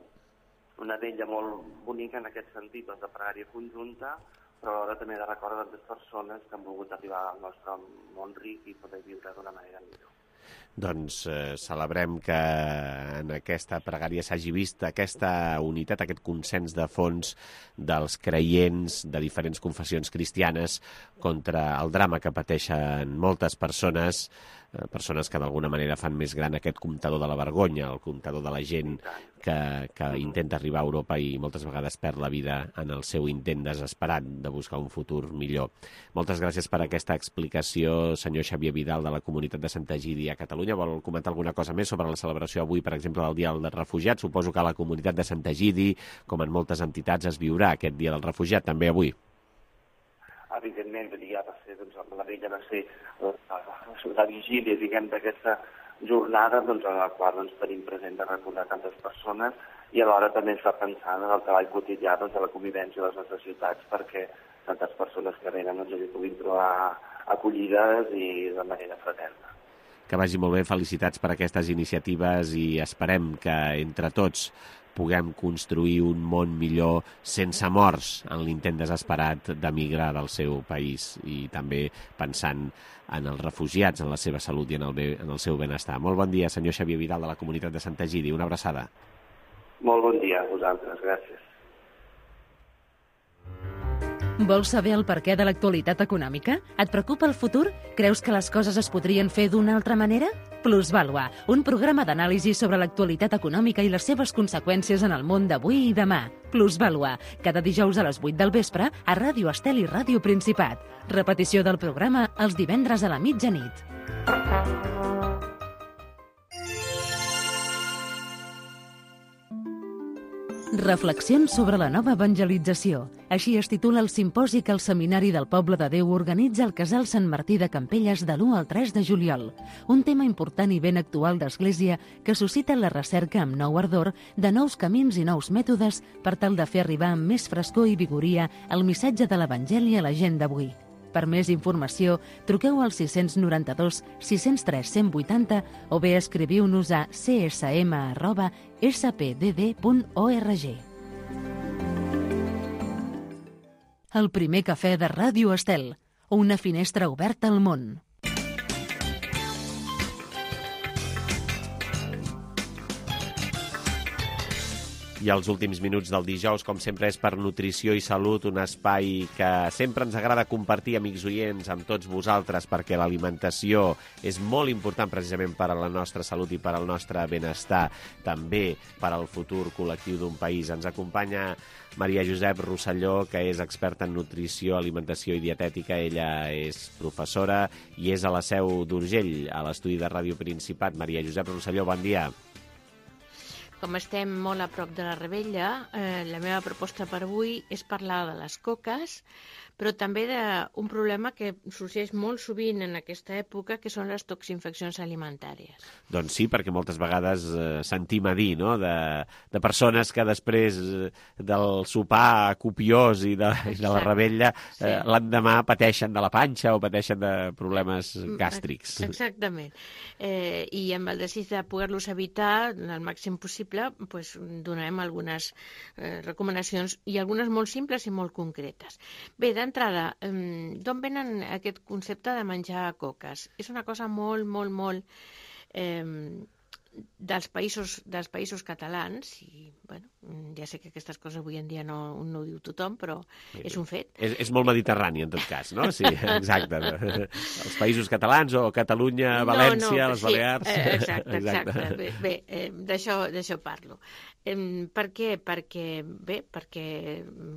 una d'ella molt bonica en aquest sentit, doncs, de pregària conjunta, però alhora també de recordar tantes persones que han volgut arribar al nostre món ric i poder viure d'una manera millor. Doncs eh, celebrem que en aquesta pregària s'hagi vist aquesta unitat, aquest consens de fons dels creients de diferents confessions cristianes contra el drama que pateixen moltes persones, eh, persones que d'alguna manera fan més gran aquest comptador de la vergonya, el comptador de la gent que, que intenta arribar a Europa i moltes vegades perd la vida en el seu intent desesperat de buscar un futur millor. Moltes gràcies per aquesta explicació, senyor Xavier Vidal, de la comunitat de Sant Egidi a Catalunya. Vol comentar alguna cosa més sobre la celebració avui, per exemple, del Dia dels Refugiats? Suposo que a la comunitat de Sant Egidi, com en moltes entitats, es viurà aquest Dia del Refugiat, també avui. Evidentment, ja va ser, doncs, la vella va ser la, la vigília, diguem, d'aquesta jornada, doncs, en la qual doncs, tenim present de recordar tantes persones i alhora també ens fa pensar en el treball quotidià doncs, de la convivència de les nostres ciutats perquè tantes persones que venen doncs, hi puguin trobar acollides i de manera fraterna. Que vagi molt bé, felicitats per aquestes iniciatives i esperem que entre tots puguem construir un món millor sense morts en l'intent desesperat d'emigrar del seu país i també pensant en els refugiats, en la seva salut i en el, en el seu benestar. Molt bon dia, senyor Xavier Vidal, de la comunitat de Sant Egidi. Una abraçada. Molt bon dia a vosaltres, gràcies. Vols saber el perquè de l'actualitat econòmica? Et preocupa el futur? Creus que les coses es podrien fer d'una altra manera? Plusvàlua, un programa d'anàlisi sobre l'actualitat econòmica i les seves conseqüències en el món d'avui i demà. Plusvàlua, cada dijous a les vuit del vespre a Ràdio Estel i Ràdio Principat. Repetició del programa els divendres a la mitjanit. Reflexions sobre la nova evangelització. Així es titula el simposi que el Seminari del Poble de Déu organitza al Casal Sant Martí de Campelles de l'u al tres de juliol. Un tema important i ben actual d'Església que suscita la recerca amb nou ardor de nous camins i nous mètodes per tal de fer arribar amb més frescor i vigoria el missatge de l'Evangeli a la gent d'avui. Per més informació, truqueu al sis nou dos, sis zero tres, cent vuitanta o bé escriviu-nos a c s m arroba s p d d punt org. el primer cafè de Ràdio Estel, una finestra oberta al món. I els últims minuts del dijous, com sempre, és per Nutrició i Salut, un espai que sempre ens agrada compartir, amics oients, amb tots vosaltres, perquè l'alimentació és molt important precisament per a la nostra salut i per al nostre benestar, també per al futur col·lectiu d'un país. Ens acompanya Maria Josep Rosselló, que és experta en nutrició, alimentació i dietètica. Ella és professora i és a la Seu d'Urgell, a l'estudi de Ràdio Principat. Maria Josep Rosselló, bon dia. Com estem molt a prop de la Rebella, eh, la meva proposta per avui és parlar de les coques, però també d'un problema que sorgeix molt sovint en aquesta època, que són les toxinfeccions alimentàries. Doncs sí, perquè moltes vegades eh, sentim a dir, no?, de, de persones que després eh, del sopar copiós i de, i de la Rebella eh, sí. l'endemà pateixen de la panxa o pateixen de problemes gàstrics. Exactament. Eh, I amb el desig de poder-los evitar el màxim possible, pues, donarem algunes eh, recomanacions, i algunes molt simples i molt concretes. Bé, d'entrada, d'on venen aquest concepte de menjar coques? És una cosa molt, molt, molt eh, dels països, dels països catalans, i bueno, ja sé que aquestes coses avui en dia no, no ho diu tothom, però és un fet. És, és molt mediterrani, en tot cas, no? Sí, exacte. Els països catalans o Catalunya, València, no, no, les sí, Balears... Eh, exacte, exacte. exacte. Bé, bé eh, d'això parlo. Eh, per què? Perquè, bé, perquè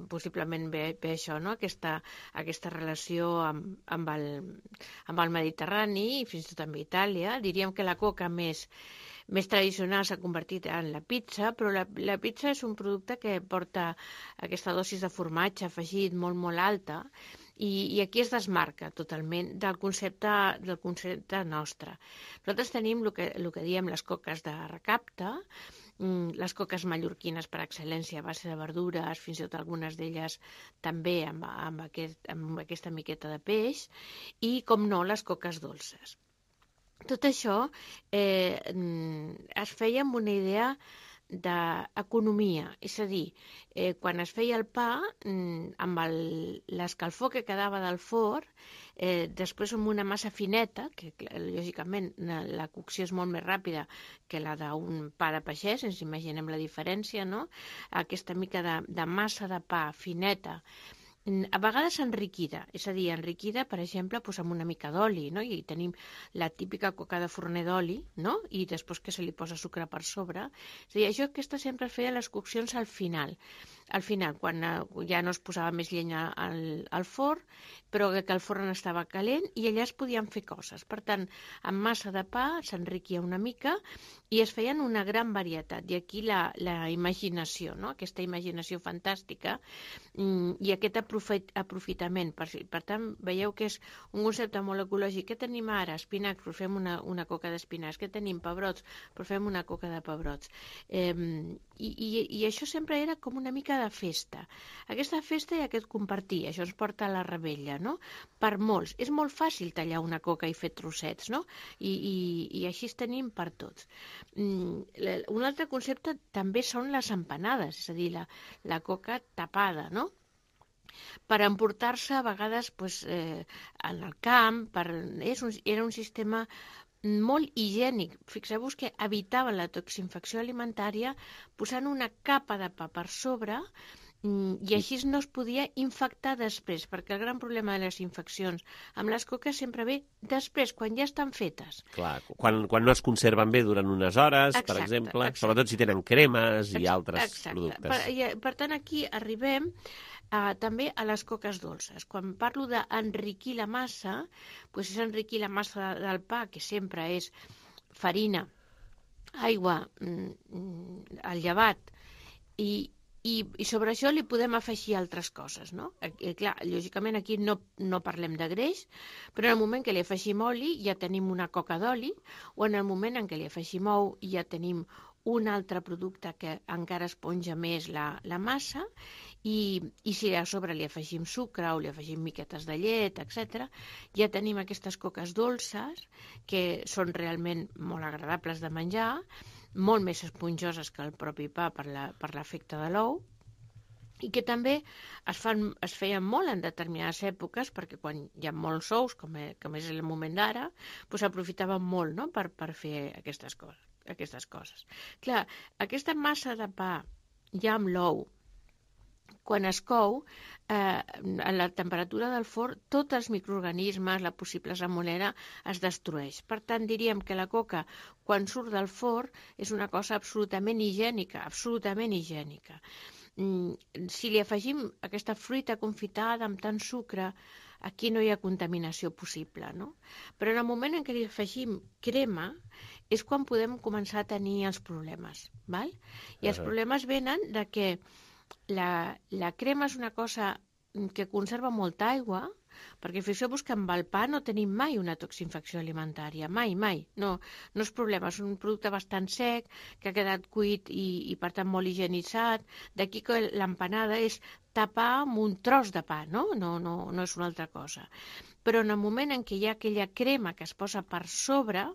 possiblement ve, ve això, no? Aquesta, aquesta relació amb, amb, el, amb el Mediterrani i fins i tot amb Itàlia. Diríem que la coca més més tradicional s'ha convertit en la pizza, però la, la pizza és un producte que porta aquesta dosis de formatge afegit molt, molt alta, i, i aquí es desmarca totalment del concepte, del concepte nostre. Nosaltres tenim el que, el que diem les coques de recapte, les coques mallorquines per excel·lència a base de verdures, fins i tot algunes d'elles també amb, amb, aquest, amb aquesta miqueta de peix, i, com no, les coques dolces. Tot això eh, es feia amb una idea d'economia, és a dir, eh, quan es feia el pa, amb l'escalfor que quedava del forn, eh, després amb una massa fineta, que lògicament la cocció és molt més ràpida que la d'un pa de pagès, ens imaginem la diferència, no? Aquesta mica de, de massa de pa fineta, a vegades enriquida, és a dir, enriquida, per exemple, doncs amb una mica d'oli, no? I tenim la típica coca de forner d'oli, no? I després que se li posa sucre per sobre. És a dir, això aquesta sempre es feia les coccions al final. Al final, quan ja no es posava més llenya al, al forn, però que el forn estava calent i allà es podien fer coses. Per tant, amb massa de pa s'enriquia una mica i es feien una gran varietat. I aquí la, la imaginació, no? Aquesta imaginació fantàstica i aquest aprofitament. Per, per tant, veieu que és un concepte molt ecològic. Què tenim ara? Espinacs, però fem una, una coca d'espinacs. Què tenim? Pebrots, però fem una coca de pebrots. Eh, i, i, I això sempre era com una mica de festa. Aquesta festa i aquest compartir, això ens porta a la Rebella, no? Per molts. És molt fàcil tallar una coca i fer trossets, no? I, i, i així es tenim per tots. Un altre concepte també són les empanades, és a dir, la, la coca tapada, no? Per emportar-se a vegades pues, eh, en el camp, per, és un, era un sistema molt higiènic. Fixeu-vos que evitaven la toxinfecció alimentària posant una capa de pa per sobre i així no es podia infectar després, perquè el gran problema de les infeccions amb les coques sempre ve després, quan ja estan fetes. Clar, quan, quan no es conserven bé durant unes hores, exacte, per exemple, exacte. Sobretot si tenen cremes i altres exacte. productes. Per, i, per tant, aquí arribem uh, també a les coques dolces. Quan parlo d'enriquir la massa, doncs és enriquir la massa del pa, que sempre és farina, aigua, el llevat, i I, i sobre això li podem afegir altres coses, no? I, clar, lògicament aquí no, no parlem de greix, però en el moment que li afegim oli ja tenim una coca d'oli, o en el moment en què li afegim ou ja tenim un altre producte que encara esponja més la, la massa, i, i si a sobre li afegim sucre o li afegim miquetes de llet, etcètera, ja tenim aquestes coques dolces que són realment molt agradables de menjar, molt més esponjoses que el propi pa per l'efecte de l'ou, i que també es, fan, es feien molt en determinades èpoques, perquè quan hi ha molts ous, com, és, com és el moment d'ara, doncs s'aprofitaven molt, no?, per, per fer aquestes coses, aquestes coses. Clar, aquesta massa de pa ja amb l'ou, quan es cou, eh, a la temperatura del forn, tots els microorganismes, la possible salmonella, es destrueix. Per tant, diríem que la coca, quan surt del forn, és una cosa absolutament higiènica, absolutament higiènica. Si li afegim aquesta fruita confitada amb tant sucre, aquí no hi ha contaminació possible, no? Però en el moment en què li afegim crema és quan podem començar a tenir els problemes, val? I els problemes venen de que la, la crema és una cosa que conserva molta aigua, perquè fixeu-vos que amb el pa no tenim mai una toxinfecció alimentària, mai, mai, no, no és problema, és un producte bastant sec, que ha quedat cuit i, i per tant molt higienitzat, d'aquí que l'empanada és tapar amb un tros de pa, no? No, no, no és una altra cosa. Però en el moment en què hi ha aquella crema que es posa per sobre,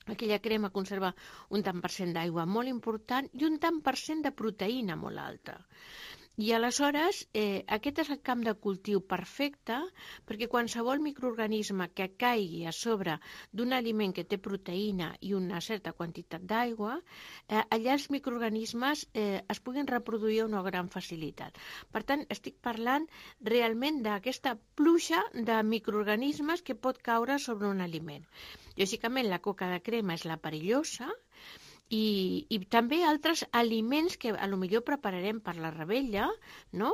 aquella crema conserva un tant per cent d'aigua molt important i un tant per cent de proteïna molt alta. I aleshores eh, aquest és el camp de cultiu perfecte perquè qualsevol microorganisme que caigui a sobre d'un aliment que té proteïna i una certa quantitat d'aigua, eh, allà els microorganismes eh, es puguin reproduir a una gran facilitat. Per tant, estic parlant realment d'aquesta pluja de microorganismes que pot caure sobre un aliment. Lògicament, la coca de crema és la perillosa, I, i també altres aliments que a lo millor prepararem per la revetlla, no?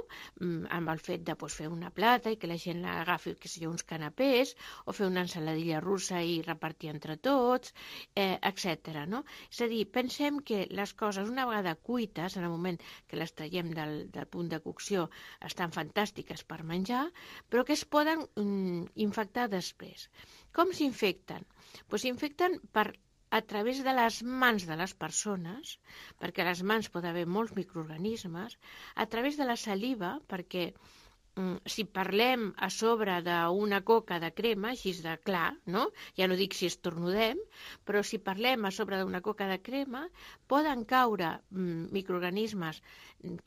Amb el fet de pues, fer una plata i que la gent l'agafi, que sigui uns canapés, o fer una ensaladilla russa i repartir entre tots, eh, etcètera. No? És a dir, pensem que les coses, una vegada cuites, en el moment que les traiem del, del punt de cocció, estan fantàstiques per menjar, però que es poden mm, infectar després. Com s'infecten? Pues s'infecten per a través de les mans de les persones, perquè a les mans pot haver molts microorganismes, a través de la saliva, perquè mm, si parlem a sobre d'una coca de crema, així de clar, no? Ja no dic si estornudem, però si parlem a sobre d'una coca de crema, poden caure mm, microorganismes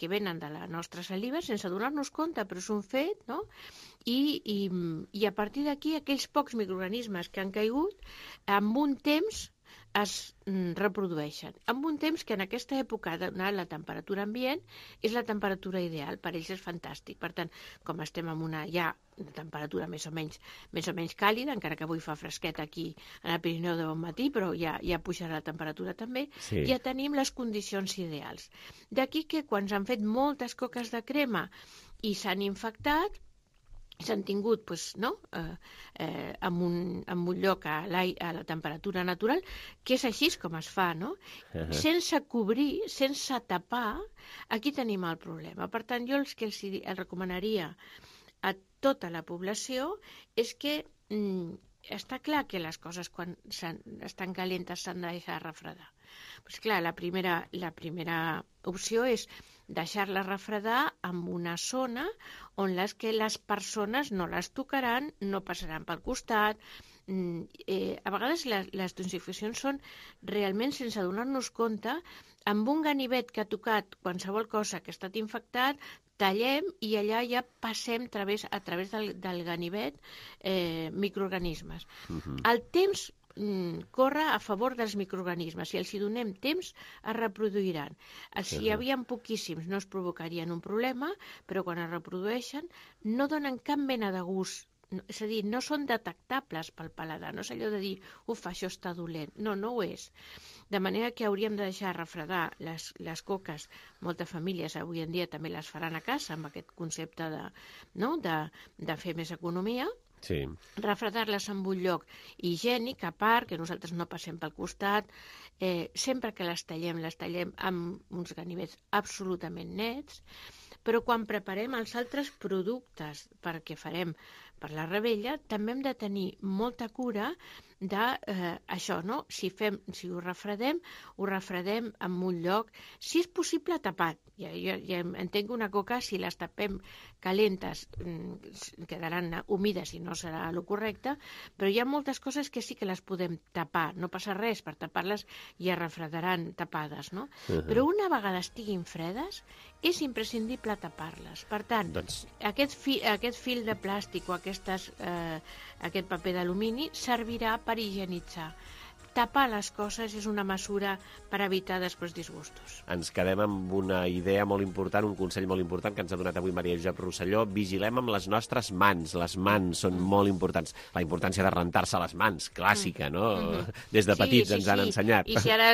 que venen de la nostra saliva sense donar-nos compte, però és un fet, no? I, i, i a partir d'aquí, aquells pocs microorganismes que han caigut, amb un temps es reprodueixen. Amb un temps que en aquesta època, donat la temperatura ambient, és la temperatura ideal, per ells és fantàstic. Per tant, com estem en una ja una temperatura més o menys, més o menys càlida, encara que avui fa fresquet aquí en el Pirineu de bon matí, però ja, ja pujarà la temperatura també, sí. Ja tenim les condicions ideals. D'aquí que quan s'han fet moltes coques de crema i s'han infectat, s'han tingut pues, no? eh, eh, en, un, en un lloc a, a la temperatura natural, que és així com es fa, no? Uh-huh. Sense cobrir, sense tapar, aquí tenim el problema. Per tant, jo el que els, els recomanaria a tota la població és que mm, està clar que les coses quan estan calentes s'han de deixar refredar. Pues clar, la primera, la primera opció és deixar-la refredar en una zona on les que les persones no les tocaran, no passaran pel costat. Eh, a vegades les, les toxificacions són realment sense donar-nos compte, amb un ganivet que ha tocat qualsevol cosa que ha estat infectat, tallem i allà ja passem través, a través del, del ganivet eh, microorganismes. Uh-huh. El temps corre a favor dels microorganismes. Si els hi donem temps, es reproduiran. Si hi havia poquíssims, no es provocarien un problema, però quan es reprodueixen no donen cap mena de gust. És a dir, no són detectables pel paladar. No és allò de dir, uf, això està dolent. No, no ho és. De manera que hauríem de deixar refredar les, les coques. Moltes famílies avui en dia també les faran a casa amb aquest concepte de, no? de, de fer més economia. Sí. Refredar-les en un lloc higiènic, a part, que nosaltres no passem pel costat. Eh, sempre que les tallem, les tallem amb uns ganivets absolutament nets, però quan preparem els altres productes perquè farem per la revetlla, també hem de tenir molta cura de eh, això, no? Si, fem, si ho refredem, ho refredem en un lloc, si és possible tapat. Ja, ja, ja entenc una coca, si les tapem calentes quedaran humides i no serà el correcte, però hi ha moltes coses que sí que les podem tapar, no passa res, per tapar-les ja refredaran tapades, no? Uh-huh. Però una vegada estiguin fredes, és imprescindible tapar-les. Per tant, doncs... aquest, fi, aquest fil de plàstic o aquestes, eh, aquest paper d'alumini servirà per higienitzar. Tapar les coses és una mesura per evitar després disgustos. Ens quedem amb una idea molt important, un consell molt important que ens ha donat avui Maria Josep Rosselló. Vigilem amb les nostres mans. Les mans són molt importants. La importància de rentar-se les mans, clàssica, no? Mm-hmm. Des de petits sí, sí, ens han sí. ensenyat. I si ara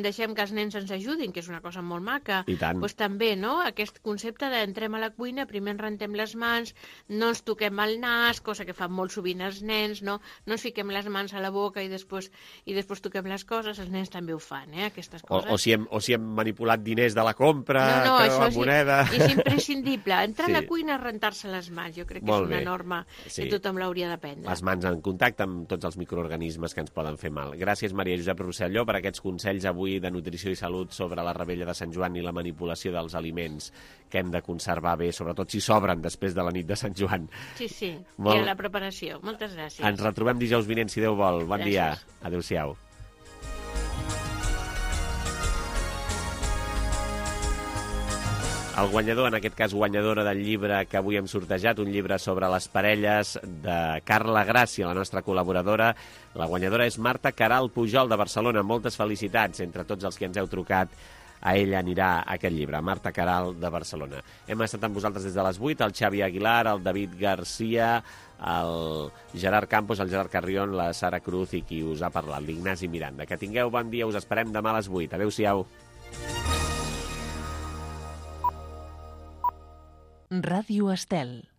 deixem que els nens ens ajudin, que és una cosa molt maca, doncs també, no? Aquest concepte d'entrem a la cuina, primer ens rentem les mans, no ens toquem el nas, cosa que fan molt sovint els nens, no? No ens fiquem les mans a la boca i després, i després toquem les coses, els nens també ho fan, eh, aquestes coses. O, o, si hem, o si hem manipulat diners de la compra, no, no, que això la és, moneda... és imprescindible. Entrar sí. a la cuina a rentar-se les mans, jo crec que Molt és una bé. norma sí. que tothom l'hauria d'aprendre. Les mans en contacte amb tots els microorganismes que ens poden fer mal. Gràcies, Maria Josep Rosselló, per aquests consells avui de nutrició i salut sobre la revetlla de Sant Joan i la manipulació dels aliments que hem de conservar bé, sobretot si sobren després de la nit de Sant Joan. Sí, sí, Molt... i a la preparació. Moltes gràcies. Ens retrobem dijous vinent, si Déu vol. Bon gràcies. dia. Adéu-siau. El guanyador, en aquest cas guanyadora del llibre que avui hem sortejat, un llibre sobre les parelles de Carla Gràcia, la nostra col·laboradora. La guanyadora és Marta Caral Pujol, de Barcelona. Moltes felicitats entre tots els que ens heu trucat. A ella anirà aquest llibre, Marta Caral, de Barcelona. Hem estat amb vosaltres des de les vuit, el Xavi Aguilar, el David Garcia, el Gerard Campos, el Gerard Carrion, la Sara Cruz i qui us ha parlat, l'Ignasi Miranda. Que tingueu bon dia, us esperem demà a les vuit. Adéu-siau. Ràdio Estel.